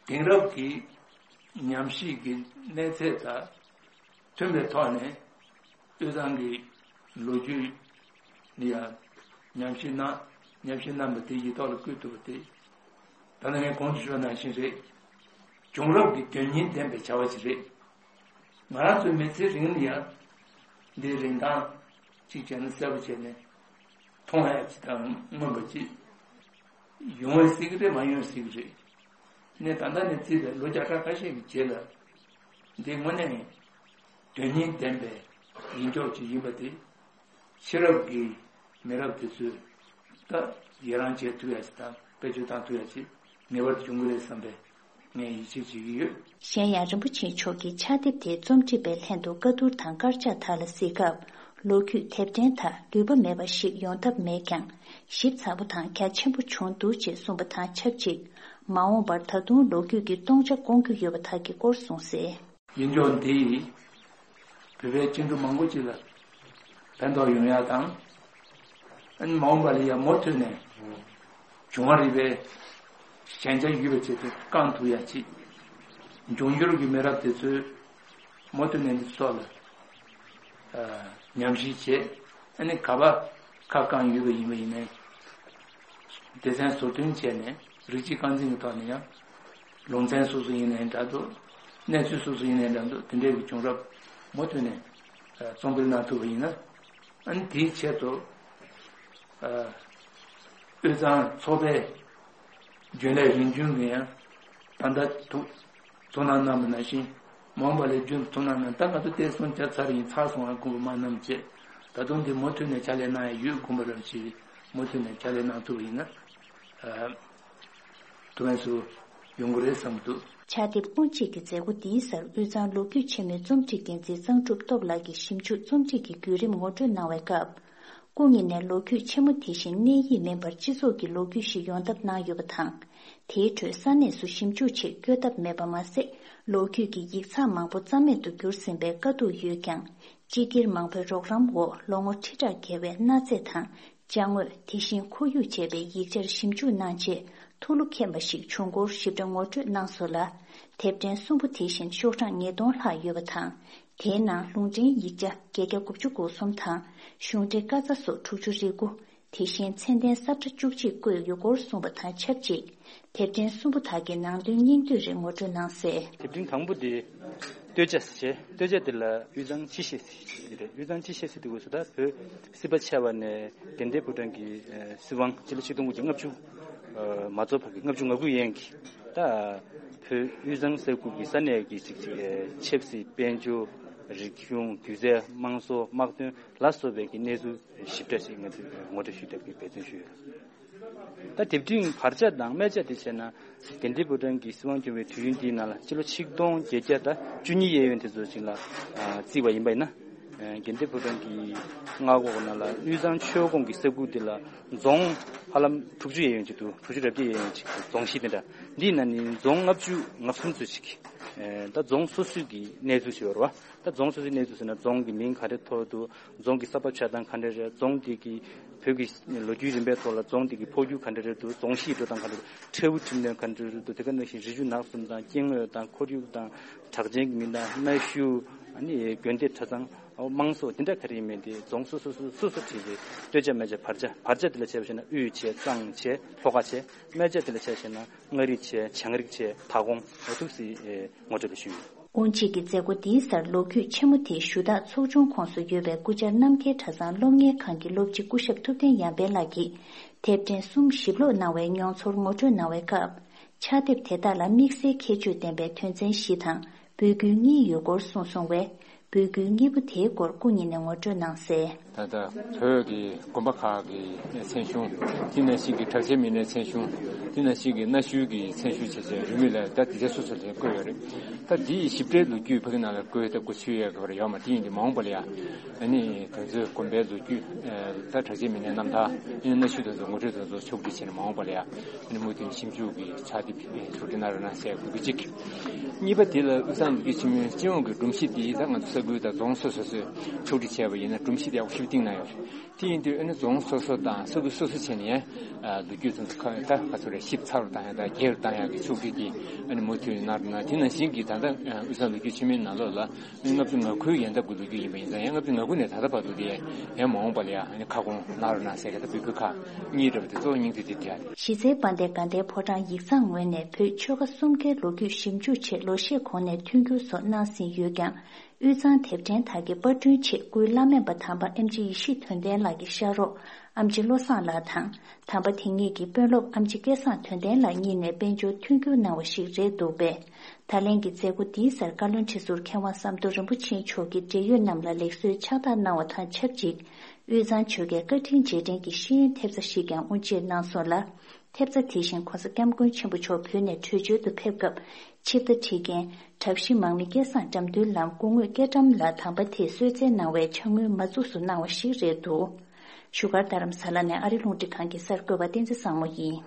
དེང་རབས་ཀྱི་ཉམས་ཞིབ་ཀྱི་གནས་ཚད་དང་། མཐུན་པའི་ཐོག་ནས་དབུས་གཙང་གི་ལོ་རྒྱུས་ནི་ཡང་ཉམས་ཞིབ་གནང་ཉམས་ཞིབ་གནང་བ་དེ་ཡིག་ཐོག་ལ་བཀོད་ཐུབ་པ་དེ་ད་ནང་ངས་གོང་དུ་ཞུས་པ་ནང་བཞིན་རེད། བྱུང་རབས་ཀྱི་དོན་སྙིང་ལྡན་པའི་བྱ་བ་ཞིག་རེད། ང་རང་ཚོའི་མི་ཚེའི་རིང་ལ་ཡང་འདིའི་རིན་ཐང་གཅིག་བྱས་ན་གསལ་པོ་བྱས་ནས་མཐོང་ཡ་ཅིག་དང་མངོན་པ་ཅིག་ཡོང་བའི་སྲིད་ཀྱི་རེད། མ་ཡོང་བའི་སྲིད་ཀྱི་རེད། ནས་ད་ལྟ་ནས་བརྩིས་པའི་ལོ་བརྒྱ་ཕྲག་ཁ་ཤས་ཀྱི་རྗེས་ལ་འདི་དངོས་གནས་དོན་སྙིང་ལྡན་པའི་ཡིན་ཕྱོགས་ཅིག་ཡིན་པ་དེ་ཕྱི་རབས་ཀྱི་མི་རབས་དེ་ཚོས་ད་ཡི་རང་བྱེད་ཐུབ་ཡ་ཅིག་དང་བེད་སྤྱོད་བཏང་ཐུབ་ཡ་ཅིག་ངེས་པར་དུ་བྱུང་གི་རེད་བསམ་པའི་ངས་ཡིད་ཆེས་བྱེད་ཀྱི་ཡོད། གཞན་ཡང་རིན་པོ་ཆེ་མཆོག་གིས་ཕྱག་དེབ་དེའི་རྩོམ་སྒྲིག་པའི་ལྷན་དུ་བཀའ་བསྡུར་དང་དཀར་ཆག་དག་ལ་གཟིགས་སྐབས། ལོ་རྒྱུས་དེབ་ཕྲེང་དག་ལུས་པ་མེད་པ་ཞིག་ཡོང་ཐབས་མེད་ཀྱང་། ཞིབ་ཚགས་པོ་དང་རྒྱ་ཆེན་པོ་བྱུང་འདུག་ཅེས་གསུངས་པ་དང་ཆབས་ཅིག་མ་འོངས་པར་ད་དུང་ལོ་རྒྱུས་ཀྱི་སྟོང་ཆ་སྐོང་རྒྱུ་ཡོད་པ་དག་གི་སྐོར་གསུངས་གསལ། ཡིན་ཕྱོགས་འདིས་བོད་པའི་སྐྱེ་འགྲོ་མང་པོ་ཅིག་ལ་ཕན་ཐོགས་ཡོང་ཡ་དང་། ཨ་ནི་མ་འོངས་པ་ལ་ཡང་མུ་མཐུད་ནས་འབྱུང་བ་རིག་པའི་ཞན་ཆ་ཡོད་པའི་ཆེད་དུ་བསྐང་ཐུབ་ཡ་ཅིག་འབྱུང་འགྱུར་གྱི་མི་རབས་དེ་ཚོས་མུ་མཐུད་ནས་འདི་ཚོ་ལ་ཨ་ཉམས་ཞིབ་བྱས། ཨ་ནི་ག་པར་ཁ་བསྐངས་ཡོད་པ་ཡིན་པ་ཡིན་ནའི་སྡེ་ཚན་བཟོ་སྐྲུན་བྱས་ནས་རིགས་གཅིག་རྐང་འཛིན་གྱི་ཐོག་ནས་ཡང་ལུང་ཚན་སོ་སོ་ཡིན་ནའི་འདྲ་འདུག་གནས་ཚུལ་སོ་སོ་ཡིན་ནའི་འདྲ་འདུག་དེ་འདྲའི་གི་བྱུང་རབས་མུ་མཐུད་ནས་ཨ་རྩོམ་སྤེལ་གནང་ཐུབ་པ་ཡིན་ན། ཨ་ནི་དེའི་ཆེད་དུ་ཨ་དབུས་གཙང་ཚོགས་པའི་རྒྱུན་ལས་རིམ་བྱོན་གྱིས་ཡང་ད་ལྟ་ཐུགས་ཐུགས་སྣང་གནང་བ་ནང་བཞིན་མ་འོངས་པ་ལ་རྒྱུན་དུ་ཐུགས་སྣང་གནང་། ད་ང་ཚོ་བལྟས་སོང་བརྒྱ་ཚར་ཡིན་ཚར་སོང་ང་དགོངས་པ་མ་གནང་བྱས། ད་དུང་འདི་མུ་མཐུད་ནས་ཕྱག་ལས་གནང་ཡ་ཡོད་དགོངས་པ་རང་བཞིན་མུ་མཐུད་ནས་ཕྱག་ལས་གནང་ཐུབ་པ་ཡིན་ན་ཨ་ཐུགས་ཕན་གསོས་ཡོང་གི་རེད་བསམ་གྱི་འདུག་ཕྱག་དེབ་དབུ་འབྱེད་ཀྱི་མཛད་སྒོ་འདིའི་སར་དབུས་གཙང་ལོ་རྒྱུས་ཆེན་མོའི་རྩོམ་སྒྲིག་འགན་འཛིན་གཙང་ཕྲུག་སྟོབས་ལགས་ཀྱིས་ཞིབ་འཇུག་རྩོམ་སྒྲིག་གི་བརྒྱུད་རིམ་ངོ་སྤྲོད་གནང་བའི་སྐབས། སྐུ་ཉིད་ནས་ལོ་རྒྱུས་ཆེན་མོ་དེ་བཞིན་གནས་ཡིག་མིན་པར་སྤྱི་ཚོགས་ཀྱི་ལོ་རྒྱུས་ཤིག་ཡོང་ཐབས་གནང་ཡོད་པ་དང་། དེའི་ཁྲོད་ས་གནས་སུ་ཞིབ་འཇུག་ཆེད་བསྐྱོད་ཐབས་མེད་པ་མ་ཟད། ལོ་རྒྱུས་ཀྱི་ཡིག་ཚགས་མང་པོ་རྩ་མེད་དུ་གྱུར་ཟིན་པའི་དཀའ་སྡུག་ཡོད་ཀྱང་། སྤྱི་སྒེར་མང་པོའི་རོགས་རམ་འོག་ལོ་ངོ་ཁྲི་ཕྲག་བརྒལ་བའི་གནའ་རྫས་དང་། ཅ་དངོས། དེ་བཞིན་ཁོར་ཡུག་བཅས་པའི་ཡིག་ཆར་ཞིབ་འཇུག་གནང་རྗེས་ཐུགས་བློ་ཁེངས་པ་ཞིག་བྱུང་སྐོར་ཞིབ་ཕྲ་ངོ་སྤྲོད་གནང་སོང་ལ། དེབ་ཕྲེང་གསུམ་པོ་དེ་བཞིན་ཤོག་གྲངས་ཉིས་སྟོང་ལྷག་ཡོད་པ་དང་། དེའི་ནང་ལུང་འདྲེན་ཡིག་ཆ་བརྒྱད་བརྒྱ་དགུ་བཅུ་གོ་གསུམ་དང་གཞུང་འབྲེལ་བཀའ་རྩ་སོགས་དྲུག་ཅུ་རེ་དགུ། དེ་བཞིན་ཚད་ལྡན་ས་ཁྲ་བཅུ་གཅིག་བཀོད་ཡོད་སྐོར་གསུངས་པ་དང་ཆབས་ཅིག་དེབ་ཕྲེང་གསུམ་པོ་དག་གི་ནང་དོན་སྙིང་བསྡུས་རིགས་ངོ་སྤྲོད་གནང་གསལ། དེབ་ཕྲེང་དང་པོ་དེ་སྟོད་ཆ་ཟེར་བྱས། སྟོད་ཆ་དེ་ལ་དབུས་གཙང་སྤྱི་བཤད་ཟེར་གྱི་རེད། དབུས་གཙང་སྤྱི་བཤད་ཟེར་དུས་སྐབས་སུ་ད་བོད་སྲིད་པ་ཆད་པ་ནས་དགའ་ལྡན་ཕོ་བྲང་གི་ཨ་སྲིད་དབང་སྤྱི་ལོ་ཆིག་སྟོང་དགུ་བརྒྱ་ལྔ་བཅུ་ཨ་མ་རྫོགས་བར་གྱི་ལྔ་བཅུ་ང་དགུ་ཡན་གྱི་ད་བོད་དབུས་གཙང་ས་ཁུལ་གྱི་ས་གནས་ཀྱི་ཅིག་ཅིག་ཨ་ཆབ་སྲིད། དཔལ་འབྱོར། རིག་གཞུང་། སྒྱུ་རྩལ། དམངས་སྲོལ། དམག་དོན་ལ་སོགས་པའི་གི་གནས་ཚུལ་ཞིབ་ཕྲ་ཞིག་ང་ཚོས་ངོ་སྤྲོད་ཞུས་ཐབས་ཀྱི་འབད་བརྩོན་ཞུས་ཡོད། ད་དེབ་ཕྲེང་བར་ཆ་དང་སྨད་ཆ་དེ་བྱས་ན་དགའ་ལྡན་ཕོ་བྲང་གི་སྲིད་དབང་སྐྱོང་བའི་དུས་ཡུན་དེའི་ནང་ལ་སྤྱི་ལོ་ཆིག་སྟོང་བརྒྱད་བརྒྱ་དང་བཅུ་གཉིས་གཡས་གཡོན་དེ་ཚོ་ཅིག་ལ་ཨ་བརྩིས་པ་ཡིན་པ་ཡིན་ན། དགེ་ལྡན་ཕོ་བྲང་གི་མངའ་འོག་ནང་ལ་དབུས་གཙང་ཆོས་ཁོངས་ཀྱི་ས་ཁུལ་དེ་ལ་རྫོང་ཧ་ལམ་དྲུག་ཅུ་ཡས་ཡོད་ཅིག་འདུག་དྲུག་ཅུ་རེ་བརྒྱད་ཡས་ཡོད་ཅིག་རྫོང་གཞི་དེ་འདྲ། འདིའི་ནང་ནས་རྫོང་ལྔ་བཅུ་ང་གསུམ་ཙམ་ཅིག་ད་རྫོང་སོ་སོའི་གི་གནས་ཚུལ་ཞིག་ཡོད་རེད་བ། ད་རྫོང་སོ་སོའི་གནས་ཚུལ་ཟེར་ན་རྫོང་གི་མིང་ག་འདྲ་ཐོགས་འདུག་རྫོང་གི་ས་བབ་ཆགས་སྟངས་ག་འདྲ་རེད། རྫོང་དེ་གི་བོད་ཀྱི་ལོ་རྒྱུས་རིམ་པའི་ཐོག་ལ་རྫོང་དེ་གི་འཕོ་འགྱུར་ག་འདྲ་རེད་འདུག་རྫོང་གཞིས་འགྲོ་སྟངས་ག་འདྲ་རེད། ཁྲལ་འུ་ཁྲིམས་ནོན་ག་འདྲ་རེད་འདུག་དེ་ག་ནང་བཞིན་རི་ཆུ་ནགས་གསུམ་དང་སྐྱེ་དངོས་དང་ཁོར་ཡུག་དང་གྲགས་ཅན་གྱི་མི་སྣ་གནའ་ཤུལ་ཨ་ནི་དགོན་སྡེ་གྲྭ་ཚང་དམངས་སྲོལ་དེ་འདྲ་ག་རེ་ཡིན་མིན་དེ་རྫོང་སོ་སོ་སོ་སོ་སོ་ཁྲིད་དེ་སྟོད་ཆ་སྨད་ཆ་བར་ཆ། བར་ཆ་དེ་ལ་བྱས་པ་བྱས་ན་དབུས་བྱས་གཙང་བྱས་ལྷོ་ཁ་བྱས། སྨད་ཆ་དེ་ལ་བྱས་བྱས་ན་མངའ་རིས་བྱས་བྱང་རིགས་བྱས་མཐའ་ཁོངས་འོ་ཐུག་སི་ངོ་སྤྲོད་ལ་ཞུས་ཡོད། དབུ་འབྱེད་ཀྱི་མཛད་སྒོ་འདིའི་སར་ལོ་རྒྱུས་ཆེན་མོ་དེའི་ཞུ་དག་ཚོགས་ཆུང་ཁོངས་སུ་ཡོད་པའི་སྐུ་བཅར་རྣམ་རྒྱལ་གྲྭ་ཚང་སློབ་གཉེར་ཁང་གི་སློབ་སྤྱི་སྐུ་ཞབས་ཐུབ་བསྟན་ཡར་འཕེལ་ལགས་ཀྱིས་དེབ་ཕྲེང་གསུམ་ཞིབ་ཀློག་གནང་བའི་མྱོང་ཚོར་ངོ་སྤྲོད་གནང་བའི་སྐབས། ཕྱག་དེབ་དེ་དག་ལ་དམིགས་བསལ་ཁྱད་ཆོས་ལྡན་པའི་དོན་ཚན་བཞི་དང་འབོད་སྐུལ་གཉིས་ཡོད་སྐོར་གསུངས་སོང་བས། འབོད་སྐུལ་གཉིས་པོ་དེའི་སྐོར་སྐུ་ཉིད་ནས་ངོ་སྤྲོད་གནང་གསལ། ད་ལྟ་བོད་ཀྱི་དགོན་པ་ཁག་གི་མཚན་གཞུང་། དེ་ནང་བཞིན་གྱི་གྲགས་ཅན་མི་སྣའི་མཚན་གཞུང་། དེ་ནང་བཞིན་གྱི་གནའ་ཤུལ་གྱི་མཚན་གཞུང་བྱས་བྱས་རིན་མེད་ལ་ད་དེ་ཚོ་སོ་སོ་ལ་བཀོད་ཡོད་རེད། ད་འདིའི་ཞིབ་ཕྲའི་ལོ་རྒྱུས་ཕ་གི་ནང་ལ་བཀོད་ད་བཀོད་ཚུལ་ཡོད་པ་ཡོད་མ་རེད། དེ་ཡིན་དུས་མ་འོངས་པ་ལ་ཡ་ཨ་ནི་དེ་ཚོའི་དགོན་པའི་ལོ་རྒྱུས་ད་གྲགས་ཅན་མི་སྣའི་རྣམ་ཐར་ཨ་ནི་གནའ་ཤུལ་དེ་ཚོ་ངོ་སྤྲོད་དེ་ཚོ་ཕྱོགས་བསྒྲིགས་བྱས་ནས་མ་འོངས་པ་ལ་ཡ། ཨ་ནི་མུ་མཐུད་ཞིབ་འཇུག་གི་ཕྱག་དེབ་ཕྱོགས་སྒྲིག་གནང་རོགས་གནང་ཟེར་དགོས་ཀྱི་གཅིག་གཉིས་པ་དེ་ལ་དབུས་གཙང་ལོ་རྒྱུས་ཆེན་མོའི་སྤྱི་ཡོངས་ཀྱི་སྒྲོམ་གཞི་དེ་ད་ང་ཚོ་ས་ཁུལ་དང་རྫོང་སོ་སོ་སོས་ཕྱོགས་སྒྲིག་བྱས་པ་ཡིན་ན་སྒྲོམ་གཞི་དེ་ཡག་པོ་ཞིབ་བཏིང་གནང་ཡོད་རེད། དེ་ཡིན་དུས་ཨ་ནི་རྫོང་སོ་སོ་དང་ས་ཁུལ་སོ་སོ་བྱས་ནས་ལོ་རྒྱུས་དེ་ཚོ་ད་ག་ཚོད་རེད་ཞིབ་ཚགས་རུ་བཏང་ཡག་དང་རྒྱས་རུ་བཏང་ཡག་གི་ཕྱོགས་སྒྲིག་དེ་ཨ་ནི་མུ་མཐུད་གནང་རོགས་གནང་། དེ་ནང་བཞིན་གྱི་ད་ལྟ་དབུས་གཙང་ལོ་རྒྱུས་ཆེན་མོའི་ནང་ལོགས་ལ། ལྔ་བཅུ་ང་དགུའི་ཡན་འདབ་ཀྱི་ལོ་རྒྱུས་ཡིན་པ་ཡིན་ཙང་ཡང་ལྔ་བཅུ་ང་དགུ་ནས་ད་ལྟ་བར་དུ་དེ་ཡང་མ་འོངས་པ་ལ་ཡང་ཁ་སྐོང་གནང་རོགས་གནང་ཟེར་གྱི་ད་འབོད་སྐུལ་ཁག་གཉིས་རེད་པ། དེ་གཙོ་བོ་སྙིང་བསྡུས་དེ་དེ་རེད། གཞིས་རྩེ་དཔལ་ལྡན་དགའ་ལྡན་ཕོ་བྲང་ཡིག་ཚང་ངོས་ནས་བོད་ཆོལ་ཁ་གསུམ་ཀའི་ལོ་རྒྱུས་ཞིབ་འཇུག་ཆེད་ལོ་ཤས་གོང་ནས་མཐུན་འགྱུར་སོགས་གནང་ཟིན་ཡོད་ཀྱང་། དབུས་གཙང་དེབ་ཕྲེང་དག་གི་པར་སྐྲུན་ཆེད་སྐུའི་བླ་སྨན་པ་དམ་པ་ཨེམ་ཆི་ཡེ་ཤེས་དོན་ལྡན་ལགས་ཀྱི་ཤག་རོགས་ཨེམ་ཆི་བློ་བཟང་ལགས་དང་། དམ་པ་དེ་ཉིད་ཀྱི་དཔོན་སློབ་ཨེམ་ཆི་སྐལ་བཟང་དོན་ལྡན་ལགས་གཉིས་ནས་དཔལ་འབྱོར་མཐུན་འགྱུར་གནང་བ་ཞིག་རེད་འདུག་པས། ད་ལན་གྱི་མཛད་སྒོ་འདིའི་སར་བཀའ་བློན་ཁྲི་ཟུར་མཁས་དབང་ཟམ་གདོང་རིན་པོ་ཆེ་མཆོག་གིས་འབྲེལ་ཡོད་རྣམས་ལ་ལེགས་གསོལ་ཕྱག་རྟགས་གནང་བ་དང་ཆབས་ཅིག་དབུས་གཙང་ཆོལ་ཁའི་བཀའ་དྲིན་རྗེས་དྲན་གྱི་ཤེས་ཡོན་ཐེབས་རྩ་ཞིག་ཀྱང་དབུ་འབྱེད་གནང་སོང་ལ། ཐེབས་རྩ་དེ་བཞིན་༸གོང་ས་༸སྐྱབས་མགོན་ཆེན་པོ་མཆོག་བོད་ནས་བྲོས་བྱོལ་དུ་ཕེབས་སྐབས་ཆིབས་རྟ་ཁྲིད་མཁན་གྲྭ་བཞི་མང་མི་སྐལ་བཟང་དགྲ་འདུལ་ལམ་སྐུ་ངོ་སྐྱེ་ཀྲམ་ལགས་དམ་པ་དེས་གསོལ་སྩལ་གནང་བའི་ཕྱག་དངུལ་མ་བཙུགས་སུ་གནང་བ་ཞིག་རེད་འདུག་བཞུགས་སྒར་རྡ་རམ་ས་ལ་ནས་ཨ་རི་རླུང་འཕྲིན་ཁང་གི་གསར་འགོད་པ་བསྟན་འཛིན་བཟང་མོ་ཡིན།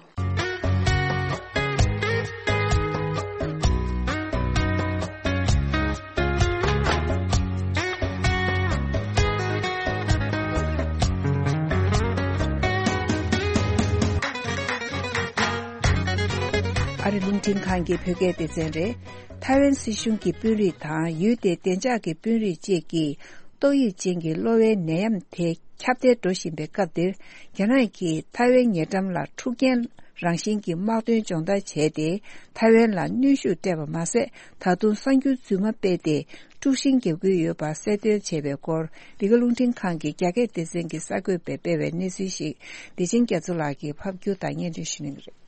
ཨ་རི་རླུང་འཕྲིན་ཁང་གི་བོད་སྐད་སྡེ་ཚན་རེད། ཐའེ་ཝན་སྲིད་གཞུང་གི་དཔོན་རིགས་དང་ཡུལ་དེའི་བདེ་འཇགས་ཀྱི་དཔོན་རིགས་བཅས་ཀྱིས། ཏོག་དབྱིབས་ཅན་གྱི་གློ་བའི་ནད་ཡམས་དེ་ཁྱབ་གདལ་འགྲོ་བཞིན་པའི་སྐབས་འདིར། རྒྱ་ནག་གིས་ཐའེ་ཝན་ཉེ་འགྲམ་ལ་འཁྲུག་རྐྱེན་རང་བཞིན་གྱི་དམག་དོན་སྦྱོང་བརྡར་བྱས་ཏེ། ཐའེ་ཝན་ལ་གནོན་ཤུགས་སྤྲད་པ་མ་ཟད། ད་དུང་གསར་འགྱུར་རྫུན་མ་སྤེལ་ཏེ། དཀྲུག་ཤིང་བརྒྱབ་ཀྱི་ཡོད་པ་གསལ་སྟོན་བྱས་པའི་སྐོར། འདི་ག་རླུང་འཕྲིན་ཁང་གི་རྒྱ་སྐད་སྡེ་ཚན་གྱི་གསར་འགོད་པས་སྤེལ་བའི་གནས་ཚུལ་ཞིག་བདེ་ཆེན་རྒྱ་མཚོ་ལགས་ཀྱིས་ཕབ་སྒྱུར་དང་སྙན་སྒྲོན་ཞུ་གནང་གི་རེད།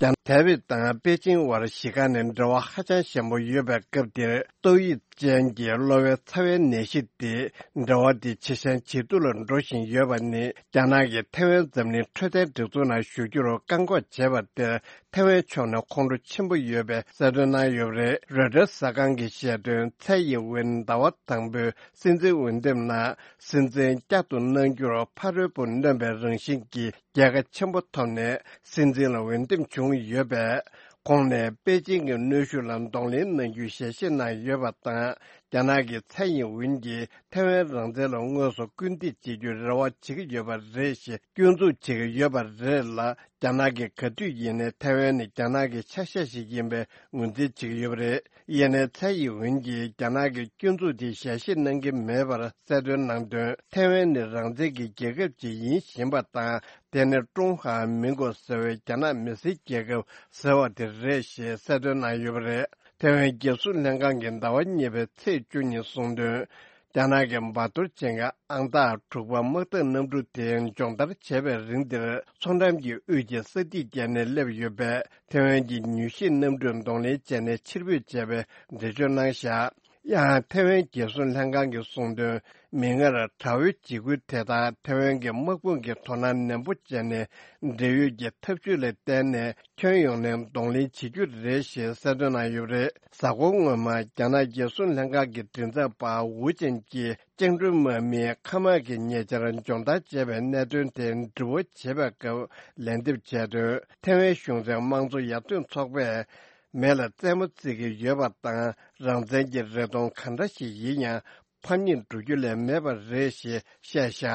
ཀྱང་ཐའེ་ཝན་དང་པེ་ཅིང་བར་གཞིས་ཀ་ནས་འབྲེལ་བ་ཧ་ཅང་ཞན་པོ་ཡོད་པའི་སྐབས་འདིར། ཏོག་དབྱིབས་ཅན་གྱི་གློ་བའི་ཚ་བའི་ནད་གཞི་དེ་འབྲེལ་བ་དེ་ཇེ་ཞན་ཇེ་སྡུག་ལ་འགྲོ་བཞིན་ཡོད་པ་ནི། རྒྱ་ནག་གིས་ཐའེ་ཝན་འཛམ་གླིང་འཕྲོད་བསྟེན་སྒྲིག་འཛུགས་ནང་ཞུགས་རྒྱུར་བཀག་འགོག་བྱས་པ་དེར། ཐའེ་ཝན་ཕྱོགས་ནས་ཁོང་ཁྲོ་ཆེན་པོ་ཡོད་པའི་གསལ་སྟོན་གནང་ཡོད་པ་རེད། རོའི་ཊར་གསར་ཁང་གིས་བཤད་དོན། ཚའེ་ཡིན་ཝིན་ཟླ་བ་དང་པོའི་སྲིད་འཛིན་འོས་འདེམས་ནང་། སྲིད་འཛིན་བསྐྱར་དུ་གནང་རྒྱུར་ཕ་རོལ་པོ་གནོན་པའི་རང་བཞིན་གྱི་རྒྱལ་ཁ་ཆེན་པོ་ཐོབ་ནས་སྲིད་འཛིན་ལ་འོས་འདེམས་བྱུང་ཡོད་པས། ཁོང་ནས་པེ་ཅིང་གི་གནོན་ཤུགས་ལ་གདོང་ལེན་གནང་རྒྱུའི་ཞལ་བཞེས་གནང་ཡོད་པ་དང་། རྒྱ་ནག་གི་ཚའེ་ཡིན་ཝིན་གྱིས་ཐའེ་ཝན་རང་བཙན་ལ་དངོས་སུ་སྐུལ་འདེད་བྱེད་རྒྱུའི་རེ་བ་བྱེད་ཀྱི་ཡོད་པ་རེད་ཞེས་སྐྱོན་འཛུགས་བྱེད་ཀྱི་ཡོད་པ་རེད་ལ། རྒྱ་ནག་གིས་ག་དུས་ཡིན་ནའི་ཐའེ་ཝན་ནི་རྒྱ་ནག་གི་ཆ་ཤས་ཤིག་ཡིན་པའི་ངོས་འཛིན་བྱེད་ཀྱི་ཡོད་པ་རེད། ཡིན་ནའི་ཚའེ་ཡིན་ཝིན་གྱིས་རྒྱ་ནག་གི་སྐྱོན་འཛུགས་དེ་ཞལ་བཞེས་གནང་གི་མེད་པར་གསལ་སྟོན་གནང་དོན། ཐའེ་ཝན་ནི་རང་བཙན་གྱི་རྒྱལ་ཁབ་ཅིག་ཡིན་བཞིན་པ་དང་། དེ་ནི་ཀྲུང་ཧྭ་མིན་གོ་ཟེར་བའི་རྒྱ་ནག་མི་སེར་རྒྱལ་ཁབ་ཟེར་བ་དེ་རེད་ཞེས་གསལ་སྟོན་གནང་ཡོད་པ་རེད། ཐའེ་ཝན་རྒྱལ་སྲུང་ལྷན་ཁང་གིས་ཟླ་བ་གཉིས་པའི་ཚེས་བཅུ་ཉིན་གསུངས་དོན། རྒྱ་ནག་གི་འབར་གཏོར་ཅན་གྱི་ཨང་རྟགས་དྲུག་པ་དམག་འཐབ་གནམ་གྲུ་དེ་སྦྱོང་བརྡར་བྱས་པའི་རིང་འདིར། མཚོ་འགྲམ་གྱི་དབུས་ཀྱི་ས་ཐིག་བརྒལ་ནས་སླེབས་ཡོད་པས། ཐའེ་ཝན་གྱི་མྱུལ་ཞིབ་གནམ་གྲུས་གདོང་ལེན་བྱས་ནས་ཕྱིར་འབུད་བྱས་པའི་འགྲེལ་བརྗོད་གནང་བཞག་ཡང་ཐེ་ཝན་རྒྱལ་སྲུང་ལྷན་ཁང་གིས་གསུངས་དོན། མིག་སྔར་དགྲ་བོའི་འཇིགས་སྐུལ་དེ་དག་ཐེ་ཝན་གྱི་དམག་དཔུང་གིས་དོ་སྣང་ནན་པོ་བྱས་ནས། འབྲེལ་ཡོད་ཀྱི་ཐབས་ཇུས་ལ་བརྟེན་ནས་ཁྱོན་ཡོངས་ནས་གདོང་ལེན་བྱེད་རྒྱུ་རེད་ཞེས་གསལ་སྟོན་གནང་ཡོད་པ་རེད། གཟའ་འཁོར་སྔོན་མ་རྒྱ་ནག་རྒྱལ་སྲུང་ལྷན་ཁང་གི་མགྲིན་ཚབ་པ་ཝུ་ཅན་གྱིས། བཅིངས་འགྲོལ་དམག་མིས་མཁའ་དམག་གི་ཉེ་ཆར་སྦྱོང་བརྡར་བྱས་པའི་གནད་དོན་དེ་འདྲི་བ་བྱེད་པའི་སྐབས་ལན་འདེབས་བྱས་དོན། ཐེ་ཝན་གཞུང་འཛིན་དམངས་གཙོ་ཡར་ཐོན་ཚོགས་པས། མེ་ལ་རྩེད་མོ་རྩེ་གི་ཡོད་པ་དང་། རང་བཙན་གྱི་རེ་སྟོང་ག་འདྲ་ཞིག་ཡིན་ཡང་ཕམ་ཉེས་འགྲོ་རྒྱུ་ལས་མེད་པ་རེད་ཞེས་བཤད་བཞག་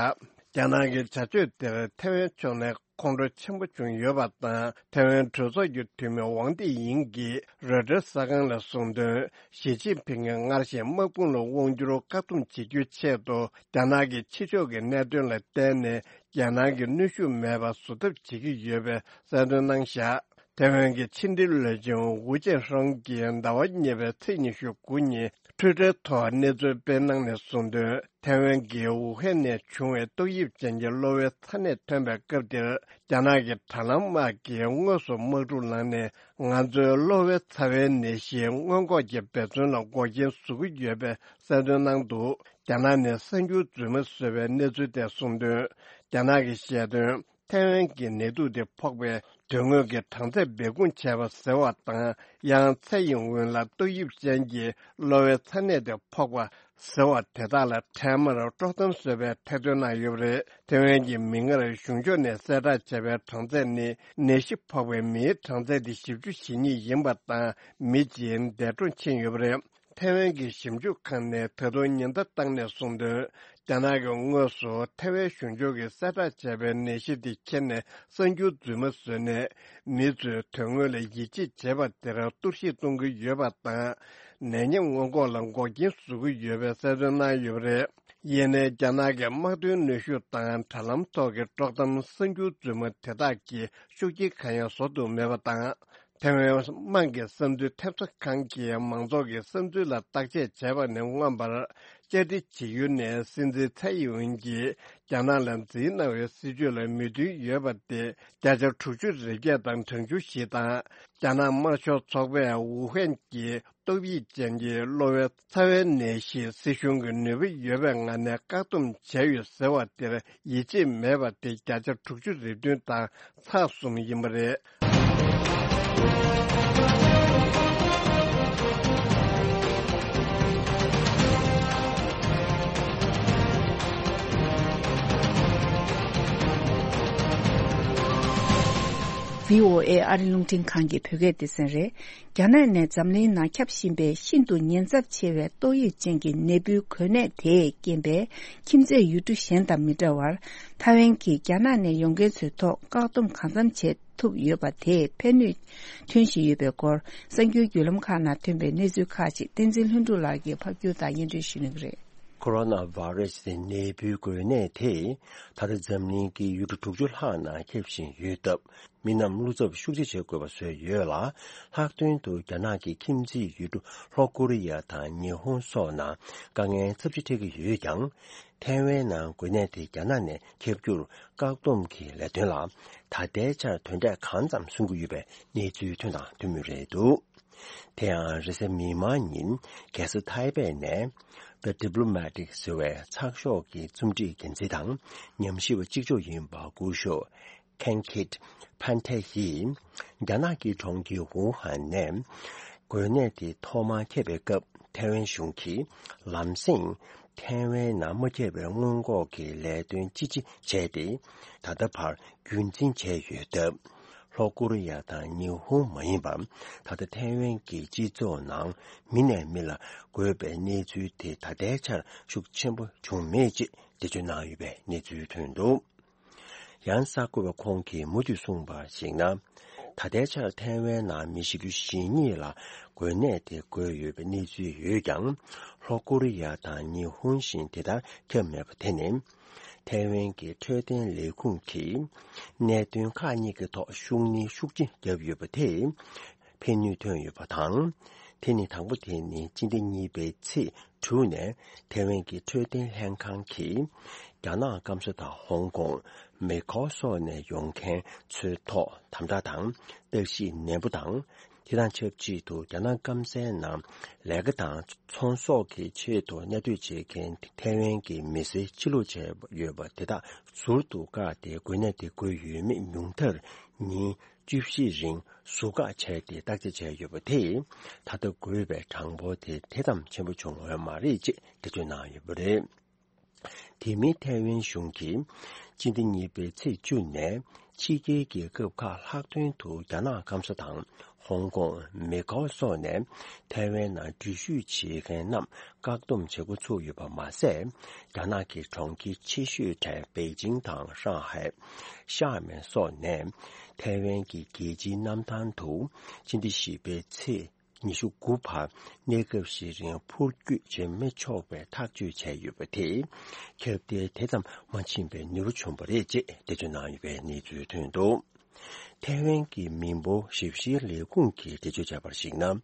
རྒྱ་ནག་གི་བྱ་སྤྱོད་དེར་ཐེ་ཝན་ཕྱོགས་ནས་ཁོང་ཁྲོ་ཆེན་པོ་བྱུང་ཡོད་པ་དང་། ཐེ་ཝན་གྲོས་ཚོགས་ཀྱི་འཐུས་མི་ཝང་ཏི་ཡིང་གིས་རོའི་ཊར་གསར་ཁང་ལ་གསུངས་དོན། ཞི་ཅིན་ཕིང་གིས་སྔར་བཞིན་དམག་དཔུང་ལ་དབང་བསྒྱུར་བཀག་སྡོམ་བྱེད་རྒྱུའི་ཆེད་དུ། རྒྱ་ནག་གི་ཕྱི་ཕྱོགས་ཀྱི་གནད་དོན་ལ་བརྟེན་ནས་རྒྱལ་ནང་གི་གནོན་ཤུགས་མེད་པར་བཟོ་ཐབས་བྱེད་ཀྱི་ཡོད་པའི་གསལ་སྟོན་གནང་བཞག་ཐེ་ཝན་གྱི་ཕྱི་འབྲེལ་བློན་ཆེན་ཝུ་ཅན་ཧྲང་གིས་ཟླ་བ་གཉིས་པའི་ཚེས་ཉི་ཤུ་དགུ་ཉིན་ཊུའི་ཊར་ཐོག་གནས་ཚུལ་སྤེལ་གནང་ནས་གསུངས་དོན། ཐེ་ཝན་གྱི་ཝུ་ཧན་ནས་བྱུང་བའི་ཏོག་དབྱིབས་ཅན་གྱི་གློ་བའི་ཚ་ནད་ཐོན་པའི་སྐབས་དེར། རྒྱ་ནག་གི་དྲ་ལམ་དམག་གིས་དངོས་སུ་དམག་འཁྲུག་ལངས་ནས། ང་ཚོའི་གློ་བའི་ཚ་བའི་ནད་གཞིའི་སྔོན་འགོག་གི་འབད་བརྩོན་ལ་འགོག་རྐྱེན་བཟོ་གི་ཡོད་པའི་གསལ་སྟོན་གནང་འདུག་རྒྱ་ནག་ནས་གསར་འགྱུར་རྫུན་མ་བཟོས་པའི་གནས་ཚུལ་དེ་གསུངས་དོན། རྒྱ་ནག་གིས་བཤད་དོན། ཐའེ་ཝན་གྱི་ནད་དུག་དེ་ཕོག་པའི་དོན་དངོས་ཀྱི་གྲངས་ཚད་སྦས་སྐུང་བྱས་པ་ཟེར་བ་དང་། ཡང་ཚེ་ཡི་སྔོན་ལ་ཏོག་དབྱིབས་ཅན་གྱི་གློ་བའི་ཚ་ནད་དེ་ཕོག་པ་ཟེར་བ་དེ་དག་ལ་འཕྲལ་མར་དཀྲོག་གཏམ་བཟོས་པའི་ཐེར་འདོན་གནང་ཡོད་པ་རེད། ཐའེ་ཝན་གྱི་མིག་སྔར་གཞུང་ཕྱོགས་ནས་གསལ་བསྒྲགས་བྱས་པའི་གྲངས་ཚད་ནི། ནད་གཞི་ཕོག་པའི་མིའི་གྲངས་ཚད་དེ་བཞི་བཅུ་ཞེ་གཉིས་ཡིན་པ་དང་། མི་གཅིག་འདས་གྲོངས་ཕྱིན་ཡོད་པ་རེད། ཐའེ་ཝན་གྱི་ཞིབ་འཇུག་ཁང་ནས་ད་དུང་ཉེན་བརྡ་བཏང་ནས་གསུངས་དོན། རྒྱ་ནག་གིས་དངོས་སུ་ཐའེ་ཝན་གཞུང་ཕྱོགས་ཀྱིས་གསལ་བསྒྲགས་བྱས་པའི་ནད་གཞི་དེ་ཁྱེར་ནས་གསར་འགྱུར་རྫུན་མ་བཟོས་ནས། མི་ཚོས་དོན་དངོས་ལ་ཡིད་ཆེས་བྱེད་པ་དེར་གཏོར་བཤིག་གཏོང་གི་ཡོད་པ་དང་། ནད་ཉམས་སྔོན་འགོག་ལ་འགོག་རྐྱེན་བཟོ་གི་ཡོད་པའི་གསལ་སྟོན་གནང་ཡོད་པ་རེད། ཡིན་ནའི་རྒྱ་ནག་གི་དམག་དོན་གནོན་ཤུགས་དང་དྲ་ལམ་ཐོག་གི་དཀྲོག་གཏམ་གསར་འགྱུར་རྫུན་མ་དེ་དག་གིས་ཤུགས་རྐྱེན་གང་ཡང་བཟོ་ཐུབ་མེད་པ་དང་། ཐའེ་ཝན་དམངས་ཀྱི་བསམ་ཚུལ་ཐེབས་རྩ་ཁང་གིས་མང་ཚོགས་ཀྱི་བསམ་ཚུལ་ལ་བརྟག་དཔྱད་བྱས་པ་ནས་མངོན་པར། བཅའ་སྒྲིག་བྱེད་ཡུལ་ནས་སྲིད་འཛིན་ཚའེ་ཡིན་ཝེན་གྱིས་རྒྱ་ནག་ལ་འཛིན་གནང་བའི་སྲིད་བྱུས་ལ་མོས་མཐུན་ཡོད་པ་སྟེ། བརྒྱ་ཆ་དྲུག་ཅུ་རེ་བརྒྱད་དང་གྲངས་ཆུང་བཞི་དང་། རྒྱ་ནག་དམར་ཤོག་ཚོགས་པས་ཝུ་ཧན་གྱི་ཏོག་དབྱིབས་ཅན་གྱི་གློ་བའི་ཚ་བའི་ནད་གཞི་སྲིད་གཞུང་གི་ནུས་པ་ཡོད་པའི་ངང་ནས་བཀག་སྡོམ་བྱས་ཡོད་ཟེར་བ་དེར་ཡིད་ཆེས་མེད་པ་དེ་བརྒྱ་ཆ་དྲུག་ཅུ་རེ་བདུན་དང་ཚེག་གསུམ་ཡིན་པ་རེད། བྷི་ཨོ་ཨེ་ཨ་རི་རླུང་འཕྲིན་ཁང་གི་བོད་སྐད་སྡེ་ཚན་རེད། རྒྱ་ནག་ནས་འཛམ་གླིང་ནང་ཁྱབ་བཞིན་པའི་ཤིན་ཏུ་ཉེན་ཚབས་ཆེ་བའི་ཏོག་དབྱིབས་ཅན་གྱི་ནད་འབུའི་འགོས་ནད་དེས་རྐྱེན་པས་ཁྱིམ་མཚེས་ཡུལ་གྲུ་གཞན་དང་མི་འདྲ་བར། ཐའེ་ཝན་གྱིས་རྒྱ་ནག་ནས་ཡོང་མཁན་ཚོའི་ཐོག་བཀག་སྡོམ་གང་འཚམ་བྱེད་ཐུབ་ཡོད་པ་དེས་ཕན་ནུས་ཐོན་བཞིན་ཡོད་པའི་སྐོར། གསར་འགྱུར་བརྒྱུད་ལམ་ཁག་ནང་ཐོན་པའི་གནས་ཚུལ་ཁག་ཅིག་བསྟན་འཛིན་ལྷུན་གྲུབ་ལགས་ཀྱིས་ཕབ་སྒྱུར་དང་སྙན་སྒྲོན་ཞུ་གནང་གི་རེད། ཁོ་རོ་ན་བྷ་རེ་སི་ནད་འབུའི་འགོས་ནད་དེ་ད་ལྟ་འཛམ་གླིང་གི་ཡུལ་གྲུ་དྲུག་ཅུ་ལྷག་ནང་ཁྱབ་བཞིན་ཡོད་སྟབས། མི་རྣམས་བློ་འཚབ་ཤུགས་ཆེ་བྱེད་དགོས་པ་བཟོས་ཡོད་ལ། ལྷག་དོན་དུ་རྒྱ་ནག་གི་ཁྱིམ་མཚེས་ཡུལ་གྲུ་ལྷོ་ཀོ་རི་ཡ་དང་ཉི་ཧོང་སོགས་ནང་དཀའ་ངལ་ཚབས་ཆེ་འཕྲད་ཀྱི་ཡོད་ཀྱང་། ཐའེ་ཝན་ནང་འགོས་ནད་དེ་རྒྱ་ནག་ནས་ཁྱབ་རྒྱུར་བཀག་སྡོམ་གྱི་ལས་དོན་ལ་ད་ལྟའི་ཆར་དོན་འབྲས་གང་ཙམ་སོན་གྱི་ཡོད་པའི་གནས་ཚུལ་ཐོན་དང་ཐོན་མུས་རེད་འདུག་དེ་ཡང་རེས་གཟའ་མིག་དམར་ཉིན་རྒྱལ་ས་ཐའེ་པེ་ནས་The Diplomat་ཟེར་བའི་ཚགས་ཤོག་གི་རྩོམ་སྒྲིག་འགན་འཛིན་དང་ཉམས་ཞིབ་པ་གཅིག་ལྕོགས་ཡིན་པ་སྐུ་ཞབས་Kankit Phante་ཡིས། རྒྱ་ནག་གི་གྲོང་ཁྱེར་ཝུ་ཧན་ནས་འགོས་ནད་དེ་ཐོག་མར་ཁྱབ་པའི་སྐབས། ཐའེ་ཝན་གཞུང་གིས་ལམ་སེང་ཐའེ་ཝན་ནང་མ་ཁྱབ་པའི་སྔོན་འགོག་གི་ལས་དོན་ཅི་ཆེ་བྱས་ཏེ། ད་ལྟ་བར་རྒྱུན་འཛིན་བྱས་ཡོད་སྟབས། ལྷོ་ཀོ་རི་ཡ་དང་ཉི་ཧོང་མ་ཡིན་པར། ད་ལྟ་ཐའེ་ཝན་གྱི་སྤྱི་ཚོགས་ནང་མི་ནས་མི་ལ་འགོས་པའི་གནས་ཚུལ་དེ་ད་ལྟའི་ཆར་ཤུགས་ཆེན་པོ་བྱུང་མེད་ཅེས་འགྲེལ་བརྗོད་གནང་ཡོད་པའི་གནས་ཚུལ་ཐོན་འདུག་ཡང་གསར་འགོད་པ་ཁོང་གིས་མུ་མཐུད་གསུངས་པར་གཞིགས་ན། ད་ལྟའི་ཆར་ཐའེ་ཝན་ནང་མི་བཞི་བཅུ་ཞེ་གཉིས་ལ་འགོས་ནད་དེ་འགོས་ཡོད་པའི་གནས་ཚུལ་ཡོད་ཀྱང་། ལྷོ་ཀོ་རི་ཡ་དང་ཉི་ཧོང་བཞིན་དེ་ལྟར་ཁྱབ་མེད་པ་དེ་ནི། ཐའེ་ཝན་གྱི་འཕྲོད་བསྟེན་ལས་ཁུངས་ཀྱིས་གནད་དོན་ཁག་གཉིས་ཀྱི་ཐོག་ཤུགས་སྣོན་ཤུགས་ཆེ་བརྒྱབ་ཡོད་པ་དེས་ཕན་ནུས་ཐོན་ཡོད་པ་དང་། དེ་ནི་དང་པོ་དེ་ནི་སྤྱི་ཟླ་གཉིས་པའི་ཚེས་དྲུག་ནས་ཐའེ་ཝན་གྱི་འཕྲོད་བསྟེན་ལྷན་ཁང་གིས་རྒྱ་ནག་སྐམ་ས་དང་ཧོང་ཀོང་། མེ་ཁོའུ་སོགས་ནས་ཡོང་མཁན་ཚོའི་ཐོག་དམ་དྲག་དང་བརྟག་ཞིབ་ནན་པོ་དང་། དེ་དང་ཆབས་ཅིག་ཏུ་རྒྱ་ནག་སྐམ་སའི་ནང་ལས་ཀ་དང་ཚོང་ཟོག་གི་ཆེད་དུ་གནས་སྡོད་བྱེད་མཁན་ཐའེ་ཝན་གྱི་མི་སེར་ཕྱིར་ལོག་བྱས་ཡོད་པ་དེ་དག་ཟུར་དུ་བཀག་སྟེ་འགོས་ནད་དེ་འགོས་ཡོད་མེད་ཉུང་མཐར་ཉིན་བཅུ་བཞི་རིང་ཟུར་བཀག་བྱས་ཏེ་བརྟག་དཔྱད་བྱས་ཡོད་པ་དེས། ད་ལྟ་འགོས་པའི་གྲངས་འབོར་དེ་དེ་ཙམ་ཆེན་པོ་བྱུང་ཡོད་མ་རེད་ཅེས་འགྲེལ་བརྗོད་གནང་ཡོད་པ་རེད། དེ་མིན་ཐའེ་ཝན་གཞུང་གིས་སྤྱི་ཟླ་གཉིས་པའི་ཚེས་བཅུ་ནས་ཕྱི་རྒྱལ་རྒྱལ་ཁབ་ཁག་ལྷག་དོན་དུ་རྒྱ་ནག་སྐམ་ས་དང་ཧོང་ཀོང་། མེ་ཀའོ་སོགས་ནས་ཐའེ་ཝན་ནང་འགྲུལ་བཞུད་བྱེད་མཁན་རྣམས་བཀག་སྡོམ་བྱེད་འགོ་ཚུགས་ཡོད་པ་མ་ཟད། རྒྱ་ནག་གི་གྲོང་ཁྱེར་ཆེ་ཤོས་གྲས་པེ་ཅིང་དང་ཧྲང་ཧའེ། ཤར་མེན་སོགས་ནས་ཐའེ་ཝན་གྱི་རྒྱལ་སྤྱིའི་གནམ་ཐང་དུ་སྤྱི་ཟླ་བཞི་པའི་ཚེས་ཉི་ཤུ་དགུ་བར་གནས་སྐབས་ཤིག་རིང་འཕུར་སྐྱོད་བྱེད་མི་ཆོག་པའི་ཐག་གཅོད་བྱས་ཡོད་པ་དེས། ཁྱབ་གདལ་དེ་ཙམ་མ་ཕྱིན་པའི་ནུས་པ་བྱུང་བ་རེད་ཅེས་འགྲེལ་བརྗོད་གནང་ཡོད་པའི་གནས་ཚུལ་ཐོན་འདུག་ཐའེ་ཝན་གྱི་མི་འབོར་ཞིབ་བཤེར་ལས་ཁུངས་ཀྱིས་འགྲེལ་བརྗོད་བྱས་པར་གཞིགས་ན།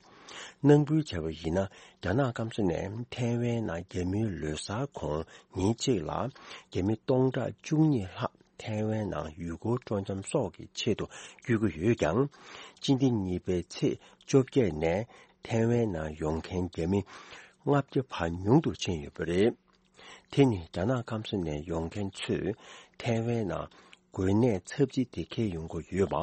ནང་འབུལ་བྱས་པ་ཡིན་ན། རྒྱ་ནག་སྐམ་ས་ནས་ཐའེ་ཝན་ནང་རྒྱ་མིའི་ལོ་གསར་གོང་ཉིན་གཅིག་ལ་རྒྱ་མི་སྟོང་ཕྲག་བཅུ་གཉིས་ལྷག་ཐའེ་ཝན་ནང་ཡུལ་སྐོར་སྤྲོ་འཆམ་སོགས་ཀྱི་ཆེད་དུ་བསྐྱོད་ཀྱི་ཡོད་ཀྱང་། སྤྱི་ཟླ་གཉིས་པའི་ཚེས་བཅོ་བརྒྱད་ནས་ཐའེ་ཝན་ནང་ཡོང་མཁན་རྒྱ་མི་ལྔ་བརྒྱ་བར་ཉུང་དུ་ཕྱིན་ཡོད་པ་རེད། དེ་ནི་རྒྱ་ནག་སྐམ་ས་ནས་ཡོང་མཁན་ཚོས་ཐའེ་ཝན་ནང་འགོས་ནད་ཚབས་ཆེ་དེ་འཁྱེར་ཡོང་གི་ཡོད་པ་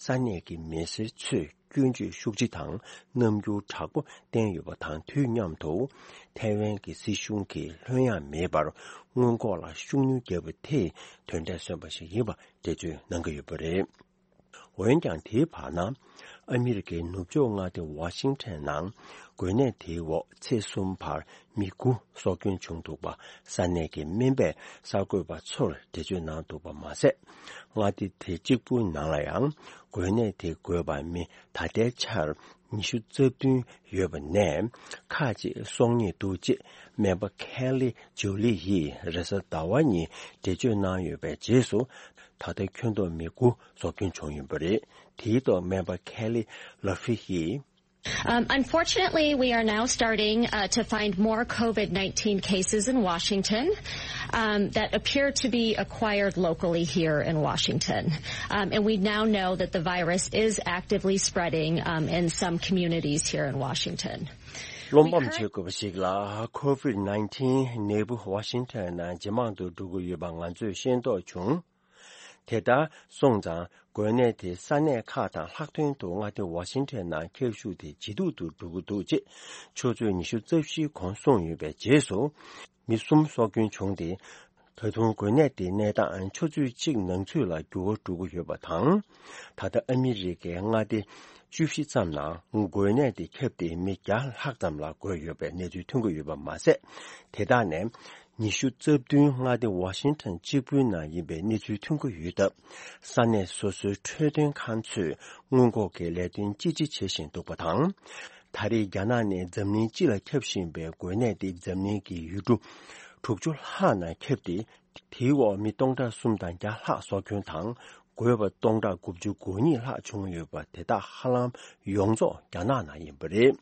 ས་གནས་ཀྱི་མི་སེར་ཚོས་སྐྱོན་བརྗོད་ཤུགས་ཆེ་དང་རྣམ་འགྱུར་དྲག་པོ་བསྟན་ཡོད་པ་དང་དུས་མཉམ་དུ། ཐའེ་ཝན་གྱི་སྲིད་གཞུང་གིས་ལྷོད་ཡངས་མེད་པར་སྔོན་འགོག་ལ་ཤུགས་སྣོན་བརྒྱབ་པ་དེས་དོན་འབྲས་སོན་པ་ཞིག་ཡིན་པ་འགྲེལ་བརྗོད་གནང་གི་ཡོད་པ་རེད། འོན་ཀྱང་། དེའི་བར་ན། ཨ་མི་རི་ཀའི་ནུབ་ཕྱོགས་མངའ་སྡེ་ཝ་ཤིང་ཊོན་ནང་འགོས་ནད་དེའི་འོག་ཚེས་གསུམ་བར་མི་དགུ་སྲོག་སྐྱོན་བྱུང་འདུག་པ་ས་གནས་ཀྱི་སྨན་པས་གསར་འགོད་པ་ཚོར་འགྲེལ་བརྗོད་གནང་འདུག་པ་མ་ཟད། མངའ་སྡེ་དེ་གཅིག་པུའི་ནང་ལ་ཡང་འགོས་ནད་དེ་འགོས་པ་མི་ད་ལྟའི་ཆར་ཉི་ཤུ་རྩ་བདུན་ཡོད་པ་ནས་ཁག་ཅིག་གསོག་ཉེས་འདུག་ཅེས་སྨན་པ་ཁེ་ལི་ཇོ་ལི་ཡིས་རེས་གཟའ་ཟླ་བ་ཉིན་འགྲེལ་བརྗོད་གནང་ཡོད་པའི་རྗེས་སུ། ད་ལྟ་ཁྱོན་བསྡོམས་མི་དགུ་སྲོག་སྐྱོན་བྱུང་ཡོད་པ་རེད། དེའི་ཐོག་སྨན་པ་ཁེ་ལི་ལ་ཧྥི་ཡིས། Um, unfortunately, we are now starting uh, to find more COVID nineteen cases in Washington um, that appear to be acquired locally here in Washington. Um, and we now know that the virus is actively spreading um, in some communities here in Washington. རློམ་པ་བྱེད་དགོས་པ་ཞིག་ལ། COVID nineteen ནད་འབུ་ཝ་ཤིང་ཊོན་ནང་ཇེ་མང་དུ་འགྲོ་གི་ཡོད་པ་ང་ཚོས་ཤེས་རྟོགས་བྱུང་། དེ་ལྟར་སོང་ཙང་། འགོས་ནད་དེ་ས་གནས་ཁག་དང་ལྷག་དོན་དུ་མངའ་སྡེ་ཝ་ཤིང་ཊོན་ནང་ཁྱབ་ཤུགས་དེ་ཇེ་སྡུག་ཏུ་འགྲོ་གི་འདུག་ཅེས་ཆུ་ཚོད་ཉི་ཤུ་རྩ་བཞིའི་གོང་གསུངས་ཡོད་པའི་རྗེས་སུ། མི་གསུམ་སྲོག་སྐྱོན་བྱུང་སྟེ། ད་དུང་འགོས་ནད་དེ་གནས་སྟངས་ཆུ་ཚོད་གཅིག་ནང་ཚུད་ལ་འགྱུར་བ་འགྲོ་གི་ཡོད་པ་དང་། ད་ལྟ་ཨ་མི་རི་ཀའི་མངའ་སྡེ་བཅུ་བཞི་ཙམ་ནང་འགོས་ནད་དེ་ཁྱབ་སྟེ་མི་བརྒྱ་ལྷག་ཙམ་ལ་འགོས་ཡོད་པའི་གནས་ཚུལ་ཐོན་གྱི་ཡོད་པ་མ་ཟད། དེ་དག་ནས་ཉི་ཤུ་རྩ་བདུན་མངའ་སྡེ་ཝ་ཤིང་ཊོན་གཅིག་པུའི་ནང་ཡིན་པའི་གནས་ཚུལ་ཐོན་གྱི་ཡོད་སྟབས། ས་གནས་སོ་སོའི་འཕྲོད་བསྟེན་ཁང་ཚོས་སྔོན་འགོག་གི་ལས་དོན་ལྕི་ལྕི་བྱེད་བཞིན་འདུག་པ་དང་། ད་རེས་རྒྱ་ནག་ནས་འཛམ་གླིང་སྤྱི་ལ་ཁྱབ་བཞིན་པའི་འགོས་ནད་དེ་འཛམ་གླིང་གི་ཡུལ་གྲུ་དྲུག་ཅུ་ལྷག་ནང་ཁྱབ་སྟེ། དེའི་འོག་མི་སྟོང་ཕྲག་གསུམ་དང་བརྒྱ་ལྷག་སྲོག་སྐྱོན་དང་། འགོས་པ་སྟོང་ཕྲག་དགུ་བཅུ་གོ་གཉིས་ལྷག་བྱུང་ཡོད་པ་དེ་དག་ཧ་ལམ་ཡོངས་རྫོགས་རྒྱ་ནག་ནང་ཡིན་པ་རེད།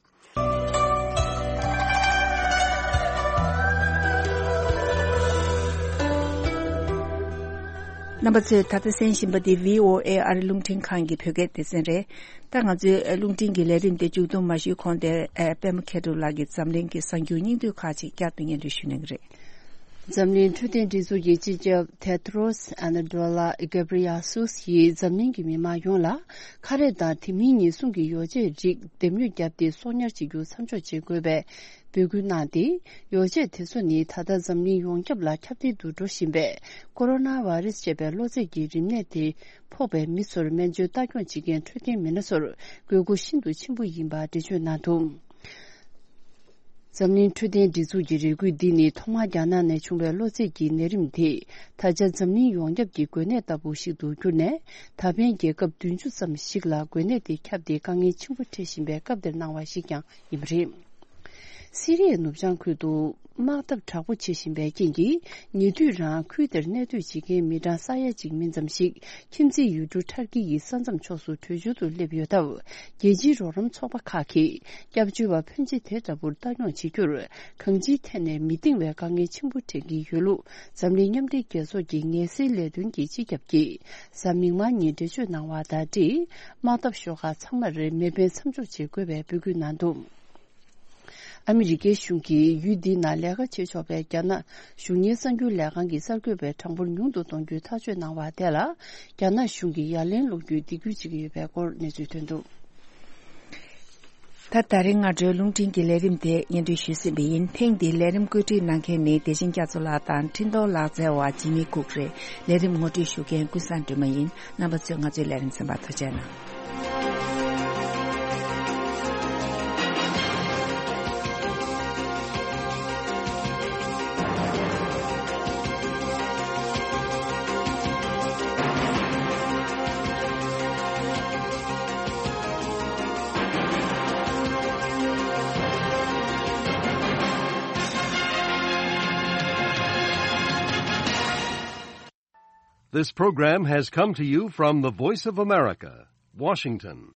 རྣམ་པ་ཚོས་ད་ལྟ་གསན་བཞིན་པ་འདི་བྷི་ཨོ་ཨེ་ཨ་རི་རླུང་འཕྲིན་ཁང་གི་བོད་སྐད་སྡེ་ཚན་རེད། ད་ང་ཚོའི་རླུང་འཕྲིན་གྱི་ལས་རིམ་དེ་མཇུག་བསྡོམས་མ་ཞུས་གོང་དེར་པད་མ་མཁས་གྲུབ་ལགས་ཀྱིས་འཛམ་གླིང་གི་གསར་འགྱུར་སྙིང་བསྡུས་ཁག་ཅིག་བསྐྱར་དུ་སྙན་སྒྲོན་ཞུ་གནང་གི་རེད། འཛམ་གླིང་འཕྲོད་བསྟེན་སྒྲིག་འཛུགས་ཀྱི་སྤྱི་ཁྱབ་ཏེ་ཏྲོས་ཨ་ན་ཏོ་ལ་གེབ་རི་ཡ་སུས་ཡིས་འཛམ་གླིང་གི་མི་མང་ཡོངས་ལ་ཁ་རས་དང་དེ་མིན་ཉེན་སྲུང་གི་ཡོ་བྱད་རིགས་འདེམས་ཉོ་བརྒྱབ་སྟེ་གསོག་ཉར་བྱེད་རྒྱུ་མཚམས་འཇོག་བྱེད་དགོས་པའི་འབོད་སྐུལ་གནང་སྟེ། ཡོ་བྱད་དེ་ཚོ་ནི་ད་ལྟ་འཛམ་གླིང་ཡོངས་ཁྱབ་ལ་ཁྱབ་གདལ་དུ་འགྲོ་བཞིན་པའི་ཀོ་རོ་ན་བྷ་རེ་སི་ཅེས་པའི་གློ་ཚད་ཀྱི་རིམས་ནད་དེ་ཕོག་པའི་མི་ཚོར་སྨན་བཅོས་ལྟ་སྐྱོང་བྱེད་མཁན་འཕྲོད་བསྟེན་མི་སྣ་ཚོར་དགོས་མཁོ་ཤིན་ཏུ་ཆེན་པོ་ཡིན་པ་འགྲེལ་བརྗོད་གནང་འདུག། འཛམ་གླིང་འཕྲོད་བསྟེན་སྒྲིག་འཛུགས་ཀྱི་རེ་སྐུལ་འདི་ནི་ཐོག་མར་རྒྱ་ནག་ནས་བྱུང་བའི་གློ་ཚད་ཀྱི་ནད་རིམས་དེ་ད་ཆ་འཛམ་གླིང་ཡོངས་ཁྱབ་ཀྱི་འགོས་ནད་ལྟ་བུ་ཞིག་ཏུ་གྱུར་ནས། ད་ཕན་རྒྱལ་ཁབ་བདུན་ཅུ་ཙམ་ཞིག་ལ་འགོས་ནད་དེ་ཁྱབ་སྟེ་དཀའ་ངལ་ཆེན་པོ་འཕྲད་བཞིན་པའི་སྐབས་འདིར་གནང་བ་ཞིག་ཀྱང་ཡིན་པ་རེད། སི་རི་ཡའི་ནུབ་བྱང་ཁུལ་དུ་དམག་འཐབ་དྲག་པོ་བྱེད་བཞིན་པའི་རྐྱེན་གྱིས། ཉེ་དུས་རང་ཁུལ་དེར་གནས་སྡོད་བྱེད་མཁན་མི་གྲངས་ས་ཡ་གཅིག་མིན་ཙམ་ཞིག་ཁྱིམ་མཚེས་ཡུལ་གྲུ་ཊར་ཀི་ཡི་ས་མཚམས་ཕྱོགས་སུ་བྲོས་བྱོལ་དུ་སླེབས་ཡོད་སྟབས། རྒྱལ་སྤྱིའི་རོགས་རམ་ཚོགས་པ་ཁག་གིས་སྐྱབས་བཅོལ་བ་ཕོན་ཆེ་དེ་འདྲ་བོར་ལྟ་སྐྱོང་བྱེད་རྒྱུར། གང་ཅིའི་ཐད་ནས་མི་འདང་བའི་དཀའ་ངལ་ཆེན་པོ་འཕྲད་ཀྱི་ཡོད་ལུགས། འཛམ་གླིང་མཉམ་འབྲེལ་རྒྱལ་ཚོགས་ཀྱི་ངལ་སེལ་ལས་དོན་གྱི་སྤྱི་ཁྱབ་ཀྱིས། གཟའ་མིག་དམར་ཉིན་འགྲེལ་བརྗོད་གནང་བ་དང་འབྲེལ། དམག་འཐབ་ཤོག་ཁག་ཚང་མར་མེ་འཕེན་མཚམས་འཇོག་བྱེད་དགོས་པའི་འབོད་སྐུལ་གནང་འདུག་ཨ་མི་རི་ཀའི་གཞུང་གིས་ཡུལ་འདི་ན་ལས་ཀ་བྱེད་ཆོག་པའི་རྒྱ་ནག་གཞུང་གཉེར་གསར་འགྱུར་ལས་ཁང་གི་གསར་འགོད་པའི་གྲངས་འབོར་ཉུང་དུ་གཏོང་རྒྱུའི་ཐག་གཅོད་གནང་བ་དེ་ལ། རྒྱ་ནག་གཞུང་གིས་ཡ་ལན་སློག་རྒྱུའི་སྡིགས་སྐུལ་བྱེད་ཀྱི་ཡོད་པའི་སྐོར་གནས་ཚུལ་ཐོན་འདུག་ད་ད་རིང་སྔ་དྲོའི་རླུང་འཕྲིན་གྱི་ལས་རིམ་དེ་སྙན་སྒྲོན་ཞུས་ཟིན་པ་ཡིན། ཐེངས་འདིའི་ལས་རིམ་བཀོད་སྒྲིག་གནང་མཁན་ནི་བདེ་ཆེན་རྒྱ་མཚོ་ལགས་དང་འཕྲིན་གཏོང་ལག་རྩལ་བ་ཇི་མི་ཀུག་རེད། ལས་རིམ་ངོ་སྤྲོད་ཞུ་མཁན་ཀུན་བཟང་སྒྲོལ་མ་ཡིན། རྣམ་པ་ཚོས་ང་ཚོའི་ལས་རིམ་གསན་པར་ཐུགས་རྗེ་གནང་། This program has come to you from the Voice of America, Washington.